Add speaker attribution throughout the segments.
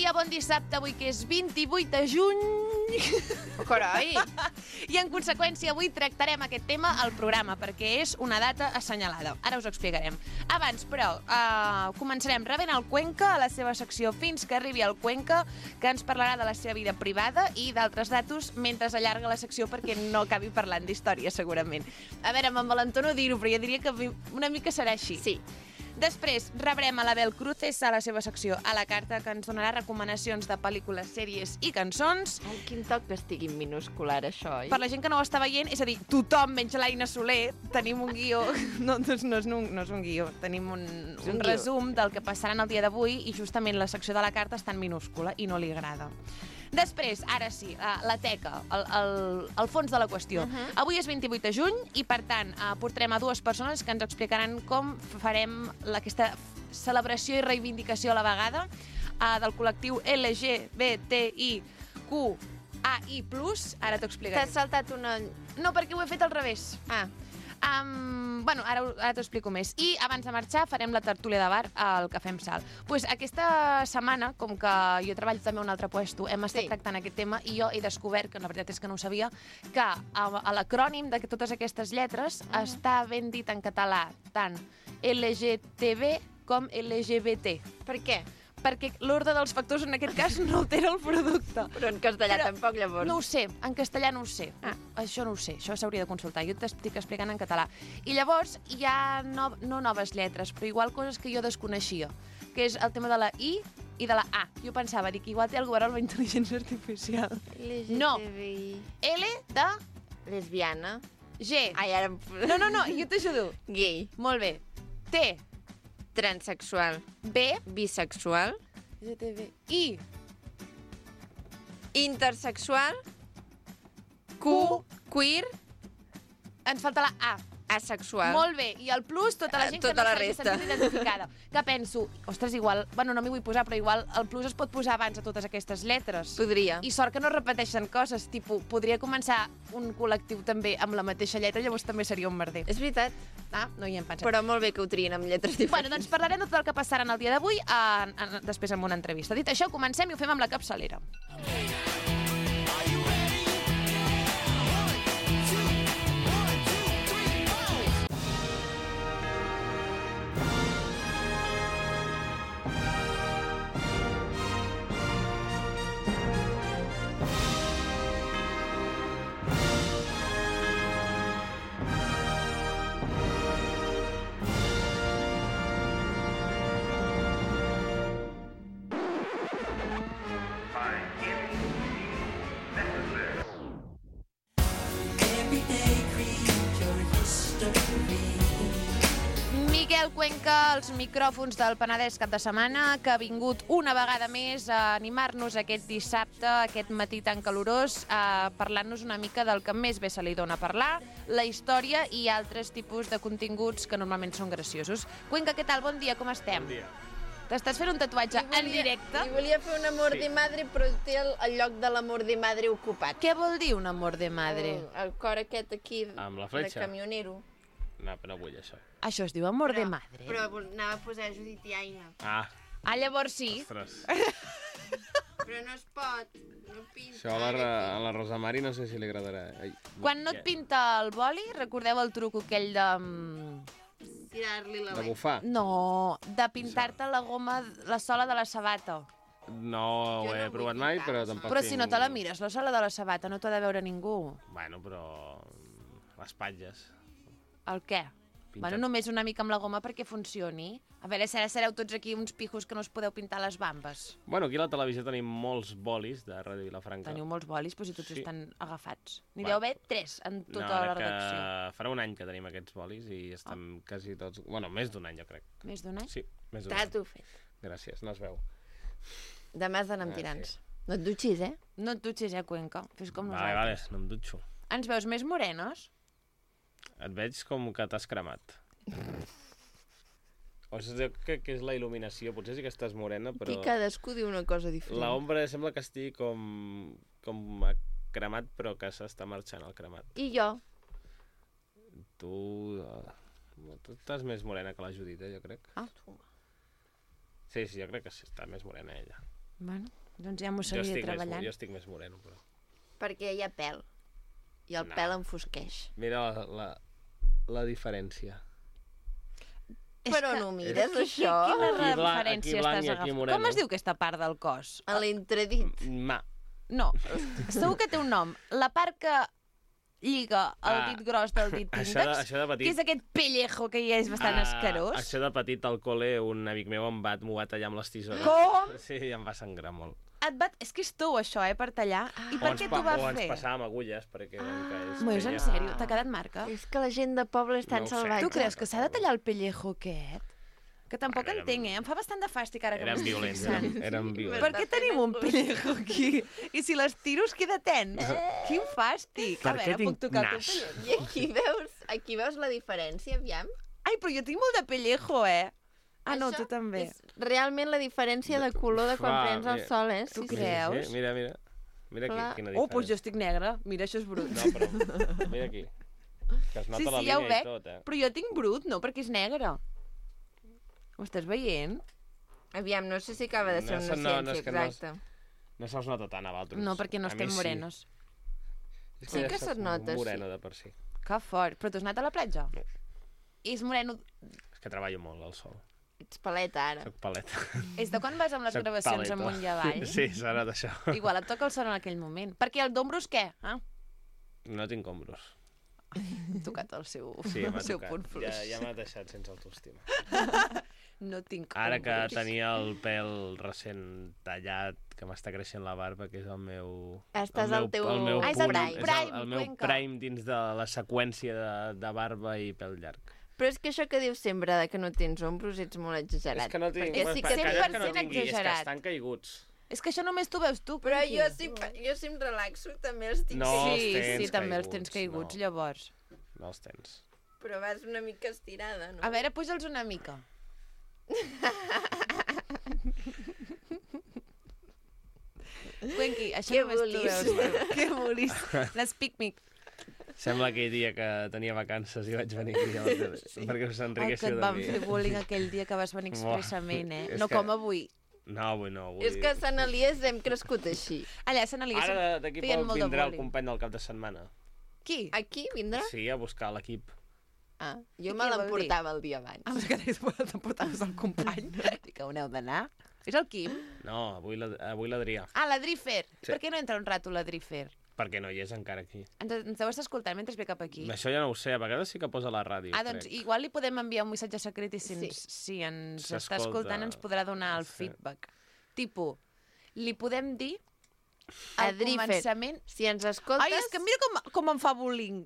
Speaker 1: dia, bon dissabte, avui que és 28 de juny.
Speaker 2: Oh, carai!
Speaker 1: I en conseqüència avui tractarem aquest tema al programa, perquè és una data assenyalada. Ara us ho explicarem. Abans, però, començarem rebent el Cuenca a la seva secció Fins que arribi el Cuenca, que ens parlarà de la seva vida privada i d'altres datos mentre allarga la secció perquè no acabi parlant d'història, segurament. A veure, m'envalentono dir-ho, però jo diria que una mica serà així.
Speaker 2: Sí.
Speaker 1: Després rebrem a l'Abel Cruces a la seva secció A la carta, que ens donarà recomanacions de pel·lícules, sèries i cançons.
Speaker 2: Ai, quin toc que estigui en minúscular, això, oi?
Speaker 1: Per la gent que no ho està veient, és a dir, tothom, menys l'Aina Soler, tenim un guió... No és un guió, tenim un resum del que passarà el dia d'avui i justament la secció de la carta està en minúscula i no li agrada. Després, ara sí, la teca, el fons de la qüestió. Avui és 28 de juny i, per tant, portarem a dues persones que ens explicaran com farem aquesta celebració i reivindicació a la vegada del col·lectiu LGBTIQAI+. Ara t'ho explicaré.
Speaker 2: T'has saltat una...
Speaker 1: No, perquè ho he fet al revés. Bueno, ara t'ho explico més. I abans de marxar farem la tertúlia de bar al Cafè amb Sal. Pues aquesta setmana, com que jo treballo també a un altre puesto, hem estat tractant aquest tema i jo he descobert, que la veritat és que no ho sabia, que a l'acrònim de totes aquestes lletres està ben dit en català tant LGTB com LGBT.
Speaker 2: Per què?
Speaker 1: Perquè l'ordre dels factors en aquest cas no altera el producte.
Speaker 2: Però en castellà tampoc, llavors.
Speaker 1: No ho sé, en castellà no ho sé. Això no ho sé, això s'hauria de consultar. Jo t'estic explicant en català. I llavors hi ha no noves lletres, però igual coses que jo desconeixia, que és el tema de la I i de la A. Jo pensava, dic, igual té alguna cosa amb la intel·ligència artificial. No. L de...
Speaker 2: Lesbiana.
Speaker 1: G.
Speaker 2: Ai, ara...
Speaker 1: No, jo t'ajudo.
Speaker 2: Gay.
Speaker 1: Molt bé. T.
Speaker 2: Transsexual.
Speaker 1: B.
Speaker 2: Bisexual.
Speaker 1: I.
Speaker 2: Intersexual.
Speaker 1: Q.
Speaker 2: Queer.
Speaker 1: Ens falta la A.
Speaker 2: Asexual.
Speaker 1: Molt bé. I el plus, tota la gent
Speaker 2: Tota
Speaker 1: que no
Speaker 2: la
Speaker 1: s'hagi
Speaker 2: resta.
Speaker 1: sentit identificada. Que penso, ostres, igual... Bueno, no m'hi vull posar, però igual el plus es pot posar abans de totes aquestes lletres.
Speaker 2: Podria.
Speaker 1: I sort que no repeteixen coses. Tipus, podria començar un col·lectiu també amb la mateixa lletra, llavors també seria un merder.
Speaker 2: És veritat.
Speaker 1: No hi hem pensat.
Speaker 2: Però molt bé que ho trien amb lletres diferents.
Speaker 1: Bueno, doncs parlarem de tot el que passarà en el dia d'avui després amb una entrevista. Dit això, comencem i ho fem amb la capçalera. Miquel Cuenca, als micròfons del Penedès cap de setmana, que ha vingut una vegada més a animar-nos aquest dissabte, aquest matí tan calorós, parlant-nos una mica del que més bé se li dona a parlar, la història i altres tipus de continguts que normalment són graciosos. Cuenca, què tal? Bon dia, com estem?
Speaker 3: Bon dia.
Speaker 1: T'estàs fent un tatuatge en directe?
Speaker 2: I volia fer un amor de madre, però té el lloc de l'amor de madre ocupat.
Speaker 1: Què vol dir un amor de madre?
Speaker 2: El cor aquest aquí
Speaker 3: Amb la
Speaker 2: de
Speaker 3: fletxa?
Speaker 2: camionero.
Speaker 3: No, però no vull això.
Speaker 1: Això es diu amor de madre?
Speaker 2: Però anava a posar Judit i Aina.
Speaker 1: Llavors sí.
Speaker 3: Ostres.
Speaker 2: Però no es pot. No pinta.
Speaker 3: Això a la Rosa Mari no sé si li agradarà.
Speaker 1: Quan no et pinta el boli, recordeu el truc aquell de...
Speaker 2: Tirar-li la
Speaker 3: De bufar?
Speaker 1: No, de pintar-te la goma, la sola de la sabata.
Speaker 3: No ho he provat mai, però tampoc
Speaker 1: Però si no te la mires, la sola de la sabata no t'ha de veure ningú.
Speaker 3: Bueno, però... les patlles.
Speaker 1: El què? Bueno, només una mica amb la goma perquè funcioni. A veure, sereu tots aquí uns pijos que no us podeu pintar les bambes.
Speaker 3: Bueno, aquí a la televisió tenim molts bolis de Ràdio Vilafranca.
Speaker 1: Teniu molts bolis, però si tots estan agafats. N'hi
Speaker 3: Va.
Speaker 1: deu haver 3 en tota la redacció.
Speaker 3: Farà un any que tenim aquests bolis i estem quasi tots... Bueno, més d'un any, jo crec.
Speaker 1: Més d'un any?
Speaker 3: Sí, més d'un any.
Speaker 2: T'ho fet.
Speaker 3: Gràcies, no es veu.
Speaker 2: Demà has d'anar amb tirants. No et dutxis, eh?
Speaker 1: No et dutxis, Cuenca. Fes com
Speaker 3: Vale,
Speaker 1: nosaltres.
Speaker 3: no em dutxo.
Speaker 1: Ens veus més morenos?
Speaker 3: Et veig com que t'has cremat. O sigui, que és la il·luminació. Potser sí que estàs morena, però...
Speaker 2: Aquí cadascú diu una cosa diferent.
Speaker 3: L'ombra sembla que estigui com cremat, però que s'està marxant el cremat.
Speaker 2: I jo?
Speaker 3: Tu estàs més morena que la Judit, jo crec.
Speaker 2: Ah.
Speaker 3: Sí, jo crec que sí, està més morena ella.
Speaker 1: Bueno, doncs ja m'ho seguiré treballant.
Speaker 3: Jo estic més moreno, però...
Speaker 2: Perquè hi ha pèl. I el pèl enfosqueix.
Speaker 3: Mira la diferència.
Speaker 2: Però no ho mires, això?
Speaker 1: Quina
Speaker 3: Aquí
Speaker 1: referència
Speaker 3: blanc
Speaker 1: estàs
Speaker 3: i aquí
Speaker 1: agafant?
Speaker 3: moreno.
Speaker 1: Com es diu aquesta part del cos?
Speaker 2: A l'entredit.
Speaker 1: No, segur que té un nom. La part que lliga el dit gros del dit índex,
Speaker 3: Això de petit...
Speaker 1: que és aquest pellejo que ja és bastant escarós.
Speaker 3: Això de petit al col·le, un amic meu m'ho va tallar amb les tisores.
Speaker 1: Com?
Speaker 3: Sí, em va sangrar molt.
Speaker 1: És que és tou, això, per tallar. I per què t'ho va
Speaker 3: O ens
Speaker 1: fer?
Speaker 3: passàvem agulles, perquè...
Speaker 1: És en sèrio? T'ha quedat marca?
Speaker 2: És que la gent de poble és tan
Speaker 3: No ho sé.
Speaker 2: salvatge.
Speaker 1: Tu creus que s'ha de tallar el pellejo aquest? Que tampoc entenc, Em fa bastant de fàstic ara que
Speaker 3: Eren
Speaker 1: m'estic
Speaker 3: violents,
Speaker 1: fixant.
Speaker 3: eren violents.
Speaker 1: Per què tenim un pellejo aquí? I si les tiro es queda tens? Quin fàstic.
Speaker 3: Per
Speaker 1: A
Speaker 3: què
Speaker 1: veure,
Speaker 3: tinc
Speaker 1: puc tocar el
Speaker 3: nas?
Speaker 1: teu pellejo?
Speaker 2: I aquí veus la diferència, aviam?
Speaker 1: Ai, però jo tinc molt de pellejo, Ah, no,
Speaker 2: Això
Speaker 1: tu també.
Speaker 2: És realment la diferència de color de quan
Speaker 3: Fa,
Speaker 2: prens el
Speaker 3: mira.
Speaker 2: sol,
Speaker 1: Tu
Speaker 2: Sí,
Speaker 1: creus?
Speaker 3: Sí, mira. Mira
Speaker 2: Clar.
Speaker 3: aquí, quina diferència.
Speaker 1: Doncs jo estic negra. Mira, això és brut.
Speaker 3: No, però mira aquí. Que es nota la
Speaker 1: ja ho
Speaker 3: línia
Speaker 1: veig,
Speaker 3: i tot,
Speaker 1: però jo tinc brut, no, perquè és negre. Ho estàs veient?
Speaker 2: Aviam, no sé si acaba de ser
Speaker 3: No,
Speaker 2: una
Speaker 3: no,
Speaker 2: ciència,
Speaker 3: és que no és-
Speaker 2: exacte.
Speaker 3: No se'ls nota tant a vosaltres.
Speaker 1: No, perquè no
Speaker 3: A mi
Speaker 1: estem
Speaker 3: sí.
Speaker 1: morenos.
Speaker 3: És
Speaker 2: Sí
Speaker 3: ja
Speaker 2: que
Speaker 3: saps,
Speaker 2: se't nota,
Speaker 3: moreno
Speaker 2: sí.
Speaker 3: de per si.
Speaker 1: Que fort. Però tu has anat a la platja?
Speaker 3: No.
Speaker 1: És moreno...
Speaker 3: És que treballo molt al sol.
Speaker 2: Ets paleta, ara.
Speaker 3: Soc paleta.
Speaker 1: És de quan vas amb les
Speaker 3: Soc
Speaker 1: gravacions
Speaker 3: paleta.
Speaker 1: amunt i avall?
Speaker 3: Sí, serà d'això.
Speaker 1: Igual et toca el sol en aquell moment. Perquè el d'ombros què?
Speaker 3: No tinc ombros.
Speaker 1: Ha tocat el seu,
Speaker 3: Sí, m'ha
Speaker 1: el seu
Speaker 3: tocat.
Speaker 1: punt fluix.
Speaker 3: Ja m'ha deixat sense autoestima.
Speaker 1: No tinc
Speaker 3: Ara que
Speaker 1: ombros.
Speaker 3: tenia el pèl recent tallat, que m'està creixent la barba, que és el meu...
Speaker 2: Estàs
Speaker 3: el
Speaker 2: al teu...
Speaker 3: el meu
Speaker 1: Ah, és el
Speaker 3: punt,
Speaker 1: teu prime,
Speaker 3: el meu
Speaker 1: Cuenca.
Speaker 3: prime dins de la seqüència de barba i pèl llarg.
Speaker 2: Però és que això que dius sempre de que no tens ombros ets molt exagerat.
Speaker 3: És que no tinc...
Speaker 1: Perquè
Speaker 3: Bueno,
Speaker 1: sí que
Speaker 3: calla, que no
Speaker 1: 100%
Speaker 3: tingui, és que
Speaker 1: exagerat.
Speaker 3: estan caiguts.
Speaker 1: És que això només tu veus tu.
Speaker 2: Però
Speaker 1: Quinqui.
Speaker 2: jo si em relaxo també els tinc.
Speaker 3: No, els
Speaker 1: Sí,
Speaker 3: tens
Speaker 1: sí, també els tens
Speaker 3: caiguts,
Speaker 1: caiguts,
Speaker 3: no.
Speaker 1: llavors.
Speaker 3: No els tens.
Speaker 2: Però vas una mica estirada, no?
Speaker 1: A veure, puja'ls una mica. Cuenqui, això
Speaker 2: Que
Speaker 1: només tu
Speaker 2: bolis.
Speaker 1: veus tu. Que bolis. Les pic-mic.
Speaker 3: Sembla aquell dia que tenia vacances i vaig venir aquí a la tele, perquè us
Speaker 1: El que
Speaker 3: enriqueixeu
Speaker 1: et
Speaker 3: de
Speaker 1: van
Speaker 3: mi.
Speaker 1: fer bullying aquell dia que vas venir expressament,
Speaker 3: És
Speaker 1: No
Speaker 3: que-
Speaker 1: com avui.
Speaker 3: No, avui no. Avui...
Speaker 2: És que a Sant Elies hem crescut així.
Speaker 1: Allà a Sant Elies
Speaker 3: Ara d'aquí
Speaker 1: feien
Speaker 3: poc
Speaker 1: molt de
Speaker 3: vindrà el
Speaker 1: bullying.
Speaker 3: company del cap de setmana.
Speaker 1: Qui?
Speaker 2: Aquí vindrà?
Speaker 3: Sí, a buscar l'equip.
Speaker 2: Ah, jo
Speaker 1: I
Speaker 2: me
Speaker 1: què vol
Speaker 2: l'emportava el dia abans.
Speaker 1: Ah, però que t'emportaves el company. Dic que on heu d'anar? És el Quim?
Speaker 3: No, avui l'Adrià.
Speaker 1: Ah, l'Adrifer.
Speaker 3: Sí.
Speaker 1: Per què no entra un rato l'Adrifer?
Speaker 3: Perquè no hi és encara aquí.
Speaker 1: Ens deu estar escoltant mentre ve cap aquí.
Speaker 3: Això ja no ho sé, a vegades sí que posa a la ràdio,
Speaker 1: Doncs
Speaker 3: crec.
Speaker 1: igual li podem enviar un missatge secret i si
Speaker 2: Sí.
Speaker 1: si ens està
Speaker 3: S'escolta.
Speaker 1: escoltant ens podrà donar el
Speaker 3: Sí.
Speaker 1: feedback. Tipo, li podem dir al
Speaker 2: Adrifer.
Speaker 1: començament...
Speaker 2: Si ens escoltes,
Speaker 1: Ai, és que mira com em fa bullying.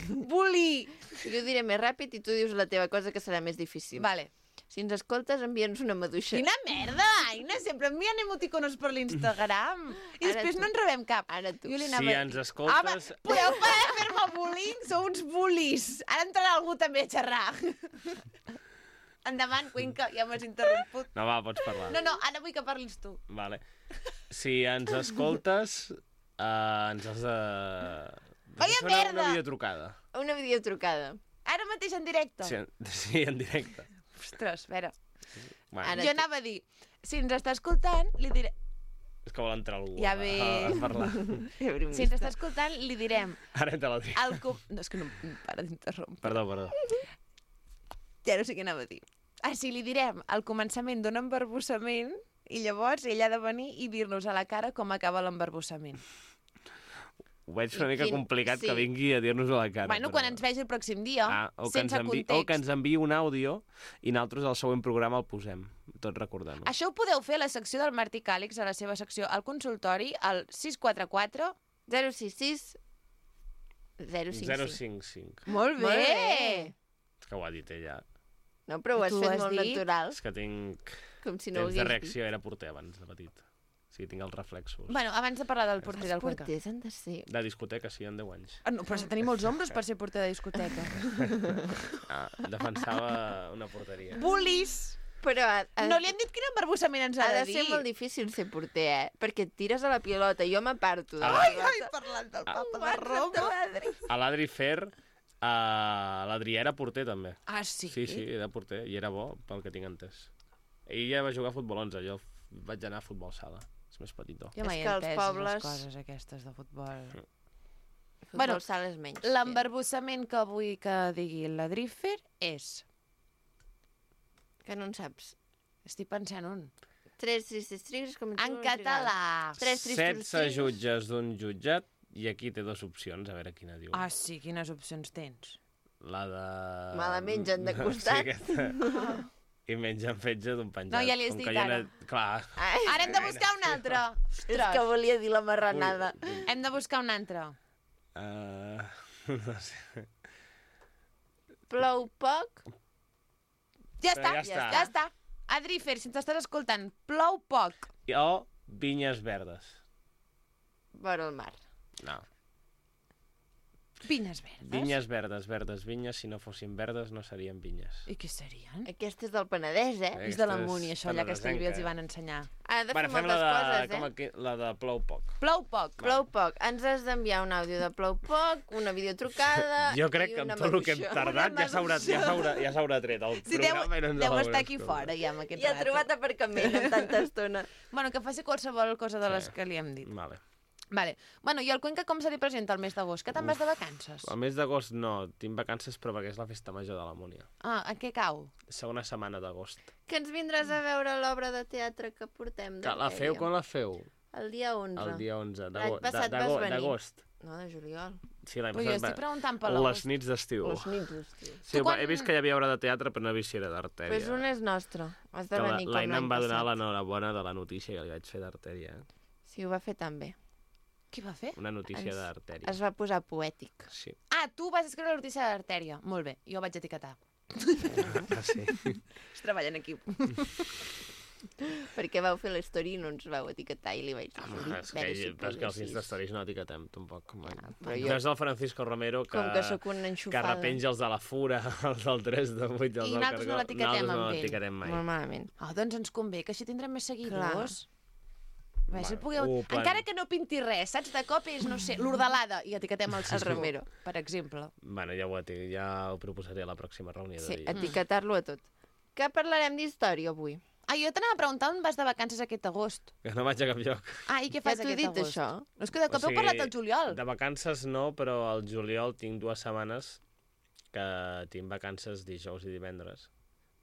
Speaker 1: Bully!
Speaker 2: jo diré més ràpid i tu dius la teva cosa que serà més difícil.
Speaker 1: Vale.
Speaker 2: Si ens escoltes, envia'ns una maduixa.
Speaker 1: Quina merda, Aina! Sempre envien emoticonos per l'Instagram. I
Speaker 2: Ara
Speaker 1: després
Speaker 2: tu.
Speaker 1: no en rebem cap.
Speaker 2: Ara tu.
Speaker 1: Jo li
Speaker 3: Si
Speaker 1: anava...
Speaker 3: ens escoltes...
Speaker 1: Podeu parar de fer-me bullying? Sou uns bullies. Ara entrarà algú també a xerrar. Endavant, Cuenca, ja m'has interromput.
Speaker 3: No, va, pots parlar.
Speaker 1: No, ara vull que parlis tu.
Speaker 3: Vale. Si ens escoltes, ens has de...
Speaker 1: Vaya
Speaker 3: fer
Speaker 1: merda!
Speaker 3: una videotrucada.
Speaker 2: Una videotrucada.
Speaker 1: Ara mateix en directe.
Speaker 3: Sí, en directe.
Speaker 1: Ostres, a veure.
Speaker 3: Bueno,
Speaker 2: Ara
Speaker 1: Jo anava a dir, si ens està escoltant, li diré...
Speaker 3: és que vol entrar algú
Speaker 1: Ja
Speaker 3: a
Speaker 1: ves.
Speaker 3: parlar.
Speaker 1: Si ens està escoltant, li direm...
Speaker 3: Ara entra l'Adrià.
Speaker 1: No, és que no para d'interrompre.
Speaker 3: Perdó.
Speaker 1: Ja no sé què anava a dir. Si li direm al començament d'un embarbussament i llavors ell ha de venir i dir-nos a la cara com acaba l'embarbussament.
Speaker 3: Ho veig una
Speaker 2: I
Speaker 3: mica
Speaker 2: quin-
Speaker 3: complicat
Speaker 2: sí.
Speaker 3: que vingui a dir-nos a la cara.
Speaker 1: Bueno, quan ens vegi el pròxim dia,
Speaker 3: o que,
Speaker 1: sense
Speaker 3: o que ens
Speaker 1: context.
Speaker 3: enviï un àudio i nosaltres al següent programa el posem, tot recordant-ho.
Speaker 1: Això ho podeu fer a la secció del Martí Càlix, a la seva secció al consultori, al 644...
Speaker 2: 066 055.
Speaker 3: 055.
Speaker 1: Molt
Speaker 2: Molt bé!
Speaker 3: És que ho ha dit ella.
Speaker 2: No, però ho has
Speaker 1: Tu
Speaker 2: fet
Speaker 1: has
Speaker 2: molt
Speaker 1: dit?
Speaker 2: natural,
Speaker 3: És que tinc
Speaker 2: com si no ho
Speaker 3: temps de
Speaker 2: hagués
Speaker 3: reacció, era porter abans de petit. O sigui, tinc els reflexos.
Speaker 1: Bueno, abans de parlar del
Speaker 2: dit.
Speaker 1: porter
Speaker 2: Els
Speaker 1: del Cuenca.
Speaker 2: porters han de ser...
Speaker 3: De discoteca, sí, en 10 anys.
Speaker 1: No, però has de tenir molts ombros per ser porter de discoteca.
Speaker 3: Defensava una porteria.
Speaker 1: Bullies!
Speaker 2: Però
Speaker 1: No li han dit quin embarbussament ens ha
Speaker 2: ha
Speaker 1: de
Speaker 2: de
Speaker 1: dir.
Speaker 2: ser molt difícil ser porter, Perquè et tires a la pilota, jo m'aparto de la
Speaker 3: Ai,
Speaker 2: pilota.
Speaker 1: parlant del papa de Roma.
Speaker 3: A l'Adri Fer, l'Adrià era porter, també.
Speaker 1: Ah, sí?
Speaker 3: Sí, era porter, i era bo, pel que tinc entès. Ell ja va jugar a futbol 11, jo vaig anar a futbol sala. És més petitó.
Speaker 1: Jo mai
Speaker 2: És
Speaker 1: he
Speaker 2: que els
Speaker 1: entès
Speaker 2: pobles-
Speaker 1: les coses aquestes de futbol.
Speaker 2: Futbol sala és menys.
Speaker 1: L'embarbussament que vull que digui la Driffer és...
Speaker 2: Que no en saps.
Speaker 1: Estic pensant un.
Speaker 2: 3 tristos com
Speaker 1: En català.
Speaker 2: 3 tristos
Speaker 3: 16 jutges d'un jutjat i aquí té 2 opcions, a veure quina diu.
Speaker 1: Ah, sí, quines opcions tens?
Speaker 3: La de...
Speaker 2: Me la mengen de costat.
Speaker 3: Sí, aquesta. I mengen fetge d'un penjat.
Speaker 1: No, ja li has
Speaker 3: Com
Speaker 1: dit
Speaker 3: que jo
Speaker 1: ara.
Speaker 3: Clar.
Speaker 2: Ai,
Speaker 1: Ara hem de buscar un altre.
Speaker 2: és que volia dir la marranada.
Speaker 1: Hem de buscar un altre.
Speaker 3: No sé.
Speaker 2: Plou poc.
Speaker 1: Ja està,
Speaker 3: Ja està.
Speaker 1: ja està. Adrifer, si ens estàs escoltant, plou poc.
Speaker 3: O vinyes verdes.
Speaker 2: Vora el mar.
Speaker 3: No.
Speaker 1: Vinyes verdes.
Speaker 3: Vinyes verdes, verdes vinyes. Si no fossin verdes no serien vinyes.
Speaker 1: I què serien?
Speaker 2: Aquesta és del Penedès, eh?
Speaker 1: És de la Muni, això, allà que Castellví els hi van ensenyar.
Speaker 2: Ha de fer
Speaker 3: Bueno, fem
Speaker 2: moltes coses,
Speaker 3: com aquí, la de plou poc.
Speaker 1: Plou poc.
Speaker 2: Plou poc. Ens has d'enviar un àudio de plou poc, una videotrucada
Speaker 3: Jo crec
Speaker 2: i
Speaker 3: que
Speaker 2: una
Speaker 3: amb tot el que hem
Speaker 2: maduixa.
Speaker 3: tardat ja s'haurà tret el
Speaker 1: Si deu
Speaker 3: programa i no ens
Speaker 1: estar
Speaker 3: l'haurem
Speaker 1: aquí
Speaker 3: escoltat.
Speaker 1: fora, ja, amb aquest
Speaker 2: I ha
Speaker 1: rato.
Speaker 2: trobat aparcament en tanta estona.
Speaker 1: Bueno, que faci qualsevol cosa de les que li hem dit.
Speaker 3: Vale.
Speaker 1: Vale. Bueno, i el Cuenca com se li presenta el mes d'agost? Que te'n vas de vacances?
Speaker 3: El mes d'agost no, tinc vacances però perquè és la festa major de la Múnia.
Speaker 1: Ah, en què cau?
Speaker 3: Segona setmana d'agost.
Speaker 2: Que ens vindràs a veure l'obra de teatre que portem.
Speaker 3: Que la feu quan la feu?
Speaker 2: El dia 11.
Speaker 3: El dia 11
Speaker 2: L'any passat vas venir.
Speaker 3: d'agost.
Speaker 2: No, de juliol.
Speaker 3: Sí, l'any
Speaker 1: Però jo estic
Speaker 3: passat
Speaker 1: preguntant per
Speaker 3: les
Speaker 1: l'agost.
Speaker 3: nits d'estiu.
Speaker 2: Les nits d'estiu.
Speaker 3: Sí,
Speaker 1: Tu quan-
Speaker 3: he vist que hi havia obra de teatre però no he vist si era d'Artèria.
Speaker 2: Pues un és nostre. Has de
Speaker 3: Que
Speaker 2: venir com
Speaker 3: l'Aina
Speaker 2: l'any
Speaker 3: em va donar
Speaker 2: passat.
Speaker 3: l'enhorabona de la notícia que li vaig fer d'Artèria.
Speaker 2: Sí, ho va fer tan bé.
Speaker 1: Què va fer?
Speaker 3: Una notícia
Speaker 2: Ens-
Speaker 3: d'Artèria.
Speaker 2: Es va posar poètic.
Speaker 3: Sí.
Speaker 1: Ah, tu vas escriure la notícia d'artèria. Molt bé, jo vaig etiquetar.
Speaker 3: Ah, sí.
Speaker 1: Es treballa en equip.
Speaker 2: Perquè vau fer l'story i no ens vau etiquetar i li vaig dir...
Speaker 3: Home, és que els Instastories no etiquetem, tampoc.
Speaker 2: però jo-
Speaker 3: No és el Francisco Romero que,
Speaker 2: Com que sóc una
Speaker 3: que
Speaker 2: enxufada.
Speaker 3: repenja els de la Fura, els del 3 de 8 i els
Speaker 1: I
Speaker 3: del
Speaker 1: nosaltres no
Speaker 3: Cargol.
Speaker 1: l'etiquetem
Speaker 3: Nosaltres no
Speaker 1: amb ell.
Speaker 3: l'etiquetem mai.
Speaker 2: Molt malament.
Speaker 1: Oh, doncs ens convé, que així tindrem més seguidors. A veure, si
Speaker 3: Vale.
Speaker 1: pugueu...
Speaker 3: Plan.
Speaker 1: Encara que no pinti res, saps? De cop és, no sé, l'Hordelada i etiquetem el Sisu,
Speaker 2: Romero.
Speaker 1: per exemple.
Speaker 3: Bueno, ja ho proposaré a la pròxima reunió
Speaker 2: Sí,
Speaker 3: de dia.
Speaker 2: etiquetar-lo a tot. Que parlarem d'història avui?
Speaker 1: Ah, jo t'anava a preguntar on vas de vacances aquest agost.
Speaker 3: Que no vaig a cap lloc.
Speaker 1: Ah, i què
Speaker 2: Ja
Speaker 1: fas
Speaker 2: t'ho he
Speaker 1: aquest
Speaker 2: dit,
Speaker 1: agost?
Speaker 2: això.
Speaker 1: No, és que de cop heu parlat del juliol.
Speaker 3: De vacances no, però al juliol tinc 2 setmanes que tinc vacances dijous i divendres.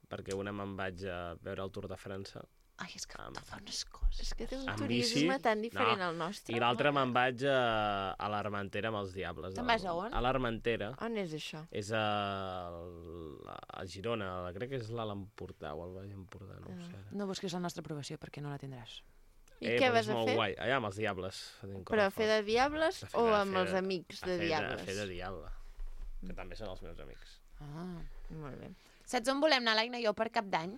Speaker 3: Perquè una me'n vaig a veure el Tour de França.
Speaker 1: Ai, és que
Speaker 3: Am-
Speaker 1: te fa unes coses.
Speaker 2: És que té un
Speaker 3: Amb
Speaker 2: turisme
Speaker 3: bici,
Speaker 2: tan diferent
Speaker 3: no.
Speaker 2: al nostre.
Speaker 3: I l'altre me'n vaig a l'Armentera amb els Diables.
Speaker 1: Te'n vas a on?
Speaker 3: A l'Armentera.
Speaker 2: On és això?
Speaker 3: És a Girona, crec que és l'Alt Empordà o el Baix Empordà, no ho sé ara.
Speaker 1: No busquis la nostra aprovació perquè no la tindràs.
Speaker 2: I què
Speaker 3: però
Speaker 2: vas
Speaker 3: és
Speaker 2: a
Speaker 3: molt
Speaker 2: fer?
Speaker 3: Guai. Allà amb els Diables.
Speaker 2: Però a fer de diables
Speaker 3: A fer
Speaker 2: o
Speaker 3: de-
Speaker 2: amb
Speaker 3: fer
Speaker 2: els
Speaker 3: de-
Speaker 2: amics de
Speaker 3: A
Speaker 2: diables?
Speaker 3: fer de diable. Que també són els meus amics.
Speaker 1: Ah.
Speaker 2: Molt bé.
Speaker 1: Saps on volem anar, l'Aina i jo, per Cap d'Any?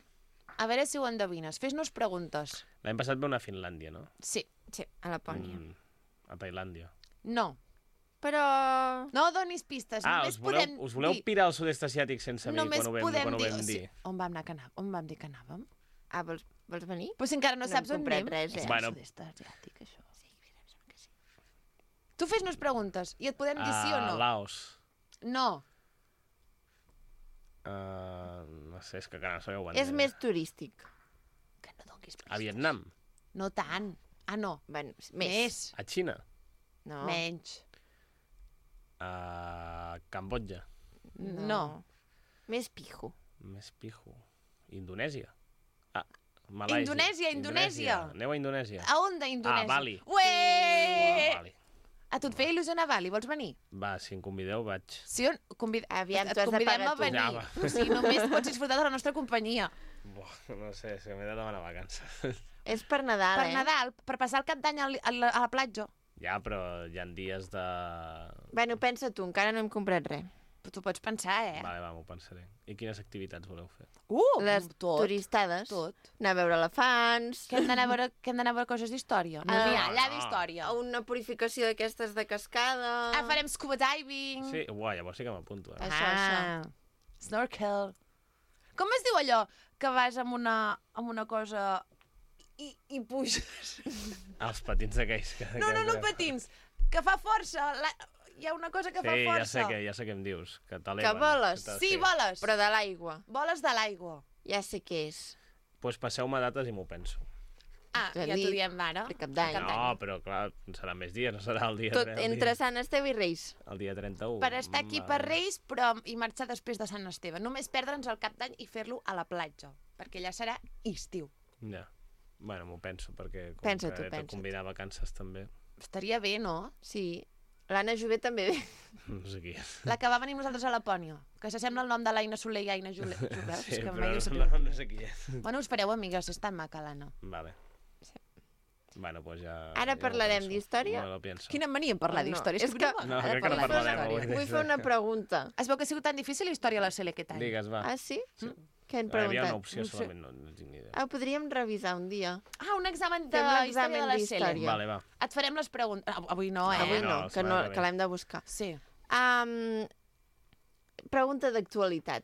Speaker 1: A veure si ho endevines. Fes-nos preguntes.
Speaker 3: L'any passat va anar a Finlàndia, no?
Speaker 1: Sí.
Speaker 2: Sí, a Lapònia.
Speaker 3: A Tailàndia.
Speaker 1: No.
Speaker 2: Però...
Speaker 1: No donis pistes. Només podem
Speaker 3: us voleu
Speaker 1: dir...
Speaker 3: pirar al sud-est asiàtic sense mi
Speaker 1: Només
Speaker 3: quan ho vam,
Speaker 1: podem
Speaker 3: quan ho
Speaker 1: dir...
Speaker 3: vam
Speaker 1: o sigui,
Speaker 3: dir?
Speaker 1: on vam anar que anàvem? On vam dir que anàvem?
Speaker 2: Ah, vols venir?
Speaker 1: Pues encara no
Speaker 2: No
Speaker 1: saps
Speaker 2: hem
Speaker 1: on
Speaker 2: comprat
Speaker 1: anem.
Speaker 2: res, eh?
Speaker 1: És
Speaker 3: Bueno.
Speaker 1: el sud-est asiàtic, això. Tu fes-nos preguntes i et podem dir sí o no.
Speaker 3: Laos.
Speaker 1: No.
Speaker 3: No sé, és que no sabeu on
Speaker 2: És més turístic.
Speaker 1: Que no donguis pistes.
Speaker 3: A Vietnam.
Speaker 1: No tant. Ah, no.
Speaker 2: Bueno,
Speaker 1: Més.
Speaker 3: A Xina.
Speaker 2: No.
Speaker 1: Menys.
Speaker 3: A Cambodja.
Speaker 1: No.
Speaker 2: Més pijo.
Speaker 3: Més pijo. Indonèsia. Ah, Malàisia.
Speaker 1: Indonèsia.
Speaker 3: Aneu a Indonèsia.
Speaker 1: A on d'Indonèsia?
Speaker 3: Bali.
Speaker 1: Ué!
Speaker 3: Bali.
Speaker 1: A tu et feia il·lusió anar a Bali, vols venir?
Speaker 3: Va, si em convideu, vaig.
Speaker 1: Sí o no?
Speaker 2: Aviam,
Speaker 1: et
Speaker 2: t'ho has de
Speaker 1: convidem
Speaker 2: pagar
Speaker 1: a
Speaker 2: tu.
Speaker 1: venir.
Speaker 3: Ja, va.
Speaker 1: O sigui, només pots disfrutar de la nostra companyia.
Speaker 3: No sé, és que m'he de demanar vacances.
Speaker 2: És per Nadal,
Speaker 1: Per Nadal, per passar el cap d'any a la platja.
Speaker 3: Ja, però hi ha dies de...
Speaker 2: Bueno, pensa tu, encara no hem comprat res.
Speaker 1: Però tu pots pensar, eh?
Speaker 3: Vale, va, m'ho pensaré. I quines activitats voleu fer?
Speaker 2: Les
Speaker 1: tot.
Speaker 2: turistades.
Speaker 1: Tot.
Speaker 2: Anar a veure elefants.
Speaker 1: Que hem d'anar a veure coses d'història. No,
Speaker 2: Ah,
Speaker 1: mira, allà
Speaker 3: no.
Speaker 1: d'història.
Speaker 2: A una purificació d'aquestes de cascada.
Speaker 1: Ah, farem scuba diving.
Speaker 3: Sí, uai, llavors sí que m'apunto, eh?
Speaker 2: Això.
Speaker 1: Snorkel. Com es diu allò que vas amb una cosa i puges?
Speaker 3: Els patins aquells que...
Speaker 1: No, patins. Que fa força. Hi ha una cosa que fa
Speaker 3: Sí,
Speaker 1: força.
Speaker 3: ja sé què em dius. Que t'eleven.
Speaker 2: Que voles.
Speaker 1: Sí, voles.
Speaker 2: Però de l'aigua.
Speaker 1: Voles de l'aigua.
Speaker 2: Ja sé què és.
Speaker 3: Doncs passeu-me dates i m'ho penso.
Speaker 1: Ah,
Speaker 2: Ja
Speaker 1: ja t'ho
Speaker 2: dic,
Speaker 1: diem ara.
Speaker 2: per Cap d'Any.
Speaker 3: No, però clar, serà més dies, no serà el dia...
Speaker 2: Tot entre Sant Esteve i Reis.
Speaker 3: El dia 31.
Speaker 1: Per estar aquí per Reis, però i marxar després de Sant Esteve. Només perdre'ns el Cap d'Any i fer-lo a la platja, perquè allà serà estiu.
Speaker 3: Ja. Bueno, m'ho penso, perquè com
Speaker 2: Pensa-t'ho,
Speaker 3: que he de
Speaker 2: pensa-t'ho.
Speaker 3: combinar vacances també.
Speaker 1: Estaria bé, no?
Speaker 2: Sí. L'Anna Jové també ve.
Speaker 3: No sé qui és.
Speaker 1: La que va venir amb nosaltres a Lapònia, que s'assembla al nom de l'Aina Soler i Aina Jové.
Speaker 3: Sí,
Speaker 1: És que
Speaker 3: però
Speaker 1: mai ho
Speaker 3: no,
Speaker 1: sabia.
Speaker 3: no sé qui és.
Speaker 1: Bueno, us fareu amigues, és tan maca l'Anna.
Speaker 3: Vale. Bueno, pues ja...
Speaker 2: Ara
Speaker 3: ja
Speaker 2: parlarem
Speaker 3: ho penso.
Speaker 2: d'història?
Speaker 3: No lo pienso.
Speaker 1: Quina mania en parlar
Speaker 2: No,
Speaker 1: d'història.
Speaker 2: és que-
Speaker 3: No, crec que no parlarem avui.
Speaker 2: Vull fer una pregunta.
Speaker 1: Es veu que ha sigut tan difícil la història a la Sele aquest any.
Speaker 3: Digues, va.
Speaker 2: Ah, sí? Què han
Speaker 3: Hi havia una
Speaker 2: preguntat?
Speaker 3: opció
Speaker 1: No sé.
Speaker 3: solament, no tinc ni idea.
Speaker 2: Ah, ho podríem revisar un dia.
Speaker 1: Ah, un examen de
Speaker 2: Fem
Speaker 1: història
Speaker 2: l'examen
Speaker 1: de la
Speaker 2: d'història.
Speaker 1: Sele.
Speaker 3: Vale, va.
Speaker 1: Et farem les preguntes. Avui no, eh?
Speaker 2: Avui
Speaker 3: no,
Speaker 2: no,
Speaker 3: la
Speaker 2: que,
Speaker 3: setmana que ve.
Speaker 2: que l'hem de buscar.
Speaker 1: Sí.
Speaker 2: Pregunta d'actualitat.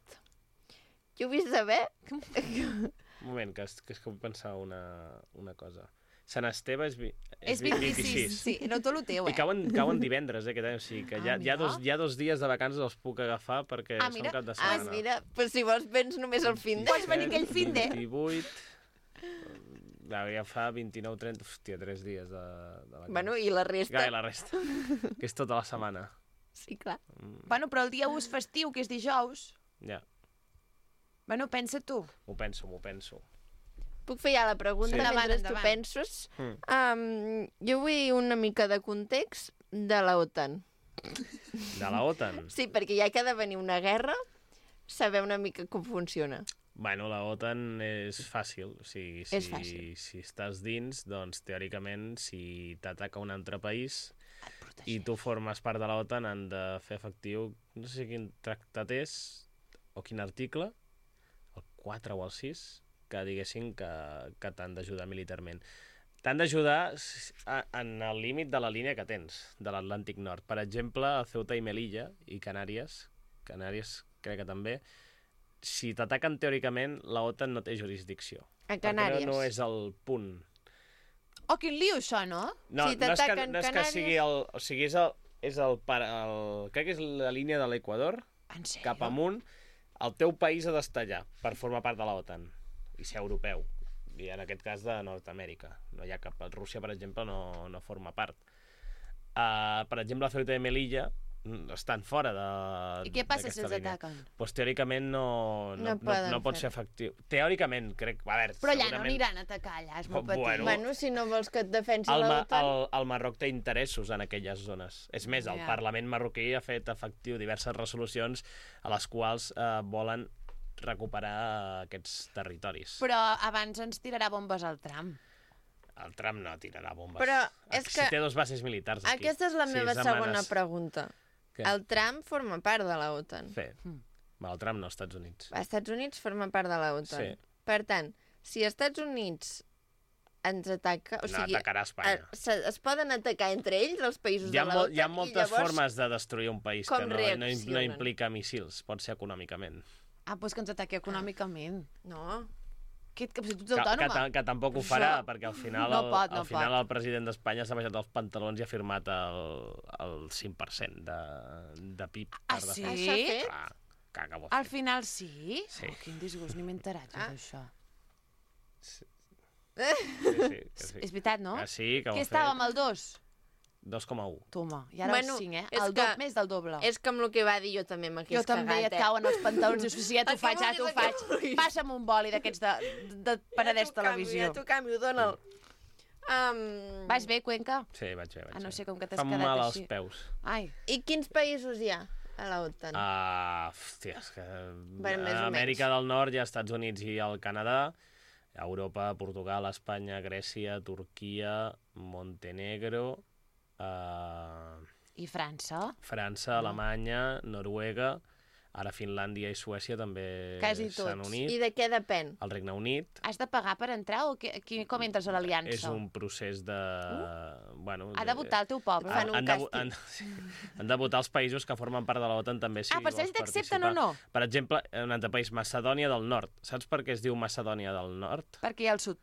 Speaker 2: Jo vull saber...
Speaker 3: Un moment, que vull pensar una cosa. Sant Esteve
Speaker 1: És 26. Sí, no tot el teu,
Speaker 3: I cauen divendres, aquest any. O sigui que
Speaker 1: Ah,
Speaker 3: hi ha dos dies de vacances els puc agafar perquè
Speaker 1: Ah,
Speaker 3: són
Speaker 1: mira.
Speaker 3: cap de
Speaker 2: Ah,
Speaker 3: setmana.
Speaker 2: mira, però si vols vens només al fin de...
Speaker 1: Pots venir aquell fin de...
Speaker 3: 28... Ja fa 29, 30... Hòstia, 3 dies de vacances.
Speaker 2: Bueno, i la resta...
Speaker 3: Ja, i la resta. Que és tota la setmana.
Speaker 2: Sí, clar.
Speaker 1: Bueno, però el dia 1 és festiu, que és dijous.
Speaker 3: Ja,
Speaker 1: Bueno, pensa tu.
Speaker 3: m'ho penso.
Speaker 2: Puc fer ja la pregunta
Speaker 3: Sí.
Speaker 2: mentre
Speaker 1: Endavant,
Speaker 2: tu
Speaker 1: endavant.
Speaker 2: penses? Jo vull una mica de context de la OTAN.
Speaker 3: De la OTAN?
Speaker 2: Sí, perquè ja que ha de venir una guerra, saber una mica com funciona.
Speaker 3: Bueno, la OTAN és fàcil. O sigui,
Speaker 2: És fàcil.
Speaker 3: Si estàs dins, doncs, teòricament, si t'ataca un altre país i tu formes part de la OTAN, han de fer efectiu, no sé quin tractat és, o quin article, el 4 o el 6, que diguessin que t'han d'ajudar militarment. T'han d'ajudar en el límit de la línia que tens, de l'Atlàntic Nord. Per exemple, a Ceuta i Melilla i Canàries crec que també, si t'ataquen teòricament, la OTAN no té jurisdicció.
Speaker 2: A
Speaker 3: Perquè
Speaker 2: Canàries.
Speaker 3: no és el punt.
Speaker 1: Oh, quin lío, això, no?
Speaker 3: No,
Speaker 2: Si
Speaker 3: no és que,
Speaker 2: t'ataquen
Speaker 3: no és que
Speaker 2: Canàries-
Speaker 3: sigui el... O sigui, crec que és la línia de l'Equador,
Speaker 1: En sèrio?
Speaker 3: cap amunt, el teu país ha d'estar allà per formar part de la OTAN i ser europeu. I en aquest cas de Nord-Amèrica. No hi ha cap... Rússia, per exemple, no forma part. Per exemple, Ceuta i Melilla estan fora de...
Speaker 1: I què passa si
Speaker 3: d'aquesta
Speaker 1: els
Speaker 3: línia.
Speaker 1: ataquen?
Speaker 3: Doncs teòricament
Speaker 2: No poden
Speaker 3: pot ser
Speaker 2: fer-ho.
Speaker 3: efectiu. Teòricament, crec... A veure,
Speaker 1: Però allà no
Speaker 3: segurament...
Speaker 1: aniran a atacar, allà, és molt
Speaker 3: Bueno,
Speaker 1: petit.
Speaker 2: Bueno, si no vols que et defensi
Speaker 3: El,
Speaker 2: la
Speaker 3: Ma
Speaker 2: OTAN...
Speaker 3: el Marroc té interessos en aquelles zones. És més, el
Speaker 1: Ja.
Speaker 3: Parlament marroquí ha fet efectiu diverses resolucions a les quals volen recuperar aquests territoris.
Speaker 1: Però abans ens tirarà bombes al tram.
Speaker 3: El Trump no tirarà bombes.
Speaker 2: Però és
Speaker 3: Si
Speaker 2: que
Speaker 3: té dos bases militars aquí.
Speaker 2: Aquesta és la meva segona
Speaker 3: setmanes.
Speaker 2: pregunta.
Speaker 3: Què?
Speaker 2: El Trump forma part de la OTAN.
Speaker 3: Sí. El Trump no, als Estats Units.
Speaker 2: Els Estats Units forma part de la OTAN.
Speaker 3: Sí.
Speaker 2: Per tant, si els Estats Units ens ataca... O
Speaker 3: No,
Speaker 2: sigui,
Speaker 3: atacarà Espanya.
Speaker 2: es poden atacar entre ells, els països
Speaker 3: Hi ha,
Speaker 2: de la OTAN,
Speaker 3: hi ha moltes
Speaker 2: i llavors...
Speaker 3: formes de destruir un país
Speaker 2: com
Speaker 3: que no
Speaker 2: reaccionen?
Speaker 3: implica missils. Pot ser econòmicament.
Speaker 1: Ah, doncs que ens ataqui econòmicament.
Speaker 2: No,
Speaker 1: Que si tu ets autònoma.
Speaker 3: Que tampoc ho farà, perquè al final,
Speaker 1: No pot, no
Speaker 3: al final
Speaker 1: pot.
Speaker 3: el president d'Espanya s'ha baixat els pantalons i ha firmat el 5% de PIB.
Speaker 1: Ah,
Speaker 3: per
Speaker 1: sí?
Speaker 3: defensar.
Speaker 2: S'ha fet?
Speaker 3: Clar, que ho ha
Speaker 1: Al
Speaker 3: fet.
Speaker 1: final sí?
Speaker 3: Sí.
Speaker 1: Oh, quin disgust, ni m'he enterat d'això.
Speaker 3: Sí, que sí.
Speaker 1: És veritat, no?
Speaker 3: Que sí, que ho
Speaker 1: Que
Speaker 3: ha
Speaker 1: estàvem
Speaker 3: fet.
Speaker 1: al 2.
Speaker 3: 2,1.
Speaker 1: Toma, i ara
Speaker 2: Bueno,
Speaker 1: el 5,
Speaker 2: és
Speaker 1: El
Speaker 2: que-
Speaker 1: més del doble.
Speaker 2: és com el que va dir jo també m'hagués
Speaker 1: Jo també
Speaker 2: cagat,
Speaker 1: et cauen els pantalons i dius, sí, ja t'ho
Speaker 2: El que
Speaker 1: faig, ja t'ho
Speaker 2: vulguis, el que
Speaker 1: faig.
Speaker 2: vulguis.
Speaker 1: Passa'm un boli d'aquests de Penedès Televisió.
Speaker 2: Ja t'ho canvio, dona'l.
Speaker 1: Vas bé, Cuenca?
Speaker 3: Sí, vaig bé, vaig
Speaker 1: Ah, no
Speaker 3: bé.
Speaker 1: sé com que t'has
Speaker 3: Fa
Speaker 1: quedat
Speaker 3: mal
Speaker 1: així.
Speaker 3: als peus.
Speaker 1: Ai,
Speaker 2: I quins països hi ha a la OTAN?
Speaker 3: Hòstia, és que...
Speaker 2: Bueno, més o
Speaker 3: a Amèrica
Speaker 2: menys.
Speaker 3: del Nord hi ha Estats Units i el Canadà, a Europa, Portugal, Espanya, Grècia, Turquia, Montenegro,
Speaker 1: i França?
Speaker 3: França, Alemanya, Noruega, ara Finlàndia i Suècia també
Speaker 1: Quasi
Speaker 3: s'han
Speaker 1: tots.
Speaker 3: unit.
Speaker 2: I de què depèn?
Speaker 3: El Regne Unit
Speaker 1: Has de pagar per entrar o com entres a l'aliança?
Speaker 3: és un procés de... Bueno,
Speaker 1: Ha de votar el teu poble.
Speaker 2: Fan un
Speaker 3: han, de,
Speaker 2: càstig.
Speaker 3: sí, han de votar els països que formen part de l'OTAN també. Si
Speaker 1: Ah, per saber
Speaker 3: vols
Speaker 1: si t'accepten o
Speaker 3: participar.
Speaker 1: no.
Speaker 3: Per exemple, un altre país, Macedònia del Nord. Saps per què es diu Macedònia del Nord?
Speaker 1: Perquè hi ha el sud.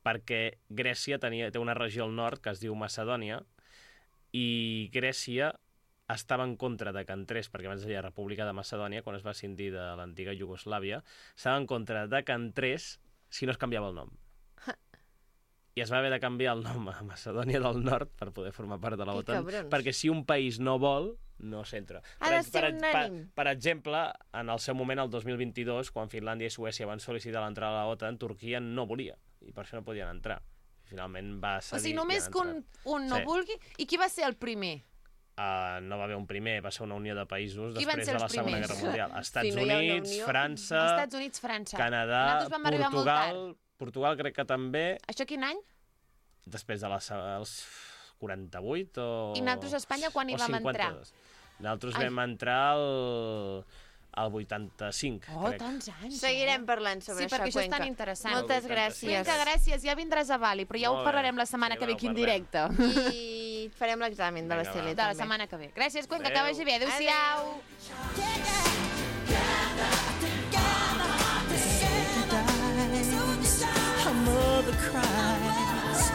Speaker 3: Perquè Grècia té una regió al nord que es diu Macedònia i Grècia estava en contra de que entrés, perquè abans es deia República de Macedònia, quan es va escindir de l'antiga Iugoslàvia, estava en contra de que entrés si no es canviava el nom. i es va haver de canviar el nom a Macedònia del Nord per poder formar part de la
Speaker 2: Que
Speaker 3: OTAN,
Speaker 2: cabrons.
Speaker 3: perquè si un país no vol, no s'entra.
Speaker 2: Ha de ser unànim.
Speaker 3: Per exemple, en el seu moment, el 2022, quan Finlàndia i Suècia van sol·licitar l'entrada a la OTAN, Turquia no volia, i per això no podien entrar. Finalment va cedir.
Speaker 1: O sigui, només que un no vulgui... I qui va ser el primer?
Speaker 3: No va haver un primer, va ser una unió de països
Speaker 1: Qui van
Speaker 3: després
Speaker 1: ser
Speaker 3: de la
Speaker 1: els
Speaker 3: Segona
Speaker 1: primers?
Speaker 3: Guerra Mundial. Estats
Speaker 2: Si no hi ha una
Speaker 3: Units,
Speaker 2: unió-
Speaker 3: França,
Speaker 1: Estats Units, França.
Speaker 3: Canadà,
Speaker 1: Nosaltres vam arribar molt tard.
Speaker 3: Portugal crec que també,
Speaker 1: Això quin any?
Speaker 3: després de els 48 o...
Speaker 1: I nosaltres a Espanya quan hi
Speaker 3: o
Speaker 1: vam
Speaker 3: 52.
Speaker 1: entrar?
Speaker 3: Nosaltres
Speaker 1: Ai.
Speaker 3: vam entrar al 85,
Speaker 1: Oh,
Speaker 3: crec.
Speaker 1: tants anys.
Speaker 2: Seguirem parlant sobre
Speaker 1: Sí, perquè això és
Speaker 2: Cuenca.
Speaker 1: tan interessant.
Speaker 2: Moltes
Speaker 3: El
Speaker 2: gràcies.
Speaker 1: Vinga, gràcies. Ja vindràs a Bali, però ja
Speaker 3: Molt
Speaker 1: ho
Speaker 3: bé.
Speaker 1: parlarem la setmana
Speaker 3: Sí,
Speaker 1: que ve
Speaker 3: va,
Speaker 1: aquí en
Speaker 3: ho parlem.
Speaker 1: directe.
Speaker 2: I farem l'examen de la
Speaker 3: Vinga, va.
Speaker 2: CL
Speaker 1: De la
Speaker 2: també.
Speaker 1: setmana que ve. Gràcies, Cuenca, que
Speaker 3: Adéu.
Speaker 1: vagi bé. Adéu-siau.
Speaker 4: Her mother cries.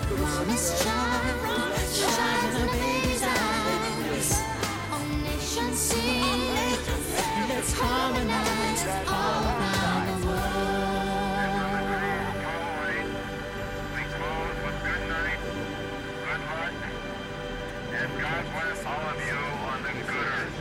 Speaker 4: Promise child, shine in her baby's eyes. All nations sing. Let's harmonize all around the world.
Speaker 5: Please close with good night, good luck, and God bless all of you on the good earth.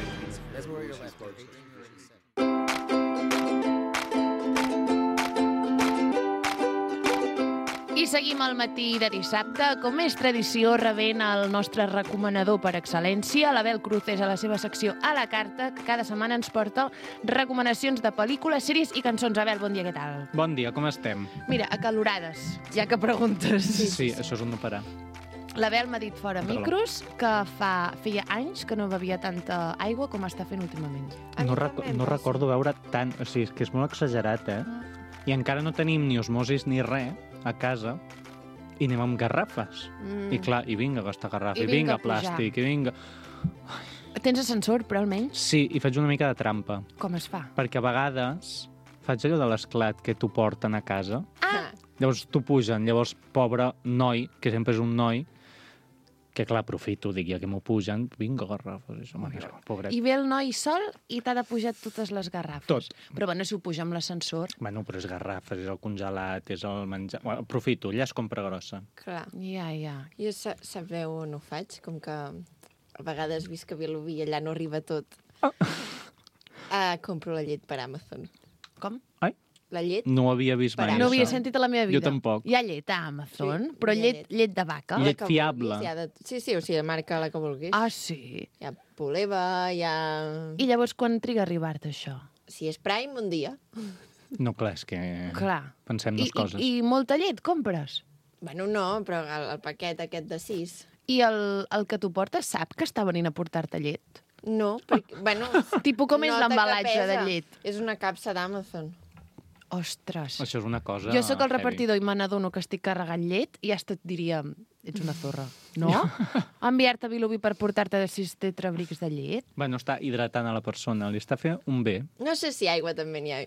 Speaker 1: I seguim al matí de dissabte. Com és tradició, rebent el nostre recomanador per excel·lència, l'Abel Cruces, a la seva secció A la Carta, que cada setmana ens porta recomanacions de pel·lícules, sèries i cançons. Abel, bon dia, què tal?
Speaker 6: Bon dia, com estem?
Speaker 1: Mira, acalorades, ja que preguntes.
Speaker 6: Sí, això és un no parar.
Speaker 1: L'Abel m'ha dit fora
Speaker 6: Perdó.
Speaker 1: micros que feia anys que no bevia tanta aigua com està fent últimament.
Speaker 2: A mi
Speaker 6: No,
Speaker 2: també em
Speaker 6: no
Speaker 2: passa.
Speaker 6: recordo veure tant... O sigui, és que és molt exagerat, eh? I encara no tenim ni osmosis ni res a casa i anem amb garrafes. I clar, i vinga gastar garrafa,
Speaker 1: I
Speaker 6: i
Speaker 1: vinga
Speaker 6: vinga
Speaker 1: a pujar.
Speaker 6: plàstic, i vinga...
Speaker 1: Tens ascensor, però almenys
Speaker 6: Sí, i faig una mica de trampa,
Speaker 1: com es fa?
Speaker 6: perquè a vegades faig allò de l'esclat que t'ho porten a casa,
Speaker 2: Ah,
Speaker 6: llavors t'ho pugen, llavors pobre noi, que sempre és un noi, que clar, aprofito, dic, ja que m'ho pugen, vinga, garrafes, això, pobret.
Speaker 1: I ve el noi sol i t'ha de pujar totes les garrafes.
Speaker 6: Tot.
Speaker 1: Però bueno, si ho puja amb l'ascensor...
Speaker 6: Bueno, però és garrafes, és el congelat, és el menjar... Bueno, aprofito, ja és compra grossa.
Speaker 2: clar.
Speaker 1: Ja.
Speaker 2: Jo sabeu on ho faig? Com que a vegades visc a Vilobí i allà no arriba tot. Compro la llet per Amazon.
Speaker 1: Com?
Speaker 6: Ai,
Speaker 2: La llet?
Speaker 6: no ho havia vist mai.
Speaker 2: Per
Speaker 1: No ho havia
Speaker 6: això.
Speaker 1: sentit a la meva vida.
Speaker 6: Jo tampoc.
Speaker 1: Hi ha llet a Amazon,
Speaker 2: Sí,
Speaker 1: però
Speaker 2: hi ha
Speaker 1: llet de vaca.
Speaker 6: Llet
Speaker 2: La que
Speaker 6: fiable.
Speaker 2: vulguis, hi ha de... Sí, o sigui, marca la que vulguis.
Speaker 1: Ah, sí.
Speaker 2: Hi ha poleva, hi ha...
Speaker 1: I llavors quan triga a arribar-te això?
Speaker 2: Si és Prime, un dia.
Speaker 6: No, clar, és que
Speaker 1: Clar.
Speaker 6: pensem dues coses.
Speaker 1: I molta llet compres?
Speaker 2: Bueno, no, però el paquet aquest de 6...
Speaker 1: I el que t'ho portes sap que està venint a portar-te llet?
Speaker 2: No, perquè, bueno...
Speaker 1: Tipus com és
Speaker 2: nota que
Speaker 1: l'embalatge de
Speaker 2: pesa.
Speaker 1: llet?
Speaker 2: És una capsa d'Amazon.
Speaker 1: Ostres.
Speaker 6: Això és una cosa...
Speaker 1: Jo sóc el
Speaker 6: heavy.
Speaker 1: repartidor i me n'adono que estic carregant llet i ja et diria, ets una zorra. No? Enviar-te a Vilobí per portar-te 6 tetrabrics de llet?
Speaker 6: Bueno, està hidratant a la persona, li està fent un bé,
Speaker 2: No sé si aigua també n'hi ha.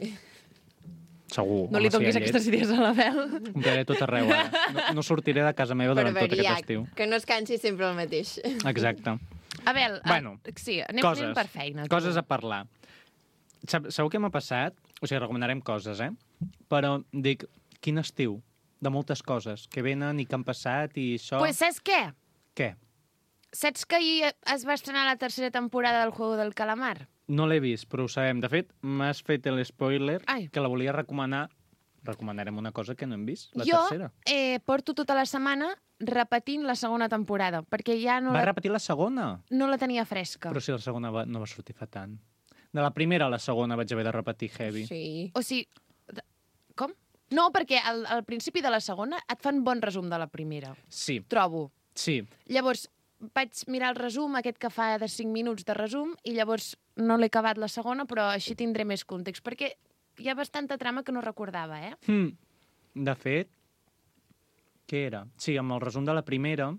Speaker 6: segur.
Speaker 1: No li
Speaker 6: Home, si hi ha
Speaker 1: donis
Speaker 6: llet,
Speaker 1: aquestes idees a l'Abel.
Speaker 6: compraré tot arreu, ara. No sortiré de casa meva
Speaker 2: Per
Speaker 6: durant tot
Speaker 2: variar,
Speaker 6: aquest estiu.
Speaker 2: que no es cansi sempre el mateix.
Speaker 6: Exacte.
Speaker 1: Abel,
Speaker 6: Bueno,
Speaker 1: sí, anem per feina.
Speaker 6: Coses a parlar. Sabeu què m'ha passat? O sigui, recomanarem coses, eh? Però dic, quin estiu? De moltes coses que venen i que han passat i això...
Speaker 1: Pues saps què?
Speaker 6: Què?
Speaker 1: Saps que ahir es va estrenar la tercera temporada del Juego del Calamar?
Speaker 6: No l'he vist, però ho sabem. De fet, m'has fet l'espoiler
Speaker 1: Ai.
Speaker 6: que la volia recomanar. Recomanarem una cosa que no hem vist, la
Speaker 1: jo
Speaker 6: tercera.
Speaker 1: Porto tota la setmana repetint la segona temporada, perquè ja no,
Speaker 6: Va repetir la segona?
Speaker 1: no la tenia fresca.
Speaker 6: Però si la segona no va sortir fa tant. De la primera a la segona vaig haver de repetir heavy.
Speaker 2: Sí.
Speaker 1: O sigui, com? No, perquè al principi de la segona et fan bon resum de la primera,
Speaker 6: Sí,
Speaker 1: trobo.
Speaker 6: sí.
Speaker 1: Llavors, vaig mirar el resum, aquest que fa de 5 minuts de resum, i llavors no l'he acabat la segona, però així tindré més context, perquè hi ha bastanta trama que no recordava, eh?
Speaker 6: De fet, què era? Sí, amb el resum de la primera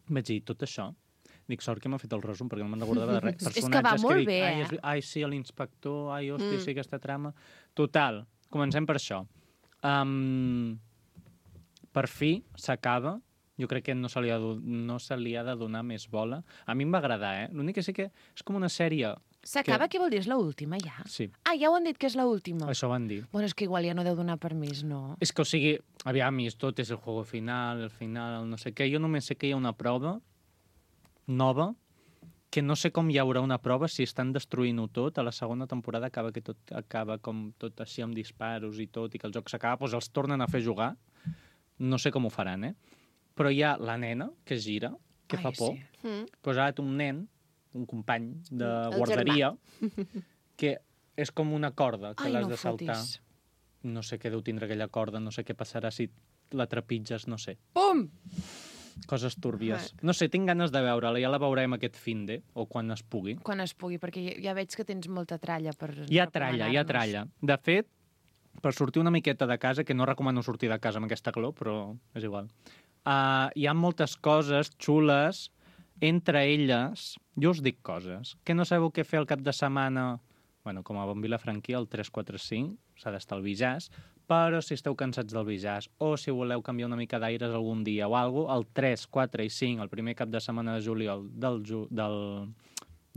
Speaker 6: vaig dir tot això. Dic, sort que m'ha fet el resum, perquè no me'n recordava de res.
Speaker 1: És que va molt bé,
Speaker 6: Ai, sí, l'inspector, ai, hòstia, sí, aquesta trama... Total, comencem per això. Per fi s'acaba. Jo crec que no se li ha de donar més bola. A mi em va agradar, eh? L'únic que sí que és com una sèrie
Speaker 1: S'acaba, què vol dir? És l'última, ja?
Speaker 6: Sí,
Speaker 1: Ah, ja ho han dit que és l'última.
Speaker 6: això van dir.
Speaker 1: Bueno, és que igual ja no deu donar permís, no?
Speaker 6: És que, o sigui, aviam, i tot és el juego final, el final, el no sé què. Jo només sé que hi ha una prova nova, que no sé com hi haurà una prova si estan destruint-ho tot. A la segona temporada acaba que tot acaba com tot així amb disparos i tot, i que el joc s'acaba, doncs els tornen a fer jugar. No sé com ho faran, Però hi ha la nena que gira, que
Speaker 1: Ai,
Speaker 6: fa por.
Speaker 1: sí.
Speaker 6: Pues ara un nen, un company de
Speaker 2: El
Speaker 6: guarderia, que és com una corda que
Speaker 1: Ai,
Speaker 6: l'has
Speaker 1: no
Speaker 6: de saltar.
Speaker 1: fotis.
Speaker 6: No sé què deu tindre aquella corda, no sé què passarà si la trepitges, no sé.
Speaker 1: Pum!
Speaker 6: Coses túrbies. No sé, tinc ganes de veure-la, ja la veurem aquest finde, o quan es pugui.
Speaker 1: Quan es pugui, perquè ja veig que tens molta tralla per
Speaker 6: Hi ha tralla, hi ha
Speaker 1: recomanar-nos.
Speaker 6: tralla. De fet, per sortir una miqueta de casa, que no recomano sortir de casa amb aquesta calor, però és igual. Hi ha moltes coses xules, entre elles, jo us dic coses, que no sabeu què fer el cap de setmana, bueno, com a bon vilafranquí, el 3-4-5, s'ha d'estar al Bijàs, però si esteu cansats del Bijàs o si voleu canviar una mica d'aires algun dia o alguna cosa, el 3, 4 i 5, el primer cap de setmana de juliol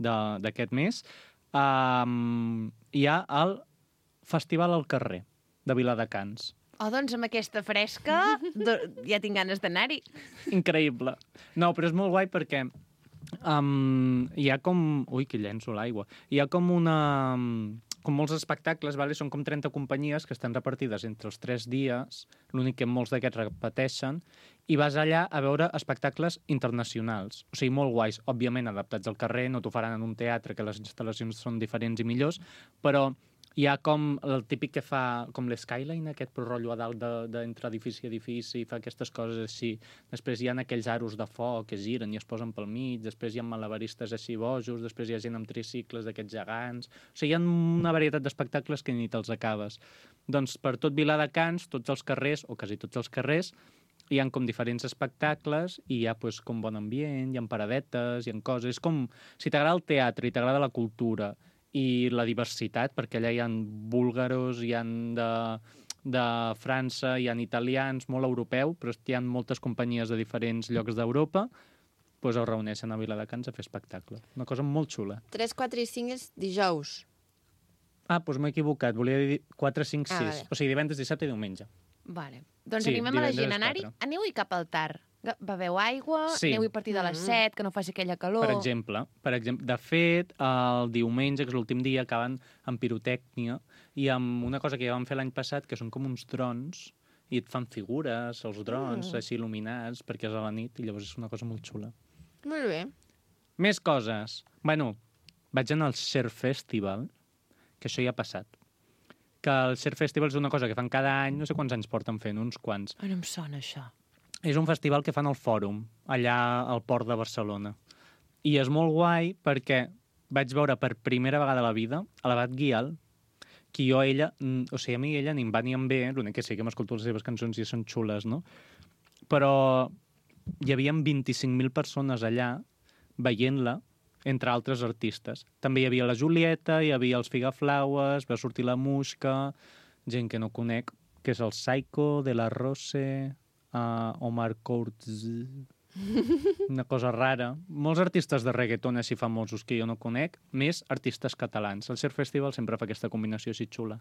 Speaker 6: d'aquest mes, hi ha el Festival al carrer de Viladecans.
Speaker 1: Oh, doncs amb aquesta fresca ja tinc ganes d'anar-hi.
Speaker 6: Increïble. No, però és molt guai perquè hi ha com... Ui, que llenço l'aigua. Hi ha com una... Com molts espectacles, vale? Són com 30 companyies que estan repartides entre els 3 dies, l'únic que molts d'aquests repeteixen, i vas allà a veure espectacles internacionals. O sigui, molt guais, òbviament adaptats al carrer, no t'ho faran en un teatre, que les instal·lacions són diferents i millors, però hi ha com el típic que fa com l'Skyline, aquest però rotllo a dalt d'entre edifici a edifici, fa aquestes coses així. Després hi ha aquells aros de foc que giren i es posen pel mig, després hi ha malabaristes així bojos, després hi ha gent amb tricicles d'aquests gegants... O sigui, hi ha una varietat d'espectacles que ni te'ls acabes. Doncs per tot Viladecans, tots els carrers, o quasi tots els carrers, hi ha com diferents espectacles i hi ha pues, com bon ambient, hi ha paradetes, hi ha coses... És com, si t'agrada el teatre i t'agrada la cultura i la diversitat, perquè allà hi ha búlgaros, hi ha de França, hi ha italians, molt europeu, però hi ha moltes companyies de diferents llocs d'Europa, doncs es reuneixen a Viladecans a fer espectacle. Una cosa molt xula.
Speaker 2: 3, 4 i 5 és dijous.
Speaker 6: Ah, doncs m'he equivocat, volia dir 4, 5, 6.
Speaker 2: vale.
Speaker 6: O sigui, divendres, dissabte i diumenge.
Speaker 1: Vale. Doncs
Speaker 6: Sí,
Speaker 1: animem a la gent
Speaker 6: divendres
Speaker 1: a anar-hi.
Speaker 6: 4.
Speaker 1: Aneu-hi cap al Tar. Beveu aigua,
Speaker 6: Sí.
Speaker 1: aneu-hi a partir de les 7, que no faci aquella calor.
Speaker 6: Per exemple. De fet, el diumenge, que és l'últim dia, acaben amb pirotècnia i amb una cosa que ja vam fer l'any passat, que són com uns drons, i et fan figures, els drons, així il·luminats, perquè és a la nit, i llavors és una cosa molt xula.
Speaker 2: Molt bé.
Speaker 6: Més coses. Bueno, vaig anar al Share Festival, que això ja ha passat. Que el Share Festival és una cosa que fan cada any, no sé quants anys porten fent, uns quants.
Speaker 1: Ai, no em sona, això.
Speaker 6: És un festival que fan al Fòrum, allà al port de Barcelona. I és molt guai perquè vaig veure per primera vegada a la vida a l'Abat Guial, que jo ella, o sigui, a mi ella ni em va ni em ve, l'únic que sí que m'escolto les seves cançons i són xules, no? Però hi havia 25.000 persones allà veient-la, entre altres artistes. També hi havia la Julieta, hi havia els Figaflaues, va sortir la Muixca, gent que no conec, que és el Psycho, de la Rose, Omar Courtz, una cosa rara. Molts artistes de reggaeton així famosos que jo no conec, més artistes catalans. El Share Festival sempre fa aquesta combinació així xula.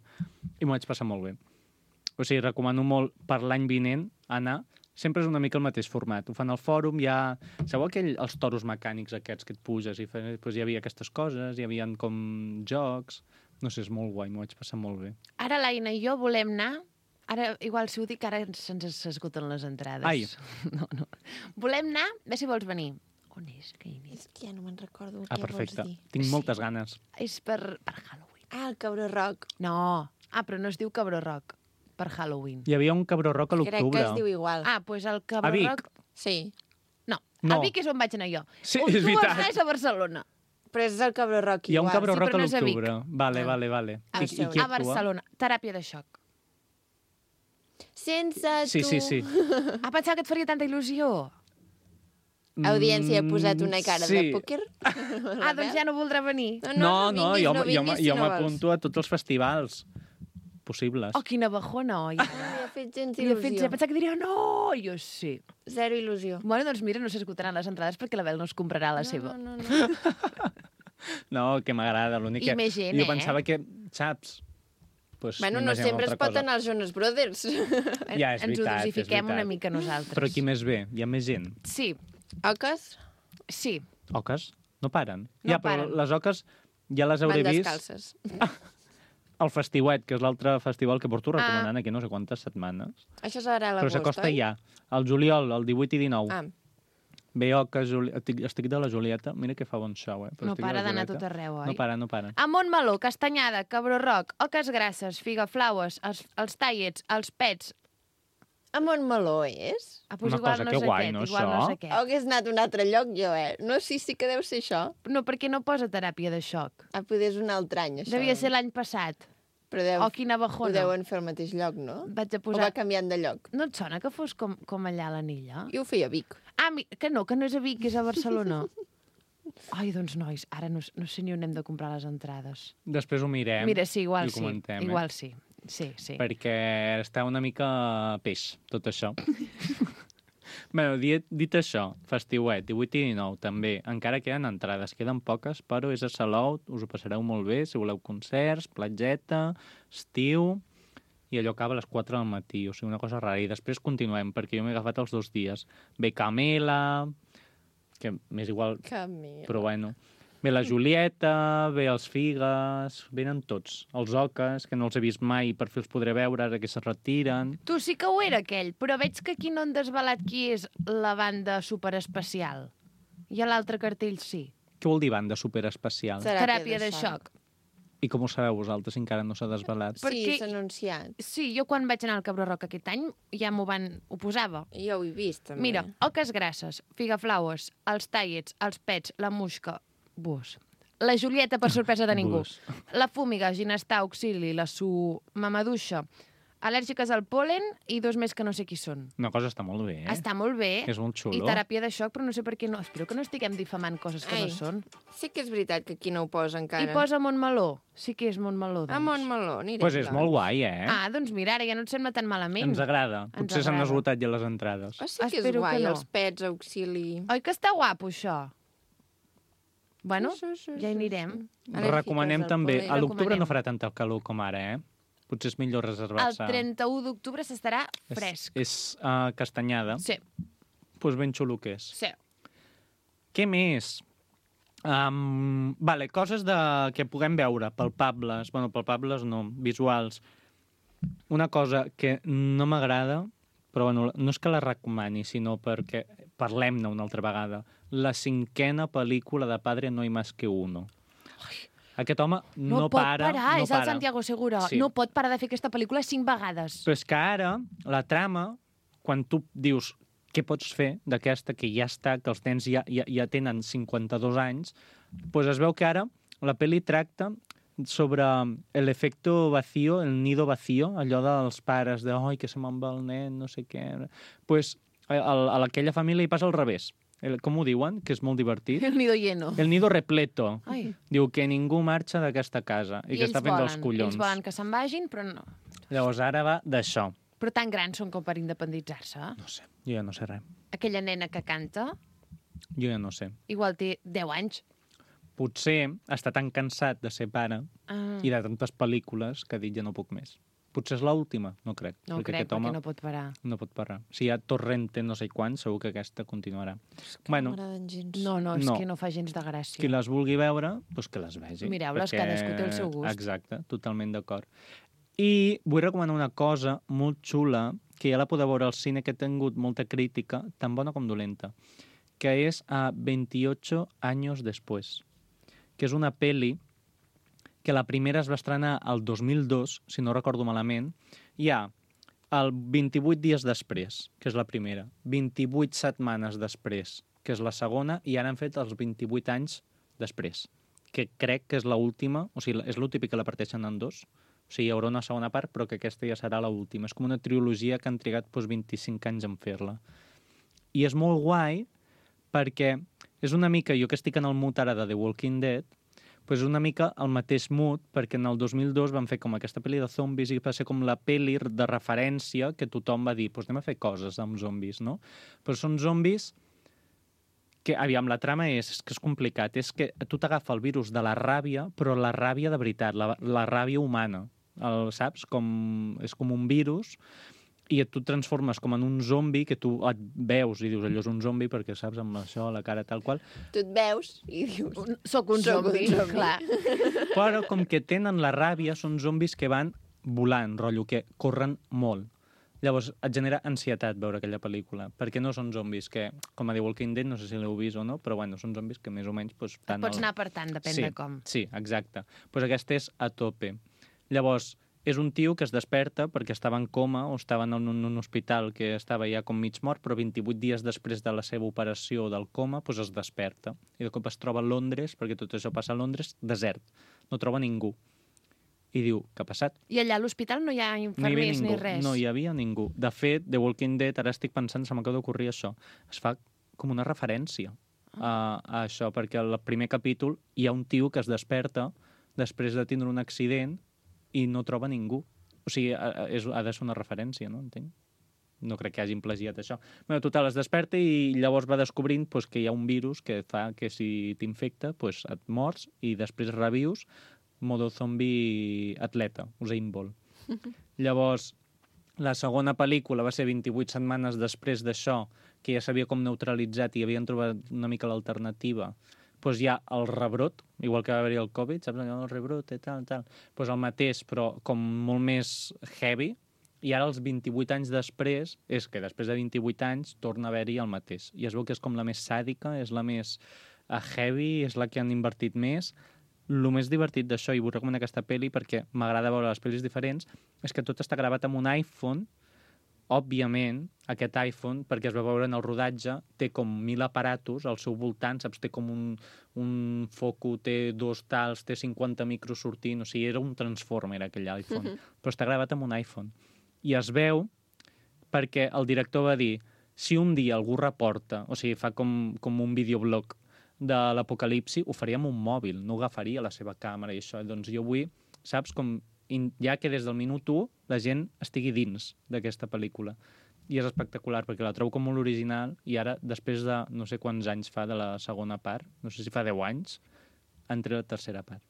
Speaker 6: I m'ho vaig passar molt bé. O sigui, recomano molt per l'any vinent anar. Sempre és una mica el mateix format. Ho fan al fòrum, hi ha... Sabeu els toros mecànics aquests que et puges? Doncs hi havia aquestes coses, hi havia com jocs... No sé, és molt guai, m'ho vaig passar molt bé.
Speaker 1: Ara l'Aina i jo volem anar. Ara, igual, si ho dic, ara se'ns s'esgoten les entrades.
Speaker 6: Ai.
Speaker 1: No. Volem anar? Ve si vols venir. On és, Caini?
Speaker 2: És que ja no me'n recordo
Speaker 6: Ah,
Speaker 2: què
Speaker 6: perfecte.
Speaker 2: vols dir.
Speaker 6: Tinc moltes ganes.
Speaker 1: És per Halloween.
Speaker 2: Ah, el Cabró Rock.
Speaker 1: No. Ah, però no es diu Cabró Rock. Per Halloween.
Speaker 6: Hi havia un Cabró Rock a
Speaker 2: Crec que
Speaker 6: l'octubre.
Speaker 2: es diu igual.
Speaker 1: Ah, doncs el
Speaker 6: A
Speaker 1: Cabró
Speaker 6: Vic.
Speaker 1: Rock...
Speaker 2: Sí.
Speaker 1: No,
Speaker 6: No.
Speaker 1: a Vic és on vaig anar jo.
Speaker 6: Sí,
Speaker 1: On
Speaker 6: és
Speaker 1: tu
Speaker 6: veritat.
Speaker 1: vas anar a Barcelona.
Speaker 2: Però és el Cabró Rock
Speaker 6: Hi ha un
Speaker 2: igual.
Speaker 6: Cabró
Speaker 1: Sí,
Speaker 6: Rock
Speaker 1: però
Speaker 6: a
Speaker 1: no és a Vic.
Speaker 6: l'octubre. Vale,
Speaker 2: Ah.
Speaker 6: vale.
Speaker 2: Ah,
Speaker 6: I
Speaker 2: sí,
Speaker 6: qui
Speaker 1: A
Speaker 6: actua?
Speaker 1: Barcelona. Teràpia de xoc.
Speaker 2: Sense
Speaker 6: Sí,
Speaker 2: tu.
Speaker 6: sí, sí.
Speaker 1: Ah, pensava que et faria tanta il·lusió.
Speaker 2: Audiència ha posat una cara de
Speaker 6: sí.
Speaker 2: pòquer.
Speaker 1: Ah, doncs ja no voldrà venir.
Speaker 6: No,
Speaker 2: vinguis,
Speaker 6: jo
Speaker 2: vinguis, si no vols.
Speaker 6: m'apunto a tots els festivals possibles.
Speaker 1: Oh, quina bajona, oi.
Speaker 2: No li ha fet gens
Speaker 1: Li he fet
Speaker 2: il·lusió.
Speaker 1: pensar que diria no, jo sí.
Speaker 2: Zero il·lusió.
Speaker 1: Bueno, doncs mira, no s'esgotaran les entrades perquè la Bel no es comprarà la seva.
Speaker 2: No.
Speaker 6: No, que m'agrada, l'únic
Speaker 1: I
Speaker 6: que...
Speaker 1: més gent,
Speaker 6: Jo pensava
Speaker 1: eh?
Speaker 6: que, saps? Pues,
Speaker 2: Bueno, no sempre es pot anar als Jonas Brothers.
Speaker 6: Ja, és
Speaker 1: Ens ho
Speaker 6: veritat, és
Speaker 1: dosifiquem una
Speaker 6: veritat.
Speaker 1: mica nosaltres.
Speaker 6: Però qui més ve? Hi ha més gent.
Speaker 1: Sí,
Speaker 2: Oques
Speaker 1: sí.
Speaker 6: Oques? No paren.
Speaker 1: No
Speaker 6: ja, però
Speaker 1: paren.
Speaker 6: les oques ja les hauré
Speaker 2: van
Speaker 6: vist
Speaker 2: descalces.
Speaker 6: al Festiuet, que és l'altre festival que porto recomanant aquí no sé quantes setmanes.
Speaker 2: Això serà a
Speaker 6: Però
Speaker 2: l'agost,
Speaker 6: s'acosta
Speaker 2: oi?
Speaker 6: ja. Al juliol, el 18 i 19.
Speaker 2: Ah,
Speaker 6: Ve Oques, estic de la Julieta. Mira que fa bon show, eh? Però
Speaker 1: No
Speaker 6: estic de la
Speaker 1: para d'anar a
Speaker 6: Julieta.
Speaker 1: tot arreu, oi?
Speaker 6: No para, no para.
Speaker 1: A Montmeló, Castanyada, Cabró Roc, Oques Grasses, Figaflaues, els Tallets, els Pets...
Speaker 2: a Montmeló és?
Speaker 1: Ah,
Speaker 6: Una cosa, que guai, no,
Speaker 1: igual no
Speaker 6: això?
Speaker 1: sé què.
Speaker 2: Hagués anat a un altre lloc, jo, eh? No, sí que deu ser això.
Speaker 1: No, perquè no posa teràpia de xoc.
Speaker 2: Ah, poder és un altre any, això.
Speaker 1: Devia ser l'any passat.
Speaker 2: Però deu,
Speaker 1: O quina
Speaker 2: ho
Speaker 1: bajona.
Speaker 2: deuen fer al mateix lloc, no?
Speaker 1: Vaig a
Speaker 2: O
Speaker 1: posar...
Speaker 2: va canviant de lloc?
Speaker 1: No et sona que fos com allà a l'Anilla?
Speaker 2: Jo ho feia a Vic.
Speaker 1: Ah, que no és a Vic, que és a Barcelona. Ai, doncs, nois, ara no sé ni on hem de comprar les entrades.
Speaker 6: Després ho mirem
Speaker 1: Mira, sí, igual
Speaker 6: i ho
Speaker 1: sí.
Speaker 6: comentem,
Speaker 1: Igual sí. Sí.
Speaker 6: perquè està una mica peix, tot això. Bé, dit això, Festiuet, 18 i 19, també. Encara queden entrades, queden poques, però és a Salou, us ho passareu molt bé, si voleu concerts, platgeta, estiu, i allò acaba a les 4 del matí, o sigui, una cosa rara. I després continuem, perquè jo m'he agafat els 2 dies. Ve Camela, que m'és igual,
Speaker 2: Camila.
Speaker 6: però bueno. Ve la Julieta, ve els Figues, venen tots. Els Oques, que no els he vist mai, per fi els podré veure ara que se retiren.
Speaker 1: Tu sí que ho era, aquell, però veig que aquí no han desvelat qui és la banda superespecial. I a l'altre cartell sí.
Speaker 6: Què vol dir banda superespecial?
Speaker 1: Teràpia de xoc.
Speaker 6: I com ho sabeu vosaltres, si encara no s'ha desvelat?
Speaker 2: Sí,
Speaker 1: Perquè-
Speaker 2: s'ha anunciat.
Speaker 1: Sí, jo quan vaig anar al Cabró Roc aquest any ja ho posava.
Speaker 2: Jo ho he vist, també.
Speaker 1: Mira, Oques Grasses, Figaflaues, els Tallets, els Pets, la Musca, Bus. La Julieta, per sorpresa de ningú.
Speaker 6: Bus.
Speaker 1: La Fúmiga, Ginestar, Auxili, la Mamaduixa, al·lèrgiques al pol·len i 2 més que no sé qui són.
Speaker 6: Una cosa està molt bé, eh?
Speaker 1: Està molt bé.
Speaker 6: És molt xulo.
Speaker 1: I teràpia de xoc, però no sé per què no... Espero que no estiguem difamant coses que
Speaker 2: Ai.
Speaker 1: no són.
Speaker 2: Sí que és veritat que aquí no ho posa encara.
Speaker 1: I posa Montmeló. Sí que és Montmeló, doncs.
Speaker 2: A Montmeló, anirem.
Speaker 6: Pues és molt guai, eh?
Speaker 1: Ah, doncs mira, ara ja no et sembla tan malament.
Speaker 6: Ens agrada.
Speaker 1: Ens
Speaker 6: Potser s'han
Speaker 1: agrada.
Speaker 6: esgotat ja les entrades.
Speaker 2: Oh, sí que és
Speaker 1: Espero
Speaker 2: guai,
Speaker 1: que no.
Speaker 2: els pets, auxili...
Speaker 1: Oi que està guapo, això? Bueno,
Speaker 2: Sí, sí,
Speaker 1: ja hi anirem.
Speaker 2: Al·lèrgiques
Speaker 6: Recomanem
Speaker 2: al
Speaker 6: també...
Speaker 2: pol·len.
Speaker 6: A l'octubre no
Speaker 1: Recomanem.
Speaker 6: farà tanta calor com ara, eh? Potser és millor
Speaker 1: El
Speaker 6: reservar-se.
Speaker 1: 31 d'octubre s'estarà fresc.
Speaker 6: És castanyada.
Speaker 1: Sí,
Speaker 6: Pues ben xulo que és.
Speaker 1: sí.
Speaker 6: Què més? Vale, coses que puguem veure, palpables. Bueno, palpables no, visuals. Una cosa que no m'agrada, però bueno, no és que la recomani, sinó perquè parlem-ne una altra vegada. La 5a pel·lícula de Padre no hay más que uno. Aquest home
Speaker 1: No, pot parar,
Speaker 6: no
Speaker 1: és el Santiago Segura.
Speaker 6: Sí.
Speaker 1: No pot parar de fer aquesta pel·lícula 5 vegades.
Speaker 6: Però és que ara, la trama, quan tu dius què pots fer d'aquesta que ja està, que els nens ja tenen 52 anys, doncs es veu que ara la pel·li tracta sobre l'efecte vacío, el nido vacío, allò dels pares de oi, que se me'n va el nen, no sé què. Doncs a aquella família hi passa al revés. Com ho diuen? Que és molt divertit.
Speaker 1: El nido lleno.
Speaker 6: El nido repleto.
Speaker 1: Ai.
Speaker 6: Diu que ningú marxa d'aquesta casa i que està fent els collons.
Speaker 1: Ells volen que se'n vagin, però no.
Speaker 6: Llavors ara va d'això.
Speaker 1: Però tan grans són com per independitzar-se.
Speaker 6: No sé, jo ja no sé res.
Speaker 1: Aquella nena que canta,
Speaker 6: Jo ja no sé.
Speaker 1: igual té 10 anys.
Speaker 6: Potser està tan cansat de ser pare
Speaker 1: Ah,
Speaker 6: i de tantes pel·lícules que ha dit ja no puc més. Potser és l'última, no crec.
Speaker 1: no
Speaker 6: perquè
Speaker 1: crec,
Speaker 6: aquest home
Speaker 1: perquè no pot parar.
Speaker 6: no pot parar. Si hi ha Torrente no sé quan, segur que aquesta continuarà. Bueno,
Speaker 2: No m'agraden gens.
Speaker 1: No, és
Speaker 6: No.
Speaker 1: que no fa gens de gràcia.
Speaker 6: qui les vulgui veure, doncs que les vegi.
Speaker 1: Mireu-les, cadascú té el seu gust.
Speaker 6: Exacte, totalment d'acord. I vull recomanar una cosa molt xula, que ja la podeu veure al cine, que ha tingut molta crítica, tan bona com dolenta, que és a 28 anys després, que és una pel·li que la primera es va estrenar el 2002, si no recordo malament. Hi ha el 28 dies després, que és la primera, 28 setmanes després, que és la segona, i ara han fet els 28 anys després, que crec que és l'última, o sigui, és el típic que la parteixen en dos, o sigui, hi haurà una segona part, però que aquesta ja serà l'última. És com una trilogia que han trigat 25 anys en fer-la. I és molt guai perquè és una mica, jo que estic en el mood ara de The Walking Dead, doncs és una mica el mateix mood, perquè en el 2002 van fer com aquesta pel·li de zombis i va ser com la pel·li de referència que tothom va dir, doncs anem a fer coses amb zombis, no? Però són zombis que, aviam, la trama és que és complicat, és que tu t'agafa el virus de la ràbia, però la ràbia de veritat, la ràbia humana, saps? És com un virus, i tu et transformes com en un zombi, que tu et veus i dius, allò és un zombi, perquè saps, amb això, la cara tal qual.
Speaker 2: Tu et veus i dius...
Speaker 1: Soc un zombi, clar.
Speaker 6: Però com que tenen la ràbia, són zombis que van volant, rotllo, que corren molt. Llavors, et genera ansietat veure aquella pel·lícula, perquè no són zombis que, com a The Walking Dead, no sé si l'heu vist o no, però bueno, són zombis que més o menys... Pues,
Speaker 1: Pots anar per tant, depèn de com.
Speaker 6: Sí, exacte. Pues aquesta és a tope. Llavors, és un tio que es desperta perquè estava en coma o estava en un hospital que estava ja com mig mort, però 28 dies després de la seva operació del coma pues es desperta. I de cop es troba a Londres, perquè tot això passa a Londres, desert. No troba ningú. I diu, què ha passat?
Speaker 1: I allà a l'hospital no hi ha infermers ni res?
Speaker 6: No hi havia ningú. De fet, The Walking Dead, ara estic pensant, se m'acaba d'ocorrir això, es fa com una referència a això, perquè al primer capítol hi ha un tio que es desperta després de tindre un accident i no troba ningú. O sigui, ha de ser una referència, no? Entenc? No crec que hagin plagiat això. Bé, total, es desperta i llavors va descobrint pues, que hi ha un virus que fa que si t'infecta pues, et mors i després revius modo zombi atleta, Usain Bolt. Llavors, la segona pel·lícula va ser 28 setmanes després d'això, que ja s'havia com neutralitzat i havien trobat una mica l'alternativa. Doncs hi ha el rebrot, igual que va haver-hi el Covid, saps? El rebrot i tal. Doncs el mateix, però com molt més heavy, i ara els 28 anys després, és que després de 28 anys torna a haver-hi el mateix. I es veu que és com la més sàdica, és la més heavy, és la que han invertit més. El més divertit d'això, i vull recomanar aquesta pel·li perquè m'agrada veure les pel·lis diferents, és que tot està gravat amb un iPhone. Òbviament, aquest iPhone, perquè es va veure en el rodatge, té com 1.000 aparatos al seu voltant, saps? Té com un foco, té 2 tals, té 50 micros sortint, o sigui, era un transformer aquell iPhone. Però està gravat amb un iPhone. I es veu perquè el director va dir, si un dia algú reporta, o sigui, fa com un videoblog de l'apocalipsi, ho faria amb un mòbil, no agafaria la seva càmera i això. Doncs jo vull, saps, com ja que des del minut 1 la gent estigui dins d'aquesta pel·lícula. I és espectacular, perquè la trobo com molt original i ara, després de no sé quants anys fa de la segona part, no sé si fa 10 anys, entre la tercera part.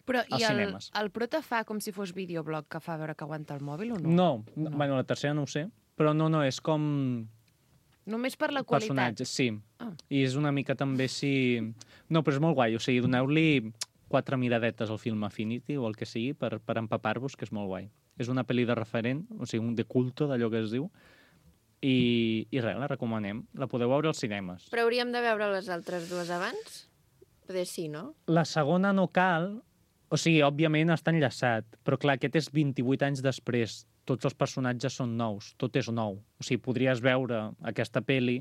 Speaker 1: Però
Speaker 6: als cinemes.
Speaker 1: El prota fa com si fos videoblog que fa veure que aguanta el mòbil o no?
Speaker 6: No. Bueno, la tercera no ho sé, però no, és com...
Speaker 1: Només per la qualitat?
Speaker 6: Personatges, sí. I és una mica també si... No, però és molt guai, o sigui, doneu-li 4 miradetes al film Affinity o el que sigui per empapar-vos, que és molt guai. És una pel·li de referent, o sigui, de culto, d'allò que es diu, i res, la recomanem. La podeu veure als cinemes.
Speaker 2: Però hauríem de veure les altres dues abans? Potser sí, no?
Speaker 6: La segona no cal, o sigui, òbviament està enllaçat, però clar, aquest és 28 anys després. Tots els personatges són nous, tot és nou. O sigui, podries veure aquesta pel·li,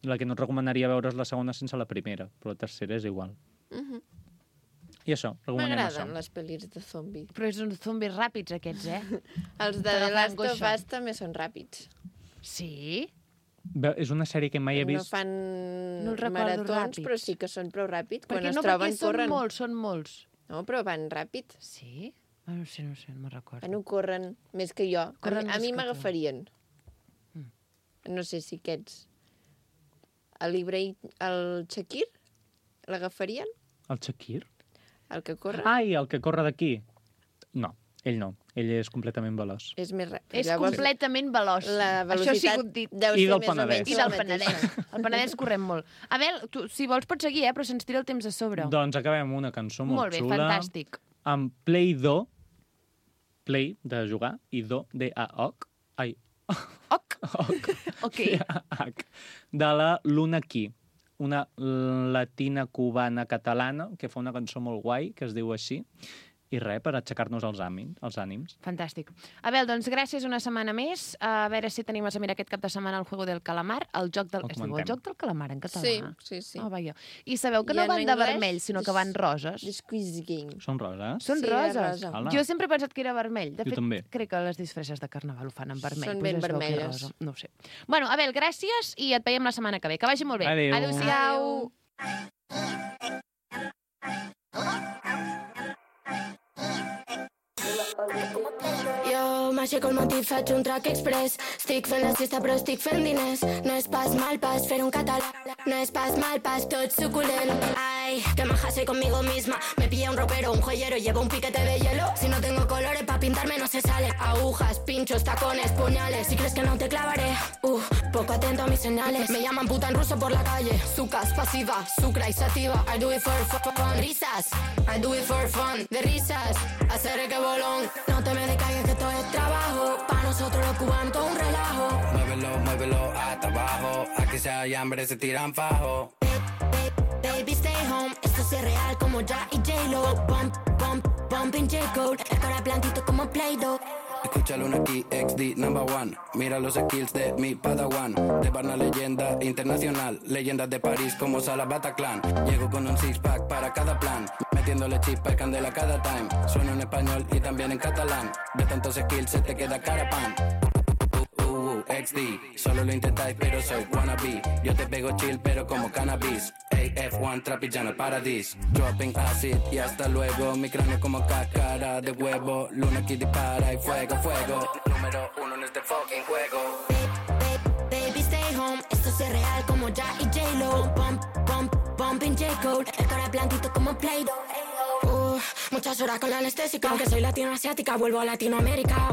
Speaker 6: la que no et recomanaria veure és la segona sense la primera, però la tercera és igual. I això, recomanem això.
Speaker 2: M'agraden les pel·lis de zombi.
Speaker 1: Però són zombis ràpids, aquests,
Speaker 2: Els de The Last of Us també són ràpids.
Speaker 1: Sí?
Speaker 6: És una sèrie que mai he vist...
Speaker 2: No fan
Speaker 1: recordo
Speaker 2: maratons,
Speaker 1: ràpids.
Speaker 2: però sí que són prou ràpids. Quan
Speaker 1: Perquè
Speaker 2: es troben, corren.
Speaker 1: Són molts.
Speaker 2: No, però van ràpid.
Speaker 1: Sí? No sé, no me'n recordo.
Speaker 2: Bueno, corren més que jo.
Speaker 1: Corren
Speaker 2: A
Speaker 1: més
Speaker 2: mi
Speaker 1: que tu.
Speaker 2: m'agafarien. No sé si aquests... El Shakir, l'agafarien?
Speaker 6: El Shakir?
Speaker 2: El que corre?
Speaker 6: Ai, el que corre d'aquí. No, ell no. Ell és completament veloç.
Speaker 2: És més ràpid.
Speaker 1: És completament veloç.
Speaker 2: La
Speaker 1: Això ha
Speaker 2: velocitat
Speaker 1: sigut dit.
Speaker 2: deu
Speaker 6: I
Speaker 2: ser
Speaker 6: del
Speaker 2: més o
Speaker 6: Penedès.
Speaker 2: menys
Speaker 1: I
Speaker 2: la
Speaker 1: del
Speaker 2: mateixa.
Speaker 1: Penedès. El Penedès correm molt. Abel, tu, si vols pots seguir, però se'ns tira el temps a sobre.
Speaker 6: Doncs acabem amb una cançó molt
Speaker 1: Molt bé,
Speaker 6: xula.
Speaker 1: fantàstic.
Speaker 6: Amb Play-Doh, Play, de jugar, i Do, D-A-O-C, ai,
Speaker 1: Ok. Ok.
Speaker 6: D-A-H, de la Luna Key, una latina cubana catalana que fa una cançó molt guai, que es diu així, i res, per aixecar-nos els ànims.
Speaker 1: Fantàstic. Abel, doncs gràcies una setmana més. A veure si tenim a mirar aquest cap de setmana el Juego del Calamar, el joc del... Es diu el joc del calamar en català?
Speaker 2: Sí.
Speaker 1: Oh, vaja. I sabeu que
Speaker 2: I
Speaker 1: no
Speaker 2: en
Speaker 1: van de
Speaker 2: anglès,
Speaker 1: vermell, sinó que van roses.
Speaker 2: The Squeeze Game.
Speaker 6: Són roses?
Speaker 1: Són
Speaker 2: Sí,
Speaker 1: roses.
Speaker 2: rosa.
Speaker 6: Ala.
Speaker 1: Jo sempre he pensat que era vermell. De
Speaker 6: Jo
Speaker 1: fet,
Speaker 6: també.
Speaker 1: crec que les disfresses de carnaval ho fan en vermell.
Speaker 2: Són
Speaker 1: Pues
Speaker 2: ben
Speaker 1: es veu que és
Speaker 2: vermelles.
Speaker 1: rosa. No ho sé. Bueno, Abel, gràcies i et veiem la setmana que ve. Que vagi molt bé.
Speaker 6: Adéu.
Speaker 1: Adéu-siau.
Speaker 7: Jo m'aixeco al matí, faig un track express. Estic fent la siesta però estic fent diners. No és pas mal pas fer un català. No es pas mal, pas tot suculent. Ay, que maja soy conmigo misma. Me pilla un ropero, un joyero, llevo un piquete de hielo. Si no tengo colores pa' pintarme no se sale. Agujas, pinchos, tacones, puñales. Si crees que no te clavaré, poco atento a mis señales. Me llaman puta en ruso por la calle. Sucas, pasiva, sucra y sativa. I do it for fun. Risas, I do it for fun. De risas, hacer que bolón. No te me decaigas que esto es trabajo. Pa' nosotros los cubanos todo un relajo.
Speaker 8: Muévelo, muévelo hasta abajo. Aquí si hay hambre se tiran fajo.
Speaker 7: Baby, stay home. Esto es real como Ya y J-Lo. Bumping J-Code. El cara plantito como Play-Doh.
Speaker 8: Escúchalo una aquí, XD #1. Mira los skills de mi padawan. De una leyenda internacional. Leyendas de París como Sala Bataclan. Llego con un six-pack para cada plan. Metiéndole chispa y candela cada time. Sueno en español y también en catalán. De tantos skills se te queda cara pan. XD, solo lo intentáis pero soy wannabe. Yo te pego chill pero como cannabis. AF1 trapillano al paradis. Dropping acid y hasta luego. Mi cráneo como cáscara de huevo. Luna que dispara y fuego, fuego. Número 1 en este fucking juego.
Speaker 7: Baby, stay home. Esto es real como Ya y J-Lo. Bumping J-Code. El cara plantito como Play-Doh. Muchas horas con la anestésica. Aunque soy latinoasiática, vuelvo a Latinoamérica.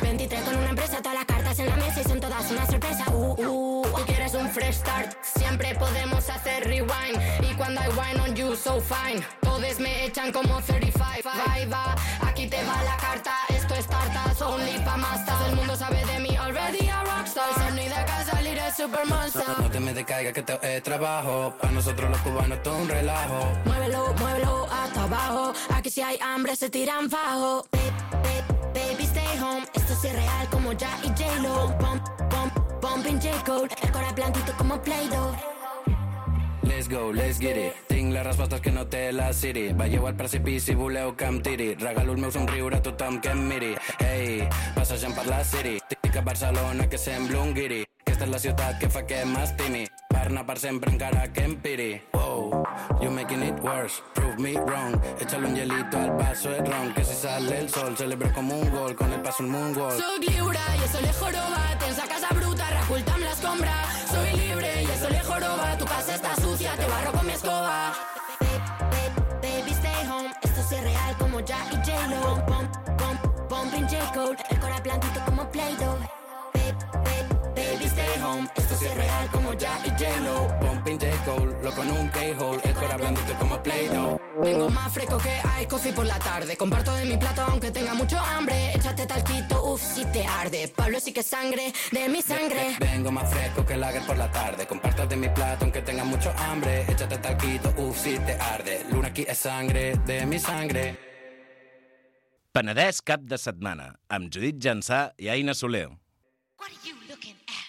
Speaker 7: 23 con una empresa, todas las cartas en la mesa y son todas una sorpresa. Tú quieres un fresh start, siempre podemos hacer rewind. Y cuando I wine on you, so fine. Todos me echan como 35. Va, aquí te va la carta. Esto es tartas, only pa' más. Todo el mundo sabe de mí, already a rockstar. Sony de casa, líder supermonster.
Speaker 8: No te me decaigas que esto es trabajo. Para nosotros los cubanos todo un relajo.
Speaker 7: Muévelo hasta abajo. Aquí si hay hambre se tiran fajo. Baby, stay home. Esto es real como Ya y J-Lo. Bumping J-Code. El cora plantito como Play-Doh.
Speaker 8: Let's go, let's get it. Tinc les respostes que no té la Siri. Veieu al precipici, voleu que em tiri. Regalo el meu somriure a tothom que em miri. Ei, passejant per la City. Tic a Barcelona que sembla un guiri. Aquesta és la ciutat que fa que m'estimi. Per anar per sempre encara que em piri. Wow, you making it worse, prove me wrong. Échale un hielito al vaso de ron. Que si sale el sol celebro como un gol. Con el paso un moonwalk.
Speaker 7: Soc lliure i eso le joroba. Tens la casa bruta, reculta amb l'escombra. Soy libre y eso le joroba. Tu casa está sucia, te barro con mi escoba. Baby, stay home. Esto es real como Ya y J-Lo. Bumping J-Code. El cora plantito como Play-Doh. Baby, stay home. Esto es real como Ya y J-Lo.
Speaker 8: Bumping J-Cole, loco en un K-hole. El cora blandito como Play-Doh.
Speaker 7: Vengo más fresco que hay coffee por la tarde. Comparto de mi plato aunque tenga mucho hambre. Échate talquito, si te arde. Pablo sí que es sangre, de mi sangre.
Speaker 8: Vengo más fresco que lager por la tarde. Comparto de mi plato aunque tenga mucho hambre. Échate talquito, si te arde. Luna aquí es sangre, de mi sangre.
Speaker 9: Penedès cap de setmana, amb Judit Jansà i Aina Soler.
Speaker 4: What are you looking at?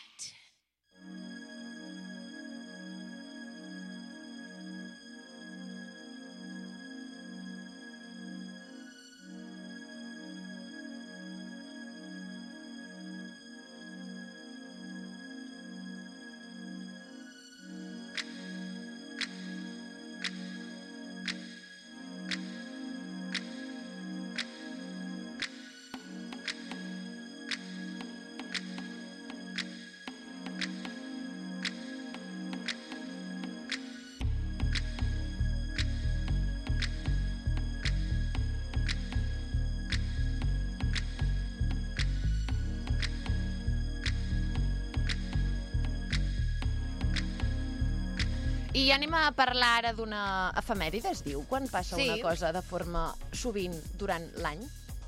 Speaker 1: I anem a parlar ara d'una efemèride, es diu, quan passa
Speaker 2: Sí.
Speaker 1: una cosa de forma sovint durant l'any?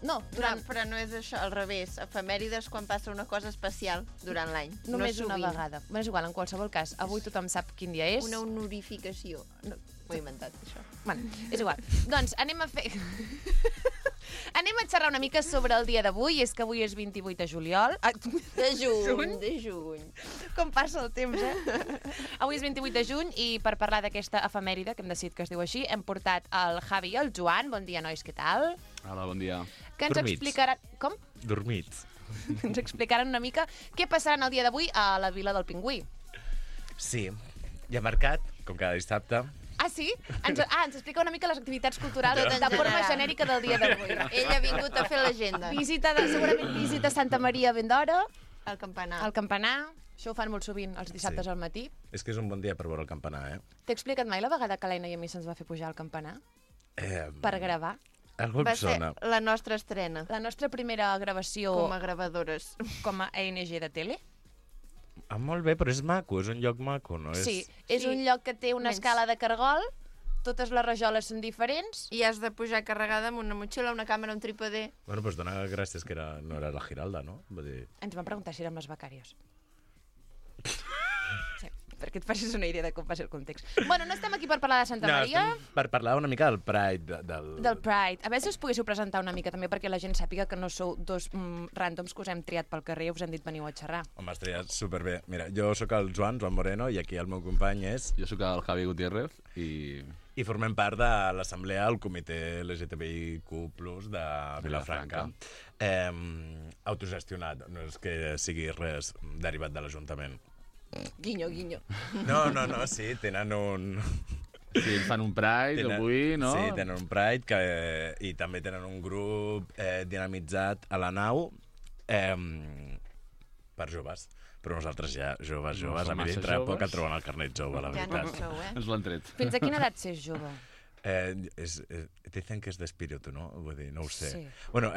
Speaker 1: No, durant...
Speaker 2: Però no és això, al revés. Efemèrides quan passa una cosa especial durant l'any.
Speaker 1: Només
Speaker 2: no
Speaker 1: una
Speaker 2: sovint.
Speaker 1: vegada. Bueno, és igual, en qualsevol cas. Avui tothom sap quin dia és.
Speaker 2: Una honorificació. No, m'ho he inventat, això.
Speaker 1: Bueno, és igual. Doncs anem a fer... anem a xerrar una mica sobre el dia d'avui. És que avui és 28 de juliol.
Speaker 2: De juny, de juny.
Speaker 1: Com passa el temps, Avui és 28 de juny i per parlar d'aquesta efemèride, que hem decidit que es diu així, hem portat el Javi i el Joan. Bon dia, nois, què tal?
Speaker 10: Hola, bon dia.
Speaker 1: Que ens explicaran... Com?
Speaker 10: Dormits.
Speaker 1: Ens explicaran una mica què passarà el dia d'avui a la Vila del Pingüí.
Speaker 10: Sí, hi ha mercat, com cada dissabte.
Speaker 1: Ah, sí? Ens explica una mica les activitats culturals
Speaker 2: Tot en
Speaker 1: de forma
Speaker 2: general.
Speaker 1: genèrica del dia d'avui.
Speaker 2: Ell ha vingut a fer l'agenda.
Speaker 1: Segurament visita a Santa Maria ben d'hora,
Speaker 2: Al campanar.
Speaker 1: al campanar, Això ho fan molt sovint, els dissabtes al matí.
Speaker 10: És que és un bon dia per veure el campanar,
Speaker 1: T'he explicat mai la vegada que l'Aina i a mi se'ns va fer pujar al campanar? Per gravar.
Speaker 10: Algú em
Speaker 2: Va ser
Speaker 10: sona.
Speaker 2: la nostra estrena.
Speaker 1: La nostra primera gravació
Speaker 2: Com a gravadores.
Speaker 1: com a ENG de tele.
Speaker 10: Molt bé, però és maco, és un lloc maco, no?
Speaker 1: Sí, és un lloc que té una escala de cargol, totes les rajoles són diferents.
Speaker 2: I has de pujar carregada amb una motxilla, una càmera, un trípode.
Speaker 10: Bueno, doncs dona gràcies que no era la Giralda, no? Vull dir...
Speaker 1: Ens van preguntar si érem les becàries. Sí, perquè et facis una idea de com va ser el context. Bueno, no estem aquí per parlar de Santa Maria.
Speaker 10: estem per parlar una mica del Pride.
Speaker 1: Del Pride. A veure si us poguéssiu presentar una mica també perquè la gent sàpiga que no sou dos ràndoms que us hem triat pel carrer i us hem dit veniu a xerrar.
Speaker 10: Home, has triat superbé. Mira, jo sóc el Joan Moreno, i aquí el meu company és...
Speaker 11: Jo sóc el Javi Gutiérrez i...
Speaker 10: I formem part de l'assemblea del comitè LGTBIQ+, de Vilafranca. Autogestionat, no és que sigui res derivat de l'Ajuntament.
Speaker 2: Guinyo, guinyo.
Speaker 10: No, sí, tenen un...
Speaker 11: Sí, ells fan un Pride avui, no?
Speaker 10: Sí, tenen un Pride i també tenen un grup dinamitzat a la nau per joves. Però nosaltres ja, joves, a mi dintre poc et troben el carnet jove, la veritat.
Speaker 2: Ja no sou,
Speaker 11: Ens l'han tret.
Speaker 1: Fins a quina edat s'és jove?
Speaker 10: Dicen que és d'espíritu, no? Vull dir, no ho sé.
Speaker 1: Sí.
Speaker 10: Bueno,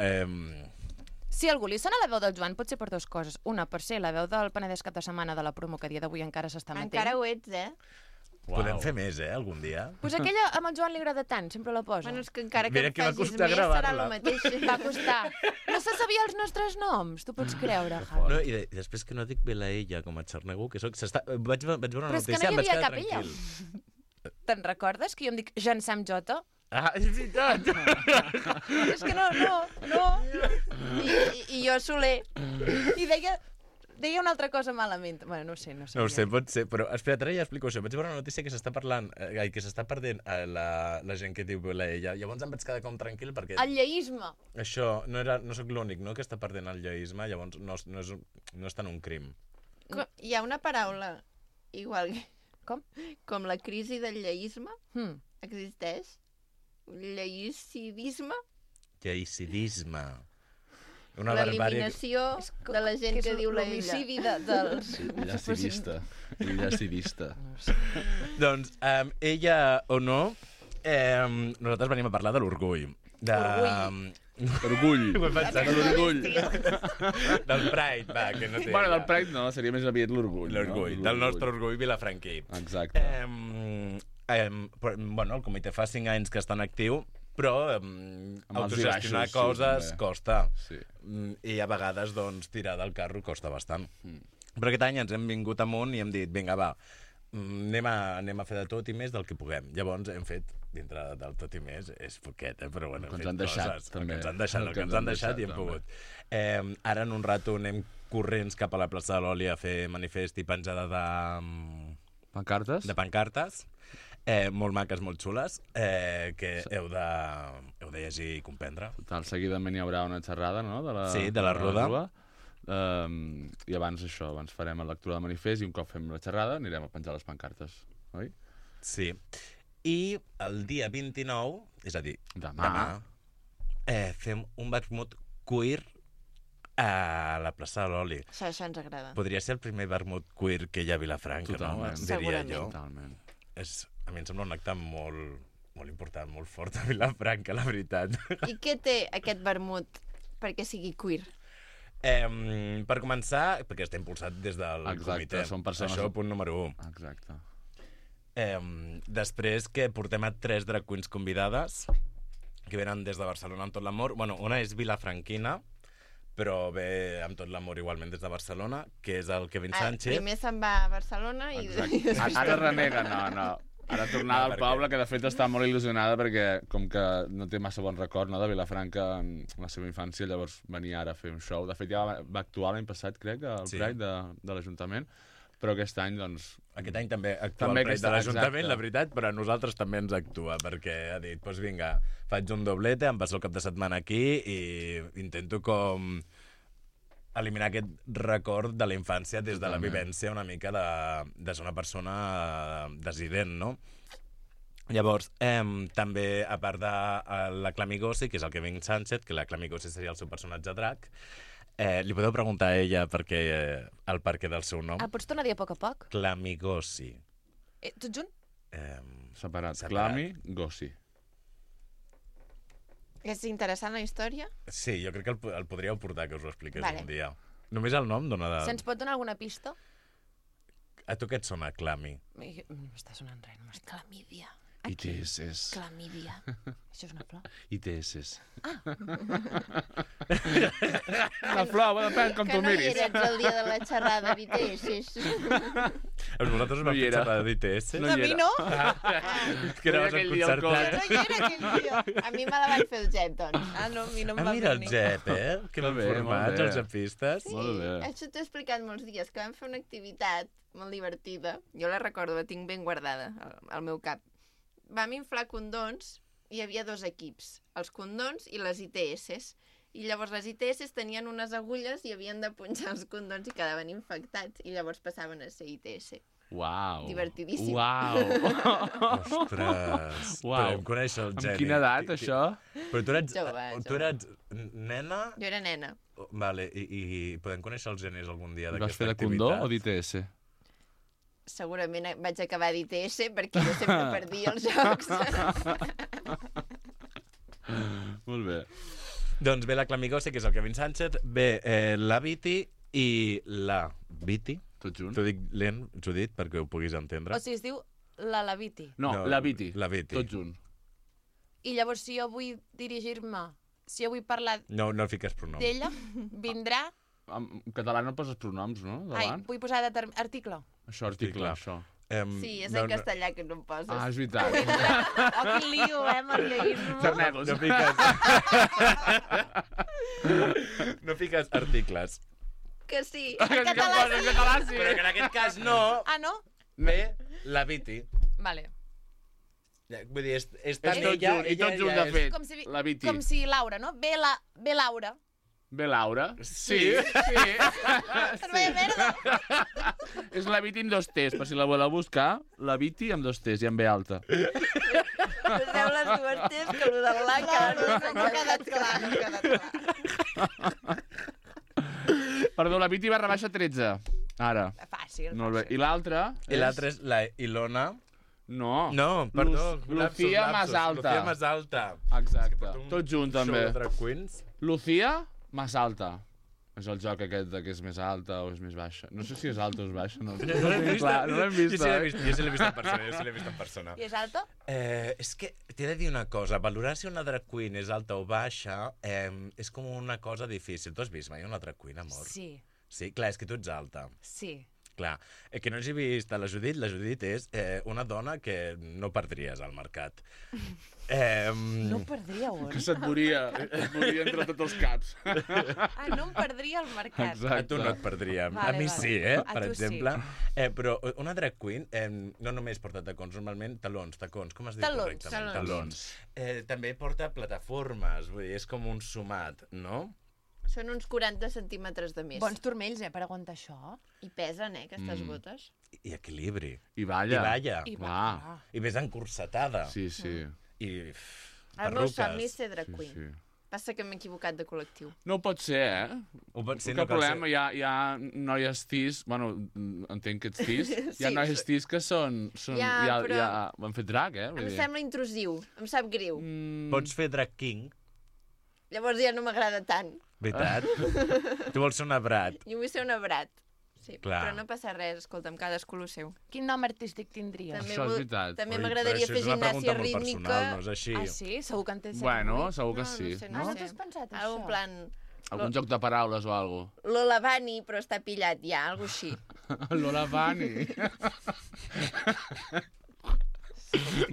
Speaker 1: Si algú li sona la veu del Joan, pot ser per dues coses. Una, per ser la veu del Penedès cap de setmana de la promo, que a dia d'avui encara s'està matent.
Speaker 2: Encara ho ets,
Speaker 10: podem fer més, algun dia?
Speaker 1: Pues aquella amb el Joan li agrada tant, sempre la posa.
Speaker 2: Bueno, és que encara
Speaker 10: Mira
Speaker 2: que
Speaker 10: que va
Speaker 2: facis
Speaker 10: costar
Speaker 2: més serà
Speaker 10: gravar-la.
Speaker 2: el mateix.
Speaker 1: Va costar. No se sabia els nostres noms, tu pots creure, Javi.
Speaker 10: No, i després que no dic Vilaella com a xarnego, que soc... Vaig veure una
Speaker 1: Però és que
Speaker 10: notícia,
Speaker 1: no hi
Speaker 10: em vaig
Speaker 1: havia
Speaker 10: quedar
Speaker 1: cap ella.
Speaker 10: tranquil.
Speaker 1: Te'n recordes que jo em dic Jean Sam Jota?
Speaker 10: Ah, és veritat!
Speaker 1: És que no.
Speaker 2: I jo Soler.
Speaker 1: I deia una altra cosa malament. Bueno, no ho sé.
Speaker 10: No ho sé, pot ser, però espera't, ara ja explico això. Vaig veure una notícia que s'està parlant, que s'està perdent la gent que diu Vilaella. Llavors em vaig quedar com tranquil perquè...
Speaker 1: El lleisme.
Speaker 10: Això, no sóc l'únic, no?, que està perdent el lleisme, llavors no és tant un crim.
Speaker 2: Hi ha una paraula igual
Speaker 1: Com?
Speaker 2: Com la crisi del lleisme. Existeix?
Speaker 10: Lleïcidisme. Una barbària...
Speaker 2: L'eliminació de la gent que diu
Speaker 1: l'homicidi dels...
Speaker 11: Llacidista.
Speaker 10: Doncs, ella o no, nosaltres venim a parlar de l'orgull.
Speaker 11: Orgull.
Speaker 10: L'orgull. Del Pride, va, que no té...
Speaker 11: Bueno, del Pride no, seria més aviat l'orgull.
Speaker 10: L'orgull, del nostre orgull vilafranquí.
Speaker 11: Exacte.
Speaker 10: Bueno, el comitè fa 5 anys que està en actiu, però autogestionar coses costa.
Speaker 11: Sí.
Speaker 10: I a vegades, doncs, tirar del carro costa bastant. Però aquest any ens hem vingut amunt i hem dit, vinga, va, anem a fer de tot i més del que puguem. Llavors hem fet, dintre del tot i més, és poquet, però bueno, hem fet coses. El que ens han deixat i hem pogut. Ara, en un rato, anem corrents cap a la plaça de l'Oli a fer manifest i penjada de...
Speaker 11: Pancartes?
Speaker 10: De pancartes. Molt maques, molt xules, que heu de llegir i comprendre.
Speaker 11: Total, seguidament hi haurà una xerrada, no?,
Speaker 10: de la Ruda.
Speaker 11: I abans farem la lectura del manifest i un cop fem la xerrada anirem a penjar les pancartes, oi?
Speaker 10: Sí. I el dia 29, és a dir,
Speaker 11: demà
Speaker 10: fem un vermut queer a la plaça de l'Oli.
Speaker 2: Això ens agrada.
Speaker 10: Podria ser el primer vermut queer que hi ha a Vilafranca,
Speaker 11: totalment.
Speaker 10: No? Diria jo.
Speaker 11: Totalment.
Speaker 10: A mi em sembla un acte molt important, molt fort a Vilafranca, la veritat.
Speaker 2: I què té aquest vermut perquè sigui queer?
Speaker 10: Per començar, perquè està impulsat des del comitè.
Speaker 11: Són persones...
Speaker 10: Això, punt número 1.
Speaker 11: Exacte.
Speaker 10: Després que portem a 3 drag queens convidades, que venen des de Barcelona amb tot l'amor. Bueno, una és vilafranquina, però ve amb tot l'amor igualment des de Barcelona, que és el Kevin Sánchez.
Speaker 2: Primer se'n va a Barcelona i...
Speaker 11: Ara renega, no. Ara tornada al poble, que de fet està molt il·lusionada perquè com que no té massa bon record, no, de Vilafranca en la seva infància, llavors venia ara a fer un show. De fet ja va actuar l'any passat, crec, al Pride de l'Ajuntament, però aquest any, doncs...
Speaker 10: Aquest any també actua el Pride de l'Ajuntament, la veritat, però a nosaltres també ens actua, perquè ha dit, doncs vinga, faig un doblete, em passo el cap de setmana aquí i intento com eliminar aquest record de la infància des de la vivència una mica de ser una persona desident, no? Llavors, també, a part de la Clamigossi, que és el Kevin Sánchez, que la Clamigossi seria el seu personatge drac, Li podeu preguntar a ella el perquè del seu nom.
Speaker 1: Pots tornar a dir a poc?
Speaker 10: Clamigossi.
Speaker 1: Tot junt?
Speaker 11: Separat. Clami, Gossi.
Speaker 2: És interessant la història?
Speaker 10: Sí, jo crec que el podríeu portar, que us ho expliqués
Speaker 1: Vale.
Speaker 10: un dia. Només el nom dona de...
Speaker 1: Se'ns pot donar alguna pista?
Speaker 10: A tu què et sona, Clami?
Speaker 1: No m'està sonant res, no m'està... Clamídia.
Speaker 11: ITS.
Speaker 1: Clamídia. Això és una flor?
Speaker 11: ITS. Una flor, depèn com tu miris.
Speaker 2: Que no hi eres el dia de la xerrada d'ITS.
Speaker 10: Vosaltres no feu xerrada d'ITS?
Speaker 2: A mi no.
Speaker 10: Que anaves al concertat.
Speaker 2: No hi era aquell dia. A mi me la van fer el Jep, doncs.
Speaker 1: No, a mi no em va
Speaker 10: mira el
Speaker 1: venir.
Speaker 10: Jep, que ben formats, els jepistes.
Speaker 2: Sí, això t'ho he explicat molts dies, que vam fer una activitat molt divertida. Jo la recordo, la tinc ben guardada al meu cap. Vam inflar condons i hi havia 2 equips, els condons i les ITS. I llavors les ITS tenien unes agulles i havien de punxar els condons i quedaven infectats. I llavors passaven a ser ITS.
Speaker 11: Uau.
Speaker 2: Divertidíssim.
Speaker 11: Uau.
Speaker 10: Ostres. Podem conèixer el geni.
Speaker 11: Amb quina edat, això?
Speaker 10: Però
Speaker 2: Jove.
Speaker 10: tu eres nena?
Speaker 2: Jo era nena.
Speaker 10: Vale, i podem conèixer els genis algun dia
Speaker 11: Vas
Speaker 10: d'aquesta
Speaker 11: fer de
Speaker 10: activitat?
Speaker 11: condó o d'ITS?
Speaker 2: Segurament vaig acabar d'ITS perquè jo sempre perdia els jocs.
Speaker 11: Molt bé.
Speaker 10: Doncs ve la Clamigossi, que és el Kevin Sánchez, ve la Viti i la Viti.
Speaker 11: Tot junt.
Speaker 10: T'ho dic lent, Judit, perquè ho puguis entendre.
Speaker 1: O sigui, es diu la Laviti.
Speaker 11: No, la Viti.
Speaker 10: La Viti.
Speaker 11: Tot junt.
Speaker 1: I llavors, si jo vull dirigir-me, si jo vull parlar
Speaker 10: No fiques pronoms.
Speaker 1: d'ella, vindrà...
Speaker 11: En català no poses pronoms, no? Davant?
Speaker 1: Vull posar article.
Speaker 11: Això, article, això.
Speaker 2: Sí, és en castellà que no em poses.
Speaker 11: Ah, és veritat.
Speaker 1: Oh, que lío, marleguisme.
Speaker 11: Tornem-nos.
Speaker 10: No fiques articles.
Speaker 2: Que sí.
Speaker 1: En català sí.
Speaker 10: Però que en aquest cas no.
Speaker 1: Ah, no?
Speaker 10: Ve la Viti.
Speaker 1: Vale.
Speaker 10: Vull dir, és
Speaker 11: És
Speaker 10: tan
Speaker 11: tot
Speaker 10: ella...
Speaker 11: junt, i tot junt de fet.
Speaker 1: Com si,
Speaker 11: La Viti.
Speaker 1: com si Laura, no? Ve Laura.
Speaker 11: Ve Laura? Sí.
Speaker 1: Vaya merda.
Speaker 11: És la Viti amb 2 T's, per si la voleu buscar, la Viti amb 2 T's i amb B alta.
Speaker 2: Poseu les 2 T's, que el de la no ha quedat clar.
Speaker 11: Perdó, la Viti barra baixa 13. Ara.
Speaker 1: Fàcil.
Speaker 11: Molt bé. I l'altra?
Speaker 10: I l'altra és la Ilona.
Speaker 11: No.
Speaker 10: No, perdó.
Speaker 11: Lucía más alta.
Speaker 10: Lucía más alta.
Speaker 11: Exacte. Tot junt, també.
Speaker 10: Show de drag queens.
Speaker 11: Lucía más alta. És el joc aquest de que és més alta o és més baixa. No sé si és alta o és baixa. No l'hem vist. No l'hem vist.
Speaker 10: Jo sí l'he vist en persona.
Speaker 1: I és alta?
Speaker 10: És que t'he de dir una cosa. Valorar si una drag queen és alta o baixa és com una cosa difícil. Tu has vist mai una drag queen, amor?
Speaker 1: Sí.
Speaker 10: Sí, clar, és que tu ets alta.
Speaker 1: Sí.
Speaker 10: Clar, que no hagi vist a la Judit és una dona que no perdries al mercat.
Speaker 1: No perdria on?
Speaker 11: Que se't moria entre tots els caps.
Speaker 1: No em perdria al mercat.
Speaker 11: Exacte.
Speaker 10: A tu no et perdria.
Speaker 1: Vale,
Speaker 10: a mi
Speaker 1: vale.
Speaker 10: sí,
Speaker 1: A
Speaker 10: per
Speaker 1: tu
Speaker 10: exemple. Sí. Però una drag queen no només porta tacons, normalment tacons, com es diu correctament?
Speaker 11: Talons.
Speaker 10: També porta plataformes, vull dir, és com un sumat, no?
Speaker 2: Són uns 40 centímetres de més.
Speaker 1: Bons turmells, per aguantar això.
Speaker 2: I pesen, aquestes botes.
Speaker 10: I equilibri.
Speaker 11: I balla.
Speaker 10: I balla. I més encursetada.
Speaker 11: Sí, sí.
Speaker 10: I
Speaker 2: El meu somni és ser drag queen.
Speaker 11: Sí.
Speaker 2: Passa que m'he equivocat de col·lectiu.
Speaker 11: No ho pot ser, eh?
Speaker 10: Ho pot ser,
Speaker 11: no problema, hi ha noies cis, bueno, entenc que ets cis, hi ha noies cis que són
Speaker 2: però...
Speaker 11: han fet drag, eh?
Speaker 2: Em sembla intrusiu, em sap greu.
Speaker 10: Pots fer drag king.
Speaker 2: Llavors ja no m'agrada tant.
Speaker 10: Veritat? Tu vols ser una brat.
Speaker 2: Jo vull ser una brat. Sí,
Speaker 10: clar.
Speaker 2: Però no passa res, escolta'm, cadascú el seu.
Speaker 1: Quin nom artístic tindries?
Speaker 11: Això és veritat.
Speaker 2: També m'agradaria fer gimnàsia rítmica.
Speaker 10: Personal, no és així.
Speaker 1: Ah, sí? Segur que en tens...
Speaker 11: Bueno, segur que sí.
Speaker 2: No
Speaker 1: no t'has pensat això?
Speaker 2: Algun plan...
Speaker 11: Algun joc de paraules o alguna cosa.
Speaker 2: Lola Bunny, però està pillat ja, algo així.
Speaker 11: Lola Bunny.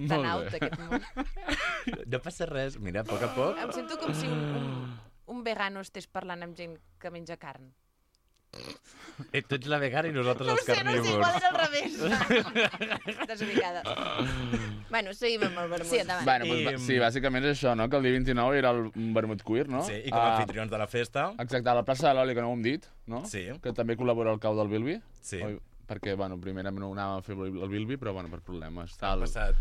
Speaker 1: Tan out, aquest món.
Speaker 10: No passa res, mira, a poc a poc.
Speaker 1: Em sento com si un vegano estés parlant amb gent que menja carn.
Speaker 10: Tu ets la vegana i nosaltres els carnívors.
Speaker 2: No sé, igual era al revés. Desubicada. Bueno, seguim amb el vermut. Sí, endavant.
Speaker 11: Bueno, sí, bàsicament és això, no? Que el dia 29 era el vermut queer, no?
Speaker 10: Sí, i com a anfitrions de la festa.
Speaker 11: Exacte, a la plaça de l'Oli, que no ho hem dit, no?
Speaker 10: Sí.
Speaker 11: Que també col·labora el cau del Bilbi.
Speaker 10: Sí.
Speaker 11: perquè, bueno, primer anàvem a fer el Bilby, però, bueno, per problemes.
Speaker 10: Han passat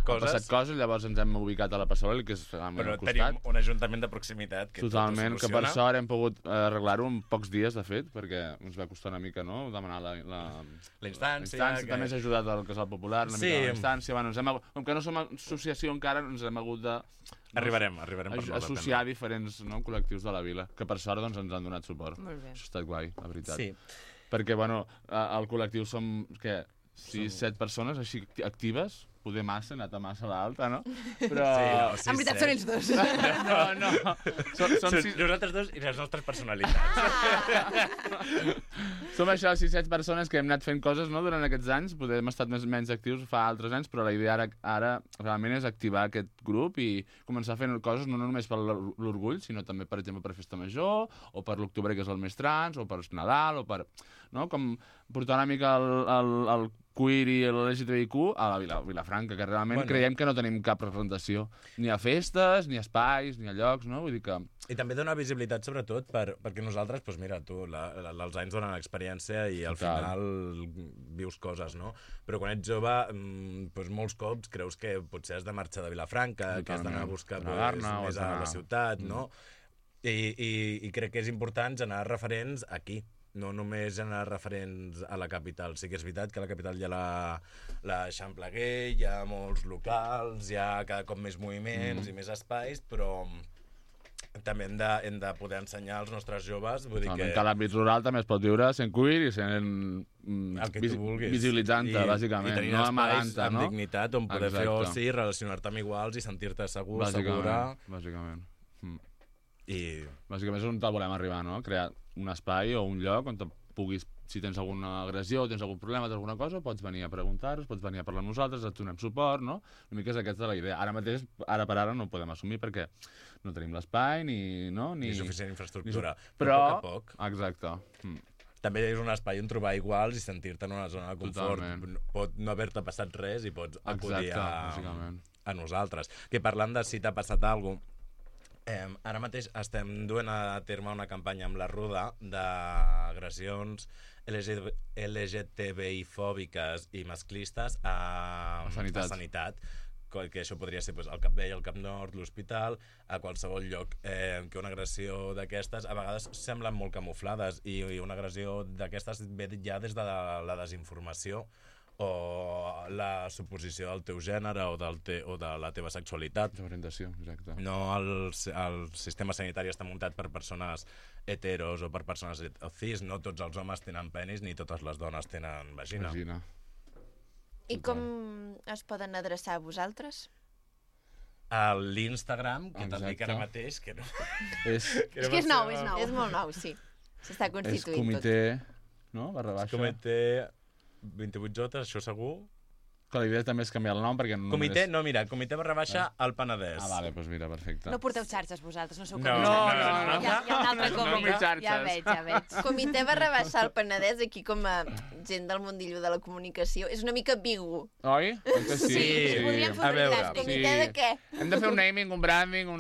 Speaker 10: coses,
Speaker 11: llavors ens hem ubicat a la Passarel, que és realment
Speaker 10: però
Speaker 11: al costat.
Speaker 10: tenim un ajuntament de proximitat que
Speaker 11: totalment,
Speaker 10: tot ho
Speaker 11: que per
Speaker 10: soluciona.
Speaker 11: sort hem pogut arreglar-ho en pocs dies, de fet, perquè ens va costar una mica, no?, demanar la
Speaker 10: instància.
Speaker 11: També s'ha ajudat al Casal Popular, una mica la instància. Bueno, com que no som associació encara, ens hem hagut de...
Speaker 10: Arribarem
Speaker 11: associar diferents col·lectius de la vila, que per sort doncs, ens han donat suport.
Speaker 2: Molt bé.
Speaker 11: Això ha estat guai, la veritat.
Speaker 10: Sí.
Speaker 11: Perquè, bueno, al col·lectiu som, què, 6-7 persones així actives, poder massa, anat a massa l'alta, no? Però...
Speaker 2: Sí, en veritat són ells dos.
Speaker 11: No. Som
Speaker 10: nosaltres dos i les nostres personalitats.
Speaker 11: Som això, 6-7 persones que hem anat fent coses, no?, durant aquests anys. Potser hem estat menys actius fa altres anys, però la idea ara realment és activar aquest grup i començar a fer coses no només per l'orgull, sinó també, per exemple, per Festa Major, o per l'octubre, que és el més trans, o per Nadal, o per... no?, com portar una mica el queer i l'LGTBIQ a la Vilafranca, que realment creiem que no tenim cap representació, ni a festes, ni a espais, ni a llocs, no? Vull dir que...
Speaker 10: I també dona visibilitat, sobretot, perquè nosaltres, doncs mira, tu, els anys donen experiència i al final vius coses, no? Però quan ets jove, doncs molts cops creus que potser has de marxar de Vilafranca, que has d'anar a buscar més a la ciutat, no? I crec que és important generar referents aquí. No només generar referents a la capital. Sí que és veritat que a la capital hi ha l'Eixample Gay, hi ha molts locals, hi ha cada cop més moviments i més espais, però també hem de poder ensenyar als nostres joves. Vull dir que
Speaker 11: a l'àmbit rural també es pot viure sent queer i sent visibilitzant-te, bàsicament.
Speaker 10: I tenint espais amb dignitat on poder fer oci, relacionar-te amb iguals i sentir-te segur, segura.
Speaker 11: Bàsicament.
Speaker 10: Bàsicament
Speaker 11: és on volem arribar, no? Crear un espai o un lloc on puguis, si tens alguna agressió, tens algun problema, tens alguna cosa, pots venir a preguntar-nos, pots venir a parlar amb nosaltres, et donem suport, no? Una mica és aquesta la idea. Ara mateix, ara per ara, no ho podem assumir perquè no tenim l'espai ni
Speaker 10: suficient infraestructura.
Speaker 11: Però,
Speaker 10: a poc a poc.
Speaker 11: Exacte.
Speaker 10: També és un espai on trobar iguals i sentir-te en una zona de confort. Totalment. Pot no haver-te passat res i pots acudir a nosaltres. Que parlant de si t'ha passat alguna cosa, ara mateix estem duent a terme una campanya amb la Ruda d'agressions LGTBI-fòbiques i masclistes a sanitat. Que això podria ser el Cap Vell, el Cap Nord, l'hospital, a qualsevol lloc. Que una agressió d'aquestes a vegades semblen molt camuflades i una agressió d'aquestes ve ja des de la desinformació o la suposició del teu gènere o de la teva sexualitat.
Speaker 11: L'orientació, exacte.
Speaker 10: No, el sistema sanitari està muntat per persones heteros o per persones cis. No tots els homes tenen penis ni totes les dones tenen vagina.
Speaker 2: I com es poden adreçar a vosaltres?
Speaker 10: A l'Instagram, que te'n dic ara mateix, que no...
Speaker 2: És que és nou. És molt nou, sí. S'està constituint tot.
Speaker 11: És comitè, no? /.
Speaker 10: Comitè 28J, això segur.
Speaker 11: Que la idea també és canviar el nom perquè no
Speaker 10: Comitè, no, mira, Comitè / al Penedès.
Speaker 11: Ah, vale, doncs mira, perfecte.
Speaker 1: No porteu xarxes vosaltres, no sou
Speaker 11: No.
Speaker 1: Hi ha un altre comitè.
Speaker 2: Ja veig. Comitè / al Penedès, aquí com a gent del mundillo de la comunicació, és una mica ambigu.
Speaker 11: Oi?
Speaker 2: Sí, podríem fer veritat. Comitè de què?
Speaker 11: Hem de fer un naming, un branding, ho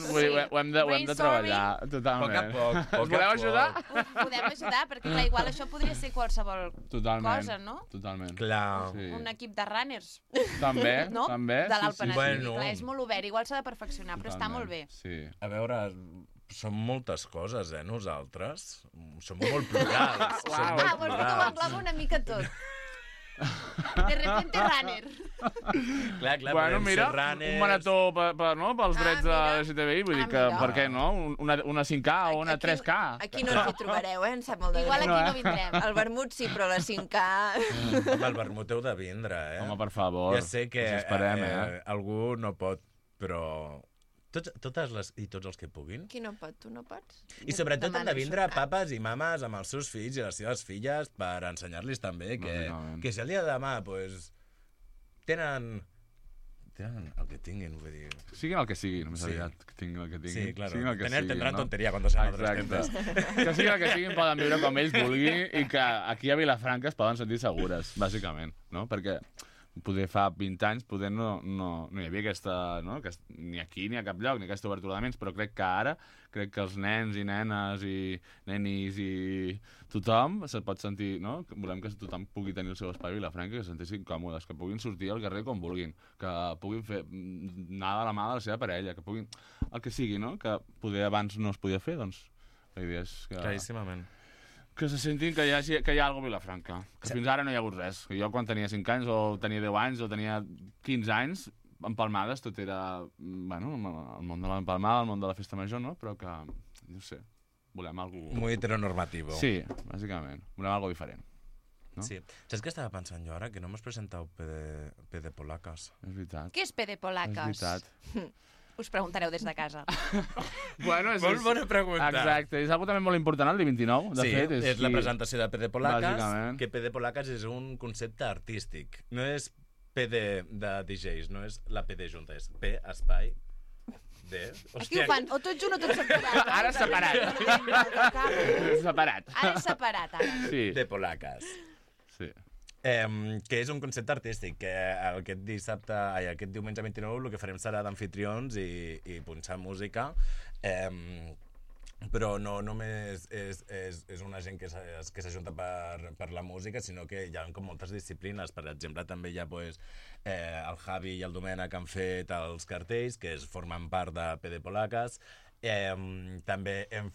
Speaker 11: hem de treballar, totalment.
Speaker 10: Poc a poc.
Speaker 11: Us voleu ajudar?
Speaker 1: Podem ajudar, perquè clar, igual això podria ser qualsevol cosa, no?
Speaker 11: Totalment.
Speaker 10: Clar.
Speaker 1: Un equip de runners.
Speaker 11: També,
Speaker 1: no?
Speaker 11: també.
Speaker 1: De l'Alt Penedès.
Speaker 10: Bueno.
Speaker 1: Clar, és molt obert, igual s'ha de perfeccionar, però està molt bé.
Speaker 11: Sí.
Speaker 10: A veure, som moltes coses, nosaltres. Som molt plurals.
Speaker 2: Vols que ho engloba una mica tot. De repente runner.
Speaker 10: Clar,
Speaker 11: bueno, mira, un marató pels drets de LGTBI, vull dir que, per què no? Una 5K o una 3K.
Speaker 2: Aquí no ens hi trobareu, em sap molt de greu.
Speaker 1: Igual aquí no vindrem.
Speaker 2: El vermut sí, però la 5K...
Speaker 10: Amb el vermut heu de vindre,
Speaker 11: Home, per favor.
Speaker 10: Ja sé que algú no pot, però... Totes les i tots els que puguin.
Speaker 2: Qui no pot? Tu no pots?
Speaker 10: I sobretot han de vindre papes i mames amb els seus fills i les seves filles per ensenyar-los també que si el dia de demà tenen el que tinguin, vull dir...
Speaker 11: Siguin el que siguin, més aviat. Que tinguin el que tinguin.
Speaker 10: Sí, claro.
Speaker 11: Tendrán
Speaker 10: tonteria cuando sean adolescentes.
Speaker 11: Que siguin el que siguin, poden viure com ells vulguin i que aquí a Vilafranca es poden sentir segures, bàsicament, no? Perquè Poder fa 20 anys no hi havia aquesta, no? Ni aquí ni a cap lloc, ni aquesta obertura de ments, però crec que ara, crec que els nens i nenes i nenis i tothom se pot sentir, no? Volem que tothom pugui tenir el seu espai a Vilafranca, que se sentissin còmodes, que puguin sortir al carrer com vulguin, que puguin anar de la mà de la seva parella, que puguin... el que sigui, no? Que poder abans no es podia fer, doncs la idea és que...
Speaker 10: Claríssimament.
Speaker 11: Que se sentin que hi ha alguna cosa a Vilafranca. Que fins ara no hi ha hagut res. Que jo quan tenia 5 anys, o tenia 10 anys, o tenia 15 anys, empalmades, tot era... Bueno, el món de l'empalmada, el món de la festa major, no? Però que, no sé, volem alguna...
Speaker 10: Muy heteronormativo.
Speaker 11: Sí, bàsicament. Volem alguna diferent. No?
Speaker 10: Sí. Saps què estava pensant jo ara? Que no m'has presentat PD Polacas.
Speaker 11: És veritat.
Speaker 1: Què és PD Polacas?
Speaker 11: És veritat.
Speaker 1: Us preguntareu des de casa.
Speaker 11: Bueno,
Speaker 10: molt bona pregunta.
Speaker 11: Exacte, és algo també molt important el dia 29, de fet.
Speaker 10: És la presentació de PD Polacas,
Speaker 11: bàsicament.
Speaker 10: Que PD Polacas és un concepte artístic. No és PD de DJs, no és la PD junta, és P, espai, D...
Speaker 1: Aquí ho fan o tot junt o tot separat.
Speaker 11: Ara separat. Separat.
Speaker 1: Ara separat, ara.
Speaker 11: Sí.
Speaker 10: De Polacas.
Speaker 11: Sí.
Speaker 10: Que és un concepte artístic, que aquest diumenge 29 el que farem serà d'amfitrions i punxar música, però no només és una gent que s'ajunta per la música, sinó que hi ha com moltes disciplines. Per exemple, també hi ha el Javi i el Domènec que han fet els cartells, que formen part de PD Polacas. També hem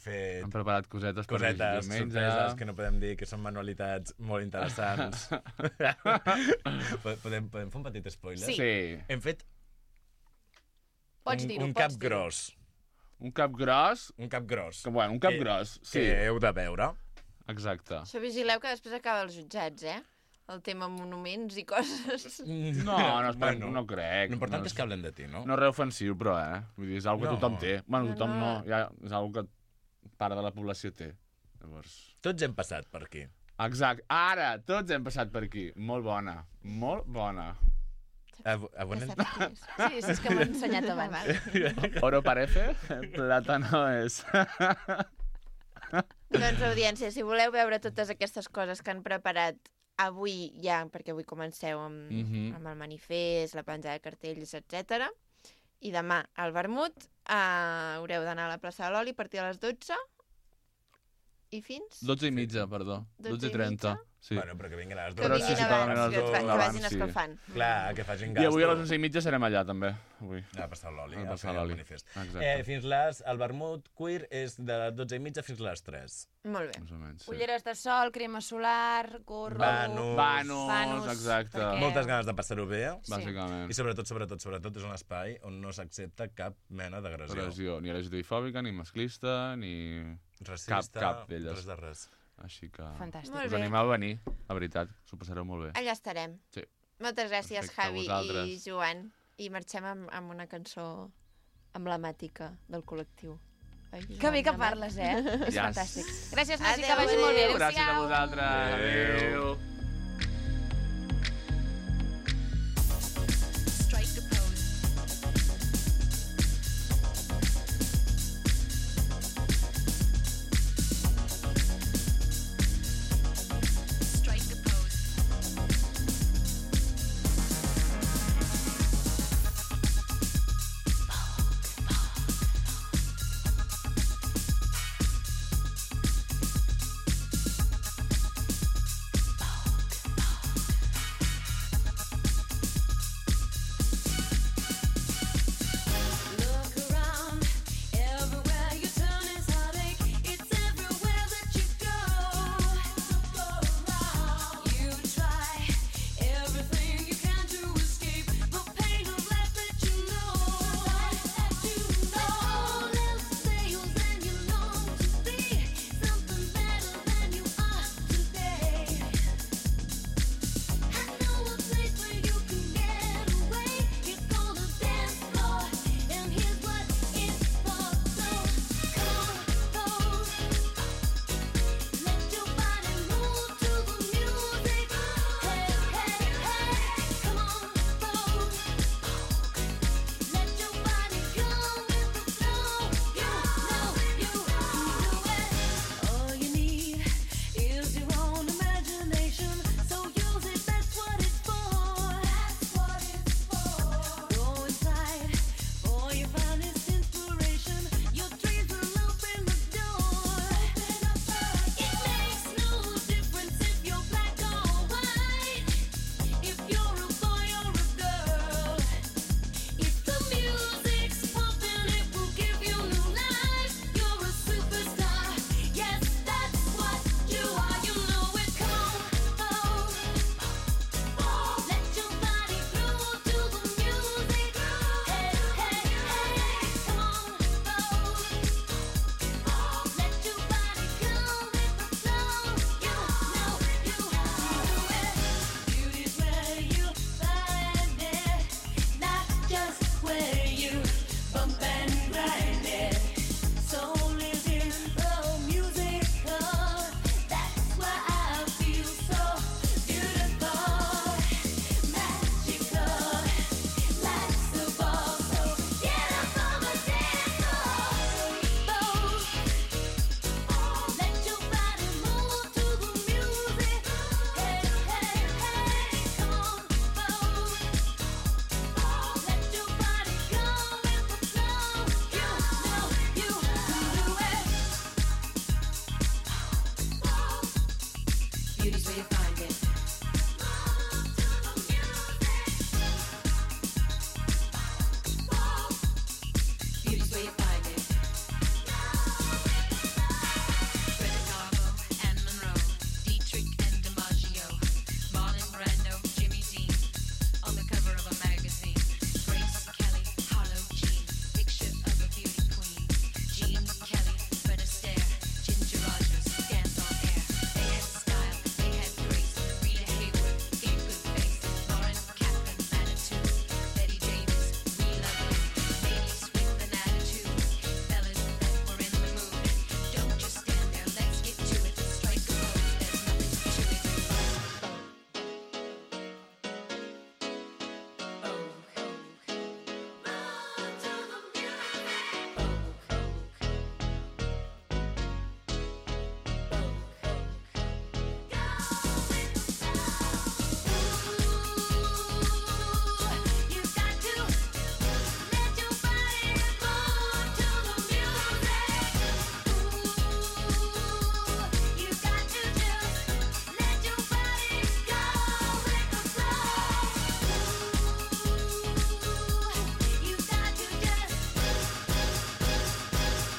Speaker 11: preparat cosetes
Speaker 10: sorpreses que no podem dir, que són manualitats molt interessants. Podem fer un petit spoiler?
Speaker 11: Sí.
Speaker 10: Hem fet
Speaker 1: Pots dir-ho,
Speaker 10: un cap gros.
Speaker 11: Un cap gros?
Speaker 10: Un cap gros.
Speaker 11: Un cap gros, sí.
Speaker 10: Que heu de veure.
Speaker 11: Exacte.
Speaker 2: Això vigileu que després acaba els jutjats, el tema monuments i coses.
Speaker 11: No crec.
Speaker 10: L'important és que hablen de ti, no?
Speaker 11: No és res ofensiu, però, Vull dir, és una que tothom té. Bueno, tothom no. És una que part de la població té. Llavors...
Speaker 10: Tots hem passat per aquí.
Speaker 11: Exacte. Ara, tots hem passat per aquí. Molt bona. Molt bona.
Speaker 1: Sí, és que m'ho he ensenyat abans.
Speaker 11: Oro parece, plátano és...
Speaker 2: Doncs, audiència, si voleu veure totes aquestes coses que han preparat avui ja, perquè avui comenceu amb el manifest, la penjada de cartells, etc. I demà al vermut haureu d'anar a la plaça de l'Oli a partir de les 12 i fins...
Speaker 11: 12:30, perdó. 12:30. Sí.
Speaker 10: Bueno, però que vinguin a les
Speaker 2: 12. Que vagin escalfant.
Speaker 10: Clar, que facin gasto.
Speaker 11: I avui a les 11:30 serem allà, també.
Speaker 10: A passar l'oli,
Speaker 11: a fer el
Speaker 10: manifest.
Speaker 11: Exacte.
Speaker 10: El vermut queer és de 12:30 fins a les 3.
Speaker 2: Molt bé.
Speaker 1: Ulleres de sol, crema solar, gorro...
Speaker 11: Vanos, exacte.
Speaker 10: Moltes ganes de passar-ho bé.
Speaker 11: Bàsicament.
Speaker 10: I sobretot és un espai on no s'accepta cap mena d'agressió.
Speaker 11: Ni LGTBI-fòbica, ni masclista, ni...
Speaker 10: racista,
Speaker 11: cap d'elles.
Speaker 10: Res de res.
Speaker 11: Així que...
Speaker 2: Fantàstic.
Speaker 11: Us animeu a venir, la veritat. S'ho passareu molt bé.
Speaker 2: Allà estarem.
Speaker 11: Sí.
Speaker 2: Moltes gràcies,
Speaker 11: Perfecte,
Speaker 2: Javi i Joan. I marxem amb una cançó emblemàtica del col·lectiu.
Speaker 1: Que bé que parles, És fantàstic. Gràcies, Nasi, que vagi
Speaker 2: Adéu.
Speaker 1: molt bé.
Speaker 11: Gràcies a vosaltres. Adéu.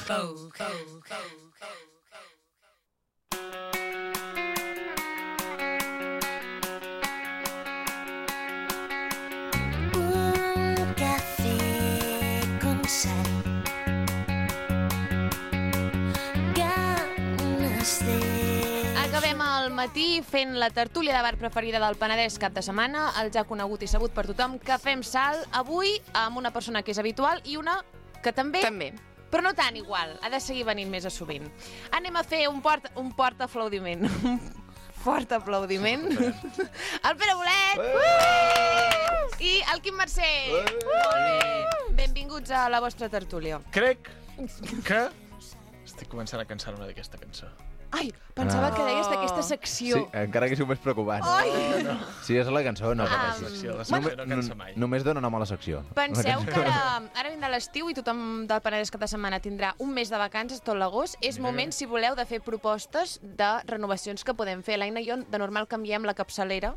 Speaker 7: Un café con sal. Ganes de...
Speaker 1: Acabem al matí fent la tertúlia de bar preferida del Penedès cap de setmana, el ja conegut i sabut per tothom, Cafè amb Sal, avui amb una persona que és habitual i una que també, però no tan igual, ha de seguir venint més a sovint. Anem a fer un fort aplaudiment. Un fort aplaudiment. El Pere Bolet! I el Quim Mercè! Molt bé. Benvinguts a la vostra tertúlia.
Speaker 12: Crec que estic començant a cansar-me d'aquesta cançó.
Speaker 1: Ai, pensava que deies d'aquesta secció.
Speaker 13: Sí, encara que sigui més preocupant.
Speaker 1: Ai!
Speaker 13: Si és la cançó, no
Speaker 12: La secció no cansa mai.
Speaker 13: Només dona nom a la secció.
Speaker 1: Penseu que ara vindrà l'estiu i tothom del Penedès cap de setmana tindrà un mes de vacances, tot l'agost. És moment, si voleu, de fer propostes de renovacions que podem fer. L'Aina i jo, de normal, canviem la capçalera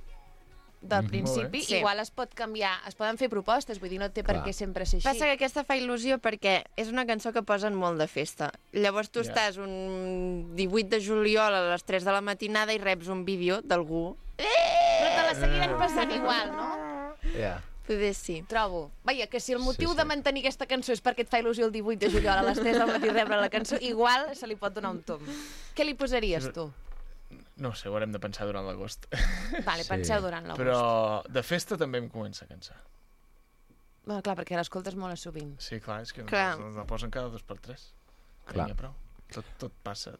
Speaker 1: del principi.
Speaker 2: Sí.
Speaker 1: Igual es pot canviar, es poden fer propostes, vull dir, no té per què sempre ser així.
Speaker 2: Passa que aquesta fa il·lusió perquè és una cançó que posen molt de festa. Llavors tu estàs un 18 de juliol a les 3 de la matinada i reps un vídeo d'algú.
Speaker 1: Però te la seguiran passant igual, no?
Speaker 13: Ja.
Speaker 2: Poder sí.
Speaker 1: Trobo. Vaja, que si el motiu de mantenir aquesta cançó és perquè et fa il·lusió el 18 de juliol a les 3 del matí rebre la cançó, igual se li pot donar un tom. Què li posaries, tu?
Speaker 12: No ho sé, ho haurem de pensar durant l'agost.
Speaker 1: Vale, penseu durant l'agost.
Speaker 12: Però de festa també em comença a cansar.
Speaker 1: Bueno, clar, perquè l'escoltes molt a sovint.
Speaker 12: Sí, clar, és que la posen cada 2x3.
Speaker 13: Clar.
Speaker 12: Prou. Tot passa.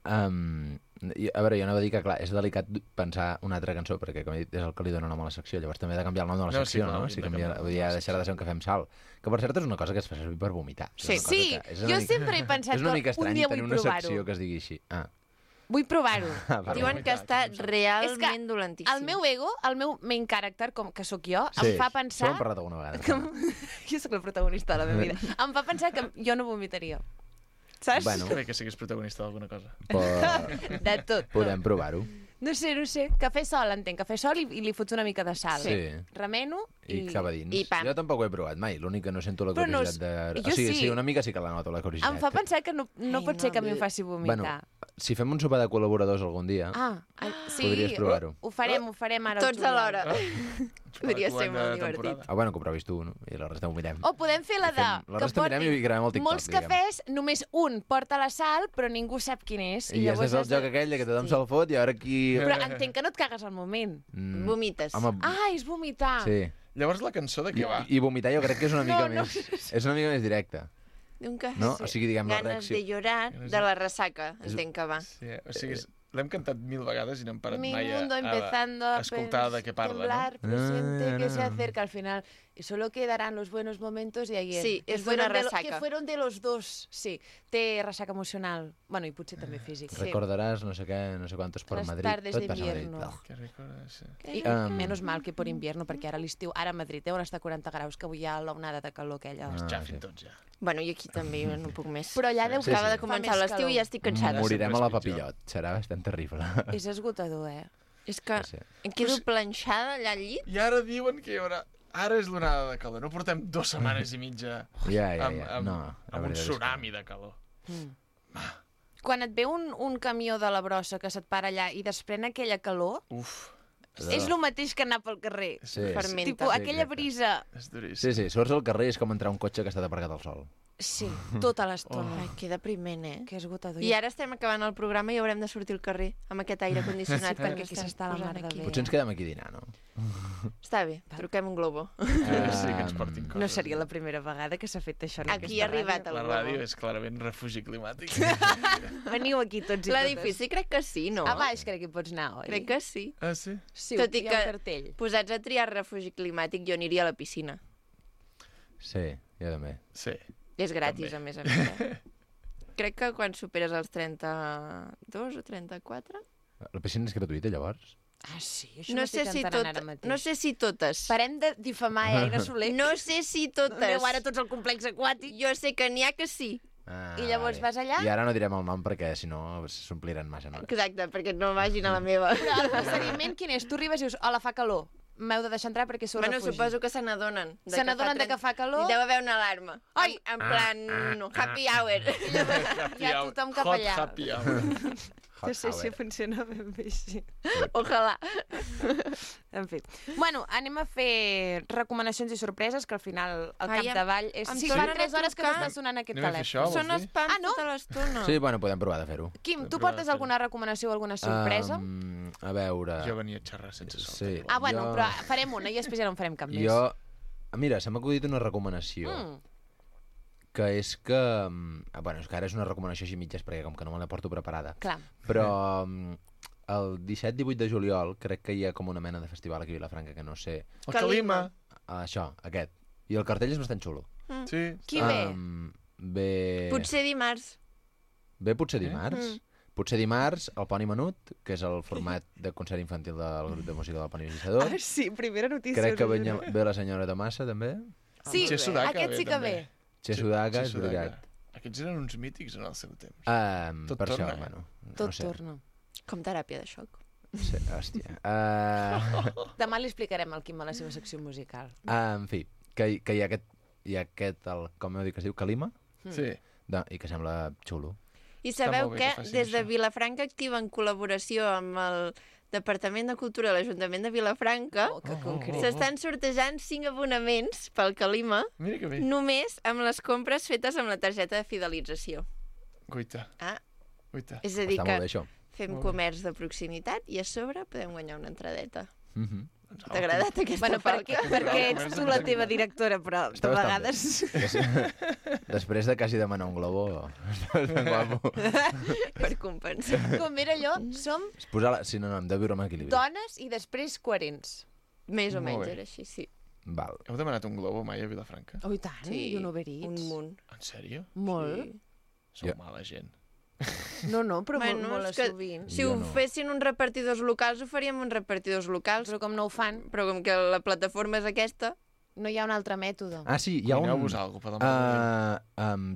Speaker 13: A veure, jo anava a dir que, clar, és delicat pensar una altra cançó, perquè, com he dit, és el que li dona nom a la secció. Llavors també he de canviar el nom de la secció, no? Si canvia, vull dir, deixarà de ser un cafè amb sal. Que, per cert, és una cosa que es fa servir per vomitar.
Speaker 1: Sí, jo sempre he pensat
Speaker 13: que un dia vull
Speaker 1: provar-ho.
Speaker 13: tenir una secció que es digui així.
Speaker 1: Vull provar-ho.
Speaker 2: Diuen que està realment dolentíssim.
Speaker 1: El meu ego, el meu main character, com que sóc jo, em fa pensar...
Speaker 13: Això ho hem parlat alguna vegada.
Speaker 1: Jo sóc el protagonista de la meva vida. Em fa pensar que jo no vomitaria. Saps?
Speaker 12: Bueno. Que bé que siguis protagonista d'alguna cosa.
Speaker 1: De tot.
Speaker 13: Podem provar-ho.
Speaker 1: No sé. Cafè sol, entenc. Cafè sol i li fots una mica de sal.
Speaker 13: Sí.
Speaker 1: Remeno
Speaker 13: i cap a dins.
Speaker 1: I pa.
Speaker 13: Jo tampoc ho he provat mai. L'únic que no sento la curiositat de...
Speaker 1: Jo sí.
Speaker 13: Sí, una mica sí que la noto, la curiositat.
Speaker 1: Em fa pensar que no pot ser que a mi em faci vomitar.
Speaker 13: Bueno, si fem un sopar de col·laboradors algun dia,
Speaker 1: sí,
Speaker 13: podries provar-ho.
Speaker 1: Ho farem ara.
Speaker 2: Tots alhora. Podria ser molt divertit.
Speaker 13: Bueno, que ho provis tu, no? I la resta ho mirem.
Speaker 1: O podem fer la de...
Speaker 13: La resta mirem i gravem el TikTok,
Speaker 1: molts cafès, només un porta la sal, però ningú sap quin és.
Speaker 13: I llavors és el joc aquell que tothom se'l fot i ara aquí...
Speaker 1: Però entenc que no et cagues al moment.
Speaker 2: Vomites.
Speaker 1: És vomitar.
Speaker 13: Sí.
Speaker 12: Llavors la cançó de què va?
Speaker 13: I vomitar jo crec que és una mica més... És una mica més directa.
Speaker 2: No?
Speaker 13: O sigui, diguem, la
Speaker 2: Ganes
Speaker 13: reacció...
Speaker 2: de llorar de la ressaca, entenc que va.
Speaker 12: Sí, o sigui, l'hem cantat 1000 vegades i no hem parat
Speaker 1: Mi
Speaker 12: mai
Speaker 1: mundo empezando a
Speaker 12: escoltar de què parla,
Speaker 1: temblar, presiente que se acerca al final. Y solo quedarán los buenos momentos y ahí
Speaker 2: Sí, és d'una ressaca.
Speaker 1: Que fueron de los dos, sí. Té ressaca emocional. Bueno, i potser també físic.
Speaker 13: Recordaràs no sé què, no sé quantos por Madrid.
Speaker 1: Tardes
Speaker 13: Tot passa a Madrid.
Speaker 1: que recordes, sí. Menos mal que por invierno, perquè ara l'estiu, ara a Madrid, on està 40 graus, que avui hi ha l'onada de calor aquella.
Speaker 12: Xafin tots ja.
Speaker 2: Bueno, i aquí també no puc més.
Speaker 1: Però allà deu
Speaker 2: acaba de començar l'estiu i ja estic cansada.
Speaker 13: Morirem a la papillot. Serà bastant terrible.
Speaker 1: És esgotador,
Speaker 2: És que em quedo planxada allà al llit.
Speaker 12: I ara diuen que hi haurà... Ara és l'onada de calor. No portem 2 setmanes i mitja amb un tsunami de calor.
Speaker 1: Quan et ve un camió de la brossa que se't para allà i desprèn aquella calor... És el mateix que anar pel carrer.
Speaker 2: Fermenta.
Speaker 1: Tipo, aquella brisa...
Speaker 13: Sí, sorts al carrer i és com entrar un cotxe que està aparcat al sol.
Speaker 1: Sí, tota l'estona.
Speaker 2: Ai, que depriment,
Speaker 1: Que esgotador.
Speaker 2: I ara estem acabant el programa i haurem de sortir al carrer amb aquest aire condicionat que
Speaker 1: aquí s'està la mar de bé.
Speaker 13: Potser ens quedem aquí a dinar, no?
Speaker 2: Està bé, truquem un globo.
Speaker 12: Sí, que ens portin coses.
Speaker 1: No seria la primera vegada que s'ha fet això en
Speaker 2: aquí ha arribat el globo.
Speaker 12: La ràdio és clarament refugi climàtic.
Speaker 1: Veniu aquí tots i totes.
Speaker 2: L'edifici crec que sí, no?
Speaker 1: A baix crec que hi pots anar, oi?
Speaker 2: Crec que sí.
Speaker 12: Ah, sí?
Speaker 1: Sí,
Speaker 2: tot i
Speaker 1: hi ha un cartell.
Speaker 2: Posats a triar refugi climàtic, jo aniria a la piscina.
Speaker 13: Sí, jo també.
Speaker 12: Sí.
Speaker 2: És gratis, a més. Crec que quan superes els 32 o 34...
Speaker 13: La piscina és gratuïta, llavors?
Speaker 1: Sí, això m'estic entenent ara mateix.
Speaker 2: No sé si totes.
Speaker 1: Parem de difamar Aina Soler.
Speaker 2: No sé si totes.
Speaker 1: Aneu ara tots al complex aquàtic.
Speaker 2: Jo sé que n'hi ha que sí.
Speaker 1: I llavors vas allà?
Speaker 13: I ara no direm el nom perquè, si no, s'ompliran massa, no?
Speaker 2: Exacte, perquè no vagin a la meva.
Speaker 1: Però el procediment quin és? Tu arribes i dius, hola, fa calor. m'heu de deixar entrar perquè sou refugi.
Speaker 2: Suposo que se n'adonen.
Speaker 1: Se n'adonen de que fa calor.
Speaker 2: Deu haver una alarma.
Speaker 1: Ai!
Speaker 2: En plan, happy hour.
Speaker 1: Ja tothom cap allà.
Speaker 12: Hot happy hour.
Speaker 1: No sé si funciona ben bé així.
Speaker 2: Ojalà.
Speaker 1: En fi. Bueno, anem a fer recomanacions i sorpreses, que al final al capdavall és... Sí, fa 3 hores que m'està sonant aquest telèfon.
Speaker 2: Són spam tota l'estona.
Speaker 13: Sí, bueno, podem provar de fer-ho.
Speaker 1: Quim, tu portes alguna recomanació o alguna sorpresa?
Speaker 13: A veure...
Speaker 12: Jo venia a xerrar sense sol.
Speaker 13: Sí,
Speaker 1: bueno, però farem una i després ja no en farem cap més.
Speaker 13: Mira, se m'ha acudit una recomanació. Que és que... Bueno, és que ara és una recomanació així mitges, perquè com que no me la porto preparada.
Speaker 1: Clar.
Speaker 13: Però el 17-18 de juliol crec que hi ha com una mena de festival aquí a Vilafranca, que no sé...
Speaker 12: El Calima.
Speaker 13: Això, aquest. I el cartell és bastant xulo.
Speaker 12: Sí.
Speaker 1: Qui ve?
Speaker 13: Ve...
Speaker 2: Potser dimarts.
Speaker 13: Ve potser dimarts? Potser dimarts, el Poni Menut, que és el format de concert infantil del grup de música del Poni Visitador.
Speaker 1: Ah, sí, primera notícia.
Speaker 13: Crec que ve la senyora Tomassa, també.
Speaker 1: Sí, aquest sí que ve.
Speaker 13: Xesudaka, és veritat.
Speaker 12: Aquests eren uns mítics en el seu temps.
Speaker 13: Per això, bueno.
Speaker 1: Tot torna.
Speaker 2: Com teràpia de xoc.
Speaker 13: Sí, hòstia.
Speaker 1: Demà li explicarem al Quim a la seva secció musical.
Speaker 13: En fi, que hi ha aquest, com heu dit que es diu, Calima?
Speaker 12: Sí.
Speaker 13: I que sembla xulo.
Speaker 2: I sabeu que des de Vilafranca activen col·laboració amb el Departament de Cultura de l'Ajuntament de Vilafranca, s'estan sortejant 5 abonaments pel Calima, només amb les compres fetes amb la targeta de fidelització.
Speaker 12: Guaita. Guaita.
Speaker 2: És a dir que fem comerç de proximitat i a sobre podem guanyar una entradeta. T'ha agradat aquesta falca?
Speaker 1: Perquè ets tu la teva directora, però de vegades...
Speaker 13: Després de quasi demanar un globo, estàs ben guapo.
Speaker 2: Per compensar.
Speaker 1: Com era allò, som...
Speaker 13: Sí, no, hem de viure amb equilibri.
Speaker 1: Dones i després coherents.
Speaker 2: Més o menys era així, sí.
Speaker 13: Val.
Speaker 12: Heu demanat un globo mai a Vilafranca?
Speaker 1: Oh, i tant, i un Uber Eats.
Speaker 2: Un munt.
Speaker 12: En sèrio?
Speaker 1: Molt.
Speaker 12: Sou mala gent.
Speaker 1: No, però molt sovint.
Speaker 2: Si ho fessin uns repartidors locals, ho faríem uns repartidors locals.
Speaker 1: Però com no ho fan...
Speaker 2: Però com que la plataforma és aquesta...
Speaker 1: No hi ha un altre mètode.
Speaker 13: Ah, sí, hi ha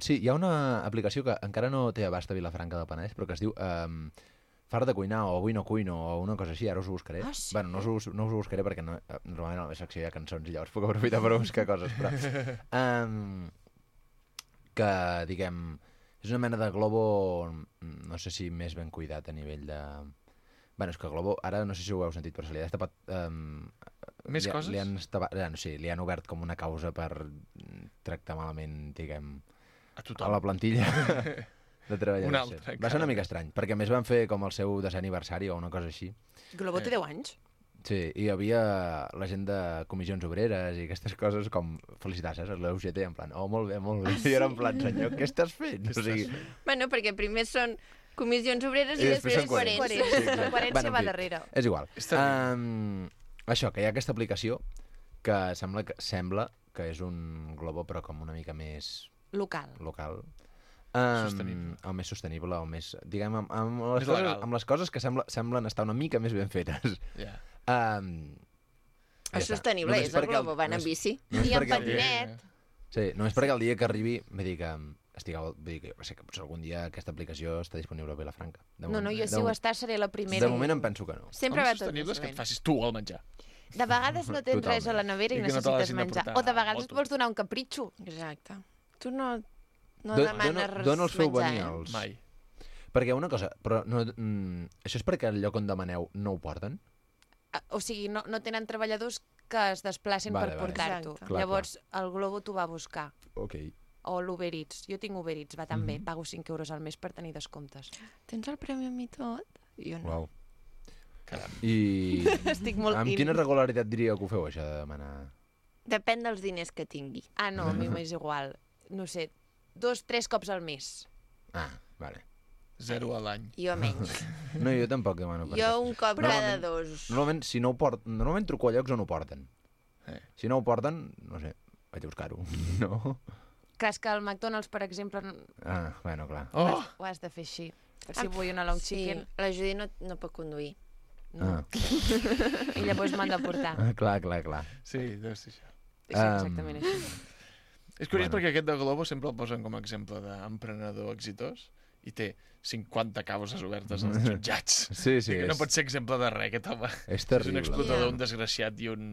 Speaker 12: sí,
Speaker 13: hi ha una aplicació que encara no té abast a Vilafranca del Penedès, però que es diu Fart de cuinar o Avui no cuino o una cosa així, ara us ho buscaré.
Speaker 1: Ah, sí?
Speaker 13: Bueno, no us ho buscaré perquè normalment a la meva secció hi ha cançons i llavors puc aprofitar per buscar coses, però... que, diguem... És una mena de globo, no sé si més ben cuidat a nivell de... Bueno, és que Globo, ara no sé si ho heu sentit, però se li ha destapat...
Speaker 12: Més coses?
Speaker 13: Li han obert com una causa per tractar malament, diguem...
Speaker 12: A tothom.
Speaker 13: A la plantilla de treballadors.
Speaker 12: Un altre.
Speaker 13: Va ser una mica estrany, perquè a més van fer com el seu 10è aniversari o una cosa així.
Speaker 1: Globo té 10 anys.
Speaker 13: Sí, i hi havia la gent de comissions obreres i aquestes coses com felicitats, a l'UGT, en plan, oh, molt bé, molt bé. I era en plan, senyor, què estàs fent? O sigui...
Speaker 2: Bueno, perquè primer són comissions obreres i després
Speaker 13: són
Speaker 2: coherents.
Speaker 1: La coherència va darrere.
Speaker 13: És igual. Això, que hi ha aquesta aplicació que sembla que és un globo, però com una mica més...
Speaker 1: Local.
Speaker 13: Sostenible. O més sostenible, o més... Diguem, amb les coses que semblen estar una mica més ben fetes.
Speaker 12: Ja.
Speaker 2: És sostenible, és el globo, van amb bici.
Speaker 1: I amb patinet.
Speaker 13: Sí, només perquè el dia que arribi, vull dir que jo sé que potser algun dia aquesta aplicació està disponible a Vilafranca.
Speaker 1: No, jo si ho està seré la primera.
Speaker 13: De moment em penso que no.
Speaker 2: Sempre va tot
Speaker 12: sostenible és que et facis tu el menjar.
Speaker 1: De vegades no tens res a la nevera i necessites menjar. O de vegades et vols donar un capritxo.
Speaker 2: Exacte. Tu no demanes
Speaker 13: dona el seu
Speaker 2: menjar,
Speaker 13: banyals.
Speaker 12: Mai.
Speaker 13: Perquè una cosa, però això és perquè el lloc on demaneu no ho porten?
Speaker 1: O sigui, no tenen treballadors que es desplacin per portar-t'ho. Llavors, el Globo t'ho va buscar.
Speaker 13: Ok.
Speaker 1: O l'Uber Eats. Jo tinc Uber Eats, va tan bé. Pago 5 euros al mes per tenir descomptes.
Speaker 2: Tens el premi amb mi tot? Jo no.
Speaker 13: Uau.
Speaker 12: Caram.
Speaker 13: I
Speaker 1: estic molt
Speaker 13: amb quina regularitat diríeu que ho feu, això de demanar?
Speaker 2: Depèn dels diners que tingui.
Speaker 1: Ah, no, a mi m'és igual. No sé, 2-3 cops al mes.
Speaker 13: Ah, vale.
Speaker 12: 0 a l'any.
Speaker 2: Jo menys.
Speaker 13: No, jo tampoc demano per
Speaker 2: Jo un cop cada 2.
Speaker 13: Normalment, si no ho porten... Normalment truco a llocs on ho porten. Si no ho porten, no sé, vaig a buscar-ho. No?
Speaker 1: Clar, és que al McDonald's, per exemple...
Speaker 13: Ah, bueno, clar.
Speaker 1: Ho has de fer així. Si vull una long chicken...
Speaker 2: Sí, la Judy no pot conduir.
Speaker 1: No. I llavors m'han de portar.
Speaker 13: Clar.
Speaker 12: Sí, deu ser això.
Speaker 1: És exactament això.
Speaker 12: És curiós perquè aquest de Globo sempre el posen com a exemple d'emprenedor exitós i té 50 causes obertes als jutjats.
Speaker 13: Sí.
Speaker 12: No pot ser exemple de res, aquest home.
Speaker 13: És terrible.
Speaker 12: És un explotador, un desgraciat i un...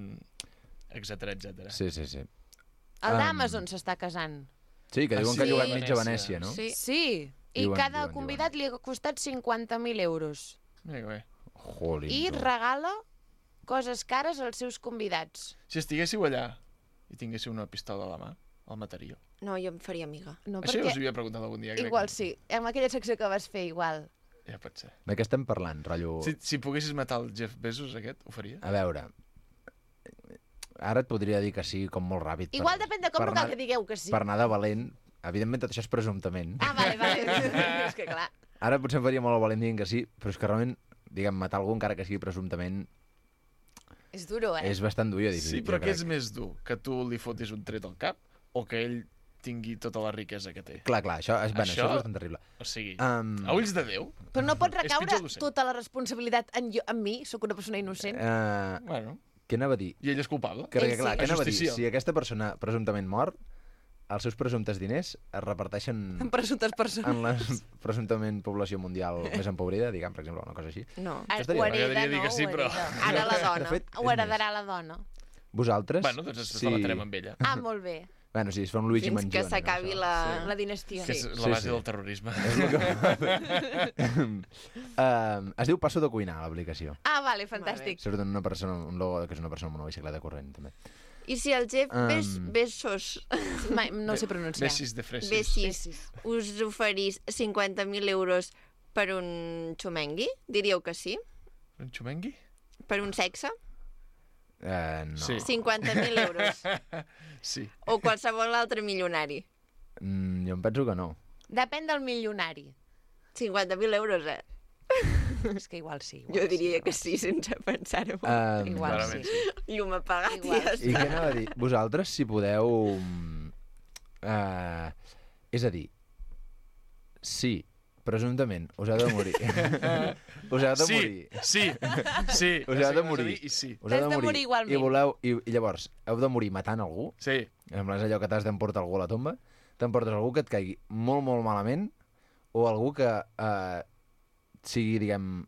Speaker 12: etcètera.
Speaker 13: Sí.
Speaker 1: El d'Amazon s'està casant.
Speaker 13: Sí, que diuen que ha llogat mitja Venècia, no?
Speaker 1: Sí. I cada convidat li ha costat 50.000 euros.
Speaker 12: Bé.
Speaker 1: I regala coses cares als seus convidats.
Speaker 12: Si estiguéssiu allà i tinguéssiu una pistola a la mà, el mataríeu.
Speaker 2: No, jo em faria amiga.
Speaker 1: No,
Speaker 12: Això ja us havia preguntat algun dia, crec.
Speaker 1: Igual sí, amb aquella secció que vas fer, igual.
Speaker 12: Ja pot ser.
Speaker 13: De què estem parlant, rotllo...
Speaker 12: Si poguessis matar el Jeff Bezos, aquest, ho faries?
Speaker 13: A veure, ara et podria dir que sí, com molt ràpid.
Speaker 1: Igual depèn de com no cal que digueu que sí.
Speaker 13: Per anar de valent, evidentment tot això és presumptament.
Speaker 1: Vale. És que clar.
Speaker 13: Ara potser em faria molt el valent dient que sí, però és que realment, diguem, matar algú encara que sigui presumptament...
Speaker 1: És duro,
Speaker 13: És bastant dur, jo dic.
Speaker 12: Sí, però què és més dur? Que tu li fotis un tret al cap o que ell tingui tota la riquesa que té?
Speaker 13: Clar, això és bastant terrible.
Speaker 12: O sigui, a ulls de Déu...
Speaker 1: Però no pot recaure tota la responsabilitat en mi? Sóc una persona innocent?
Speaker 12: Bueno...
Speaker 13: Què anava a dir?
Speaker 12: I ell és culpable?
Speaker 13: Què anava a dir? Si aquesta persona presumptament mor, els seus presumptes diners es reparteixen...
Speaker 1: En presumptes persones.
Speaker 13: En la presumptament població mundial més empobrida, diguem, per exemple, una cosa així.
Speaker 1: No, ho hereda, no? Ara la dona. Ho heredarà la dona.
Speaker 13: Vosaltres?
Speaker 12: Bueno, doncs ens relatarem amb ella.
Speaker 1: Molt bé.
Speaker 13: Bueno, sí, es fa un Luigi Mangione.
Speaker 2: Fins que s'acabi
Speaker 1: la dinastia.
Speaker 12: Que és la base del terrorisme.
Speaker 13: Es diu Passo de cuinar, l'aplicació.
Speaker 1: Vale, fantàstic.
Speaker 13: Surt una persona, un logo que és una persona amb una bicicleta corrent, també.
Speaker 2: I si el Jeff Bezos...
Speaker 1: No sé pronunciar.
Speaker 12: Bessis de fresis.
Speaker 2: Bessis us oferís 50.000 euros per un xumengui? Diríeu que sí?
Speaker 12: Un xumengui?
Speaker 2: Per un sexe?
Speaker 13: No.
Speaker 12: Sí.
Speaker 2: 50.000 euros.
Speaker 12: Sí.
Speaker 2: O qualsevol altre milionari.
Speaker 13: Jo em penso que no.
Speaker 1: Depèn del milionari.
Speaker 2: 50.000 euros,
Speaker 1: És que igual sí.
Speaker 2: Jo diria que sí, sense pensar-ho.
Speaker 1: Igual sí.
Speaker 2: Llum apagat i ja està.
Speaker 13: I què anava a dir? Vosaltres, si podeu... és a dir, sí, presumptament, us heu de morir. Us heu de morir.
Speaker 12: Sí.
Speaker 13: Us heu de morir.
Speaker 1: Us heu de morir igualment.
Speaker 13: I llavors, heu de morir matant algú.
Speaker 12: Sí.
Speaker 13: És allò que t'has d'emportar algú a la tomba. T'emportes algú que et caigui molt, molt malament o algú que sigui, diguem,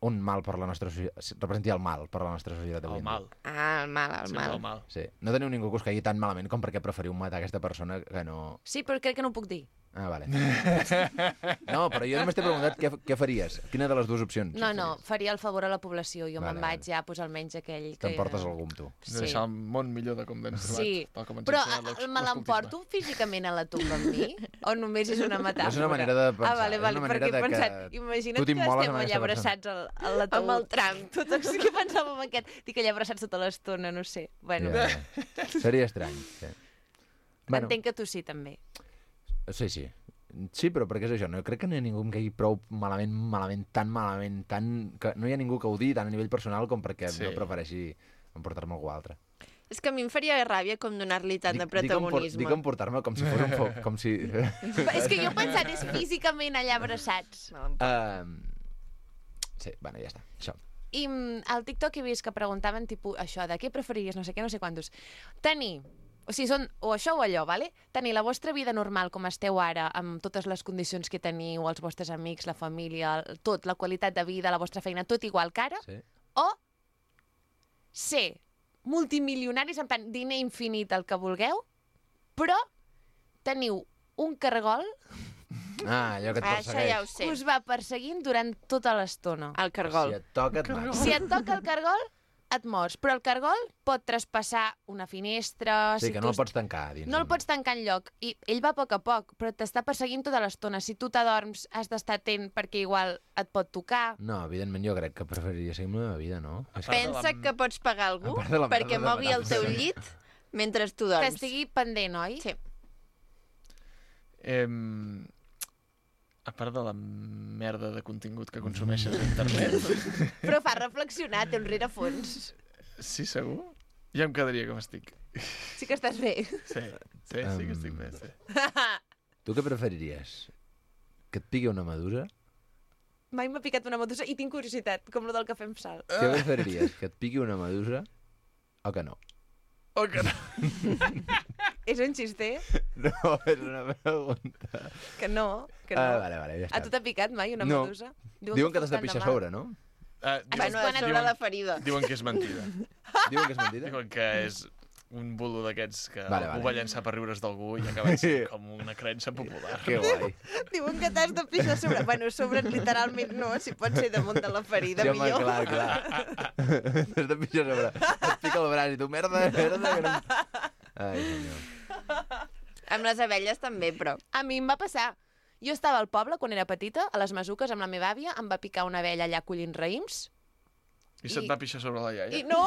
Speaker 13: un mal per la nostra societat, representi el mal per la nostra societat avui.
Speaker 12: El mal.
Speaker 2: El mal.
Speaker 13: Sí. No teniu ningú que us caigui tan malament com perquè preferiu matar aquesta persona que no...
Speaker 1: Sí, però crec que no ho puc dir.
Speaker 13: Vale. No, però jo només t'he preguntat què faries. Quina de les dues opcions?
Speaker 1: No, faria el favor a la població. Jo me'n vaig ja, doncs almenys aquell que...
Speaker 13: T'emportes algú amb tu.
Speaker 1: Sí.
Speaker 12: Deixar el món millor de com l'hem trobat.
Speaker 1: Sí, però me l'emporto físicament a la tomba amb mi? O només és una metàfora?
Speaker 13: És una manera de pensar.
Speaker 1: Vale, perquè he pensat, imagina't que estem allà abraçats a la taüt.
Speaker 2: Amb el tram.
Speaker 1: Què pensava amb aquest? Dic allà abraçats tota l'estona, no sé. Bueno.
Speaker 13: Seria estrany.
Speaker 1: Entenc que tu sí, també.
Speaker 13: Sí. Sí, però perquè és això, no crec que no hi ha ningú que em caigui prou malament, tan que no hi ha ningú que ho digui tant a nivell personal com perquè no prefereixi emportar-me algú altre.
Speaker 2: És que a mi em faria ràbia com donar-li tant de protagonisme.
Speaker 13: Dic emportar-me com si fos un foc, com si...
Speaker 1: És que jo he pensat, és físicament allà abraçats.
Speaker 13: Sí, bueno, ja està, això.
Speaker 1: I al TikTok he vist que preguntaven tipus això, de què preferiries, no sé què, no sé quantos. Tenir... O sigui, són o això o allò, ¿vale? Tenir la vostra vida normal com esteu ara, amb totes les condicions que teniu, els vostres amics, la família, tot, la qualitat de vida, la vostra feina, tot igual que ara, o ser multimilionaris, en plan, diner infinit, el que vulgueu, però teniu un cargol
Speaker 13: allò que et persegueix.
Speaker 2: Això ja ho sé.
Speaker 1: Que us va perseguint durant tota l'estona.
Speaker 2: El cargol.
Speaker 13: Si et toca, et mata.
Speaker 1: Si et toca el cargol, et mors, però el cargol pot traspassar una finestra...
Speaker 13: Sí, que no el pots tancar dins.
Speaker 1: No el pots tancar enlloc. I ell va a poc, però t'està perseguint tota l'estona. Si tu t'adorms, has d'estar atent perquè igual et pot tocar.
Speaker 13: No, evidentment jo crec que preferiria seguir amb la meva vida, no?
Speaker 2: Pensa que pots pagar algú perquè mogui el teu llit mentre tu dorms.
Speaker 1: Que estigui pendent, oi?
Speaker 2: Sí.
Speaker 12: A part de la merda de contingut que consumeixes a internet...
Speaker 1: Però fa reflexionar, té un rerefons.
Speaker 12: Sí, segur? Ja em quedaria com estic.
Speaker 1: Sí que estàs bé.
Speaker 12: Sí que estic bé, sí.
Speaker 13: Tu què preferiries? Que et pigui una medusa?
Speaker 1: Mai m'ha picat una medusa i tinc curiositat, com lo del cafè amb sal.
Speaker 13: Què preferiries? Que et pigui una medusa o que no?
Speaker 12: O que no.
Speaker 1: És un xiste?
Speaker 13: No, és una pregunta.
Speaker 1: Que no.
Speaker 13: Vale, ja està.
Speaker 1: A tu t'ha picat mai una medusa?
Speaker 13: Diuen que t'has de pixar a sobre, no?
Speaker 2: Bueno, sobre la ferida.
Speaker 12: Diuen que és mentida.
Speaker 13: Diuen que és mentida?
Speaker 12: Diuen que és un bulo d'aquests que
Speaker 13: Vale.
Speaker 12: algú va llançar per riure's d'algú i ha acabat sent com una creença popular.
Speaker 13: Que guai.
Speaker 1: Diuen que t'has de pixar a sobre. Bueno, sobre literalment no, si pot ser damunt de la ferida,
Speaker 13: Sí, home,
Speaker 1: millor.
Speaker 13: clar. T'has de pixar a sobre. Et pica el braç i tu, merda, que no... Ai, senyor.
Speaker 2: Amb les abelles també, però.
Speaker 1: A mi em va passar. Jo estava al poble quan era petita, a les Masuques, amb la meva àvia, em va picar una abella allà collint raïms.
Speaker 12: I se't va pixar sobre la iaia?
Speaker 1: I no,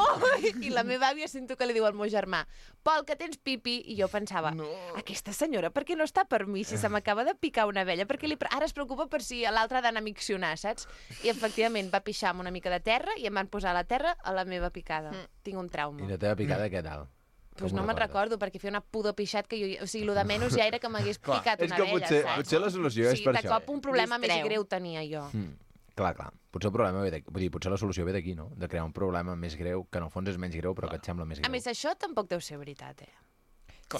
Speaker 1: i la meva àvia sento que li diu al meu germà, Pol, que tens pipi, i jo pensava, aquesta senyora, per què no està per mi si se m'acaba de picar una abella? Perquè ara es preocupa per si l'altre ha d'anar a miccionar, saps? I efectivament va pixar amb una mica de terra i em van posar a la terra a la meva picada. Tinc un trauma.
Speaker 13: I la teva picada què tal?
Speaker 1: Pues no me'n recordo, perquè feia una pudor pixat que jo... O sigui, el de menys ja era que m'hagués picat una abella, saps?
Speaker 13: Potser la solució és per això.
Speaker 1: Sí, de cop un problema més greu tenia jo.
Speaker 13: Clar. Potser el problema ve d'aquí. Vull dir, potser la solució ve d'aquí, no? De crear un problema més greu, que en el fons és menys greu, però que et sembla més greu.
Speaker 1: A més, això tampoc deu ser veritat,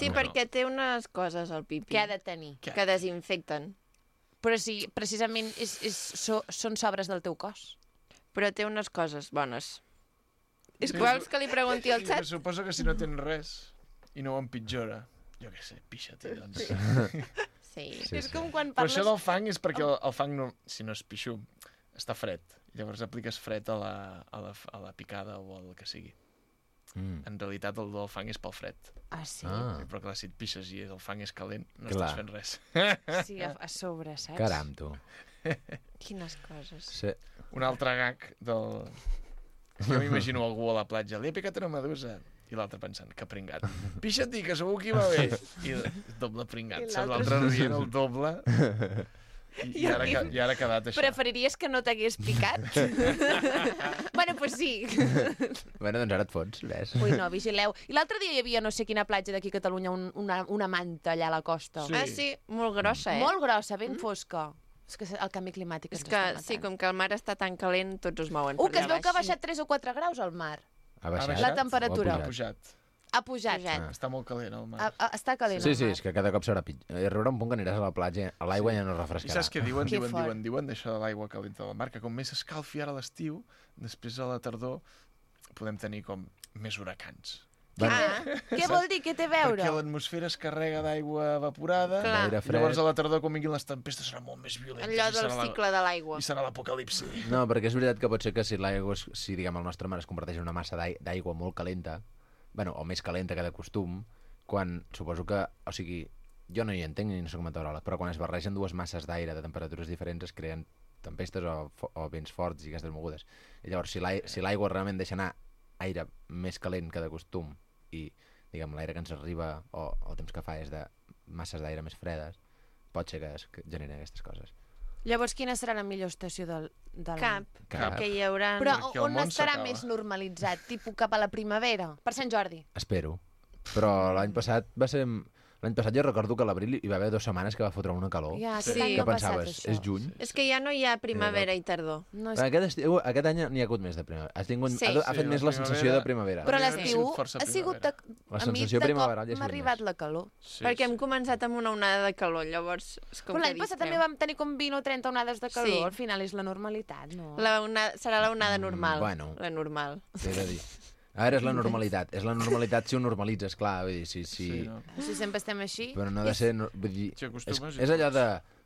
Speaker 2: Sí, perquè té unes coses al pipi.
Speaker 1: Què ha de tenir?
Speaker 2: Que desinfecten.
Speaker 1: Però si precisament són sobres del teu cos.
Speaker 2: Però té unes coses bones. Vols que li pregunti al xat?
Speaker 12: Suposo que si no tens res i no ho empitjora, jo què sé, pixa-t'hi, doncs.
Speaker 2: Sí.
Speaker 1: És com quan
Speaker 12: Però
Speaker 1: parles...
Speaker 12: això del fang és perquè el fang, no, si no és pixum, està fred. Llavors apliques fred a la picada o al que sigui. En realitat el del fang és pel fred.
Speaker 1: Ah, sí?
Speaker 12: Però clar, si et pixes i el fang és calent, no
Speaker 13: Clar.
Speaker 12: estàs fent res.
Speaker 1: Sí, a sobre, saps?
Speaker 13: Caram, tu.
Speaker 2: Quines coses.
Speaker 13: Sí.
Speaker 12: Un altre gag del... Jo m'imagino algú a la platja, li ha picat una medusa. I l'altre pensant, que pringat. Pixa-t'hi, que segur que hi va bé. I doble pringat. Saps? L'altre rient el doble. I ara ha quedat això.
Speaker 1: Preferiries que no t'hagués picat? Bueno, pues sí.
Speaker 13: Bueno, doncs ara et fots, ves.
Speaker 1: Ui, no, vigileu. I l'altre dia hi havia no sé quina platja d'aquí a Catalunya, una manta allà a la costa.
Speaker 2: Sí. Ah, sí? Molt grossa,
Speaker 1: Molt grossa, ben fosca. És que el canvi climàtic ens està matant.
Speaker 2: Sí, com que el mar està tan calent, tots es mouen.
Speaker 1: Que es veu que ha baixat 3 o 4 graus al mar.
Speaker 13: Ha baixat?
Speaker 1: La temperatura.
Speaker 12: Ha pujat.
Speaker 1: Ha pujat.
Speaker 12: Està molt calent el mar.
Speaker 1: Està calent
Speaker 13: Sí,
Speaker 1: el mar.
Speaker 13: és que cada cop serà pitjor. Arribarà un punt que aniràs a la platja, a l'aigua ja no refrescarà.
Speaker 12: I saps què diuen d'això de l'aigua calenta del mar? Que com més s'escalfi ara a l'estiu, després a la tardor podem tenir com més huracans.
Speaker 1: Què vol dir? Què té a veure?
Speaker 12: Perquè l'atmosfera es carrega d'aigua evaporada,
Speaker 13: D'aire fred.
Speaker 12: llavors a la tardor, quan vinguin les tempestes, serà molt més violenta.
Speaker 2: Allò del cicle de l'aigua.
Speaker 12: I serà l'apocalipsi.
Speaker 13: No, perquè és veritat que pot ser que si l'aigua, si diguem el nostre mar es converteix en una massa d'aigua molt calenta, bueno, o més calenta que de costum, quan suposo que, o sigui, jo no hi entenc ni no soc meteoròleg, però quan es barregen dues masses d'aire de temperatures diferents es creen tempestes o vents forts i aquestes mogudes. I llavors, si l'aigua realment deixa anar aire més calent que de costum i, diguem, l'aire que ens arriba o el temps que fa és de masses d'aire més fredes, pot ser que es generin aquestes coses.
Speaker 1: Llavors, quina serà la millor estació del...
Speaker 2: Cap. Que hi haurà...
Speaker 1: Però on estarà més normalitzat? Tipus cap a la primavera? Per Sant Jordi?
Speaker 13: Espero. Però l'any passat va ser... L'any passat jo recordo que a l'abril hi va haver 2 setmanes que va fotre una calor.
Speaker 1: Ja,
Speaker 2: sí.
Speaker 13: Que pensaves, és juny?
Speaker 2: És que ja no hi ha primavera i tardor.
Speaker 1: No,
Speaker 13: aquest any n'hi ha hagut més de primavera. Ha fet més la sensació de primavera.
Speaker 1: Però l'estiu ha sigut...
Speaker 13: La sensació primaveral ja
Speaker 1: m'ha arribat la calor.
Speaker 2: Perquè hem començat amb una onada de calor, llavors...
Speaker 1: Però l'any passat també vam tenir com 20 o 30 onades de calor. Al final és la normalitat, no?
Speaker 2: Serà la onada normal.
Speaker 13: Bueno.
Speaker 2: La normal.
Speaker 13: T'he de dir. A veure, és la normalitat. És la normalitat si ho normalitzes, clar. Vull dir,
Speaker 1: Si sempre estem així...
Speaker 13: Però no ha de ser... Vull dir, és allò de...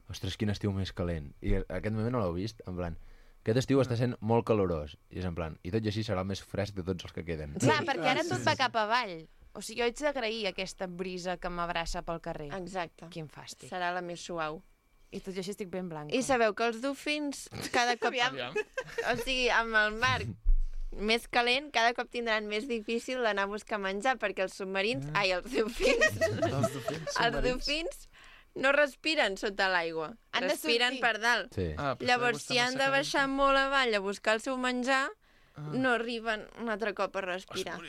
Speaker 13: Ostres, quin estiu més calent. I aquest moment no l'heu vist? En plan, aquest estiu està sent molt calorós. I és en plan, i tot i així serà el més fresc de tots els que queden.
Speaker 1: Clar, perquè ara tot va cap avall. O sigui, jo haig d'agrair aquesta brisa que m'abraça pel carrer.
Speaker 2: Exacte.
Speaker 1: Quin fàstic.
Speaker 2: Serà la més suau.
Speaker 1: I tot i així estic ben blanca.
Speaker 2: I sabeu que els dofins cada cop... O sigui, amb el mar més calent, cada cop tindran més difícil d'anar a buscar menjar, perquè els submarins... Ai, els dofins no respiren sota l'aigua, respiren per dalt.
Speaker 13: Sí.
Speaker 2: Llavors, si han de baixar molt avall a buscar el seu menjar, no arriben un altre cop a respirar.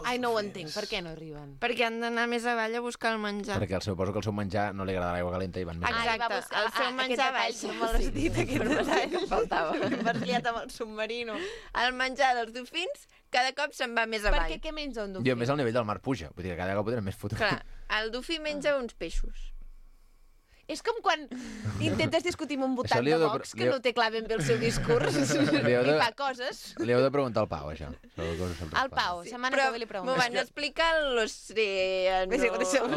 Speaker 1: Ai, no ho entenc. Per què no arriben?
Speaker 2: Perquè han d'anar més avall a buscar el menjar.
Speaker 13: Perquè suposo que el seu menjar no li agrada l'aigua calenta i van més.
Speaker 2: Exacte, el seu menjar baix.
Speaker 1: No me l'has dit, aquest detall
Speaker 2: que faltava.
Speaker 1: M'has liat amb el submarino.
Speaker 2: El menjar dels dofins cada cop se'n va més avall.
Speaker 1: Perquè què menja un dofí?
Speaker 13: I a més el nivell del mar puja, vull dir que cada cop ho tenen més fotut.
Speaker 2: Clar, El Dufi menja uns peixos.
Speaker 1: És com quan intentes discutir amb un votant
Speaker 13: Això li
Speaker 1: de
Speaker 13: heu de-
Speaker 1: Vox que no té clar ben bé el seu discurs
Speaker 13: Li heu de-
Speaker 1: i fa coses.
Speaker 13: Li heu de preguntar al Pau, això.
Speaker 1: Al Pau, setmana que ve li pregunto.
Speaker 2: M'ho van explicar l'oceano...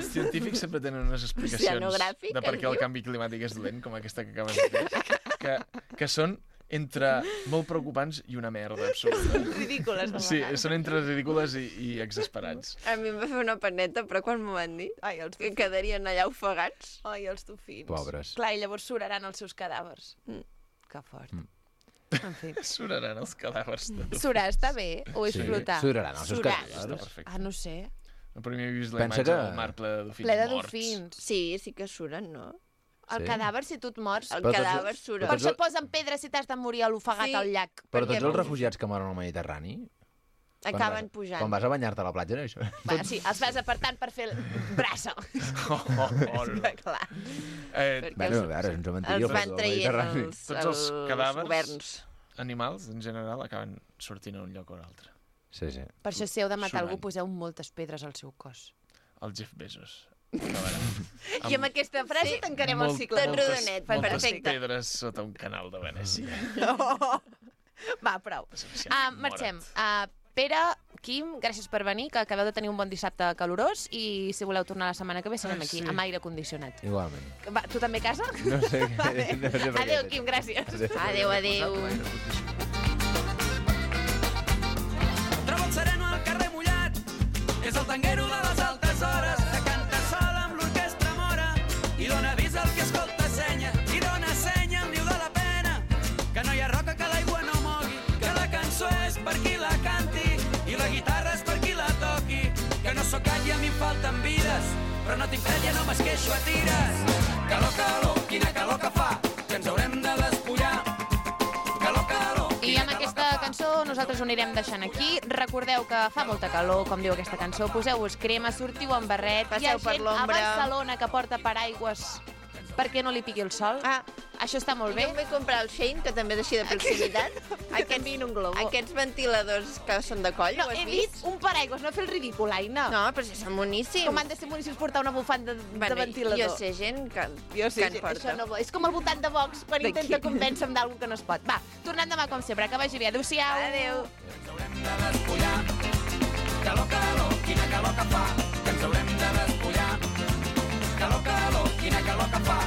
Speaker 12: Els científics sempre tenen unes explicacions
Speaker 2: Oceanogràfic,
Speaker 12: de per què el
Speaker 2: diu?
Speaker 12: canvi climàtic és dolent, com aquesta que acabes de dir, que són entre molt preocupants i una merda absoluta.
Speaker 1: Ridícules, de
Speaker 12: Sí,
Speaker 1: vegades.
Speaker 12: són entre ridícules i exasperats.
Speaker 2: A mi em va fer una paneta, però quan m'ho van dir, que quedarien allà ofegats.
Speaker 1: Ai, els dofins.
Speaker 13: Pobres.
Speaker 1: Clar, i llavors suraran els seus cadàvers. Que fort. En fi.
Speaker 12: Suraran els cadàvers de dofins.
Speaker 1: Surar està bé o és
Speaker 13: Sí,
Speaker 1: flotar?
Speaker 13: suraran els seus
Speaker 1: Surar.
Speaker 13: cadàvers.
Speaker 12: Està perfecte.
Speaker 1: Ah, no sé.
Speaker 12: No, però m'he vist la
Speaker 13: Pensa
Speaker 12: imatge
Speaker 13: que-
Speaker 12: del mar ple de dofins
Speaker 1: Ple de
Speaker 12: morts.
Speaker 1: dofins.
Speaker 2: Sí, sí que suren, no?
Speaker 1: El
Speaker 13: Sí.
Speaker 1: cadàver, si tu et mors...
Speaker 2: El
Speaker 13: Però tots-
Speaker 2: cadàver sura.
Speaker 1: Per això et posen pedres si t'has de morir a l'ofegat
Speaker 2: Sí.
Speaker 1: al llac.
Speaker 13: Però
Speaker 2: Perquè
Speaker 13: tots els refugiats que moren al Mediterrani...
Speaker 2: Acaben pujant.
Speaker 13: Quan vas a banyar-te a la platja, no? Això.
Speaker 1: Va, sí, els vas apartant per fer el braça. Clar.
Speaker 13: Bueno, a veure, és un cementiri
Speaker 2: els van traient
Speaker 12: Tots els cadàvers
Speaker 2: governs.
Speaker 12: animals, en general, acaben sortint a un lloc o un altre.
Speaker 13: Sí, sí.
Speaker 1: Per això, si heu de matar
Speaker 12: Surant.
Speaker 1: algú, poseu moltes pedres al seu cos.
Speaker 12: El Jeff Bezos.
Speaker 1: I amb aquesta frase tancarem el cicle.
Speaker 2: Tot rodonet,
Speaker 12: Moltes
Speaker 2: perfecte.
Speaker 12: pedres sota un canal de Venècia.
Speaker 1: Va, prou. Marxem. Pere, Quim, gràcies per venir, que acabeu de tenir un bon dissabte calorós i si voleu tornar la setmana que ve serem aquí, amb aire condicionat.
Speaker 13: Igualment.
Speaker 1: Va, tu també a casa?
Speaker 13: No sé,
Speaker 1: Vale.
Speaker 13: no sé per què.
Speaker 1: Adéu, Quim, gràcies.
Speaker 2: Adéu, adéu.
Speaker 14: Trobo el sereno al carrer mullat, és el tanguero de les altes hores, que canta sol amb l'orquestra mora i dona avís al que escolta senya, i dona senya al niu de la pena, que no hi ha roca que l'aigua no mogui, que la cançó és per qui la canti i la guitarra és per qui la toqui, que no sóc gat i a mi em falten vides, però no tinc fred, ja no m'esqueixo a tires. Calor, calor, quina calor que fa, que ens haurem de despullar. Calor, calor,
Speaker 1: I amb aquesta cançó nosaltres ho anirem deixant aquí. Recordeu que fa molta calor, com diu aquesta cançó. Poseu-vos crema, sortiu amb barret. Hi ha
Speaker 2: Passeu per
Speaker 1: gent a
Speaker 2: l'ombra.
Speaker 1: Barcelona que porta paraigües perquè no li piqui el sol. Això està molt bé.
Speaker 2: Jo em vaig comprar el Shein, que també és així de proximitat. Aquests ventiladors que són de coll,
Speaker 1: No,
Speaker 2: ho has
Speaker 1: he
Speaker 2: vist?
Speaker 1: dit un paraigües, no fer el ridícul, Aina.
Speaker 2: No, però si són boníssims.
Speaker 1: Com han de ser boníssims portar una bufanda de ventilador?
Speaker 2: Jo sé gent que
Speaker 1: Això
Speaker 2: en porta.
Speaker 1: no, és com el votant de Vox quan
Speaker 2: D'aquí.
Speaker 1: intenta convèncer-me d'algú que no es pot. Va, tornem demà com sempre. Que vagi bé. Adéu-siau.
Speaker 2: Adéu.
Speaker 14: calor, calor, quina calor que fa, que ens haurem de despullar. Calor, calor, quina calor que fa,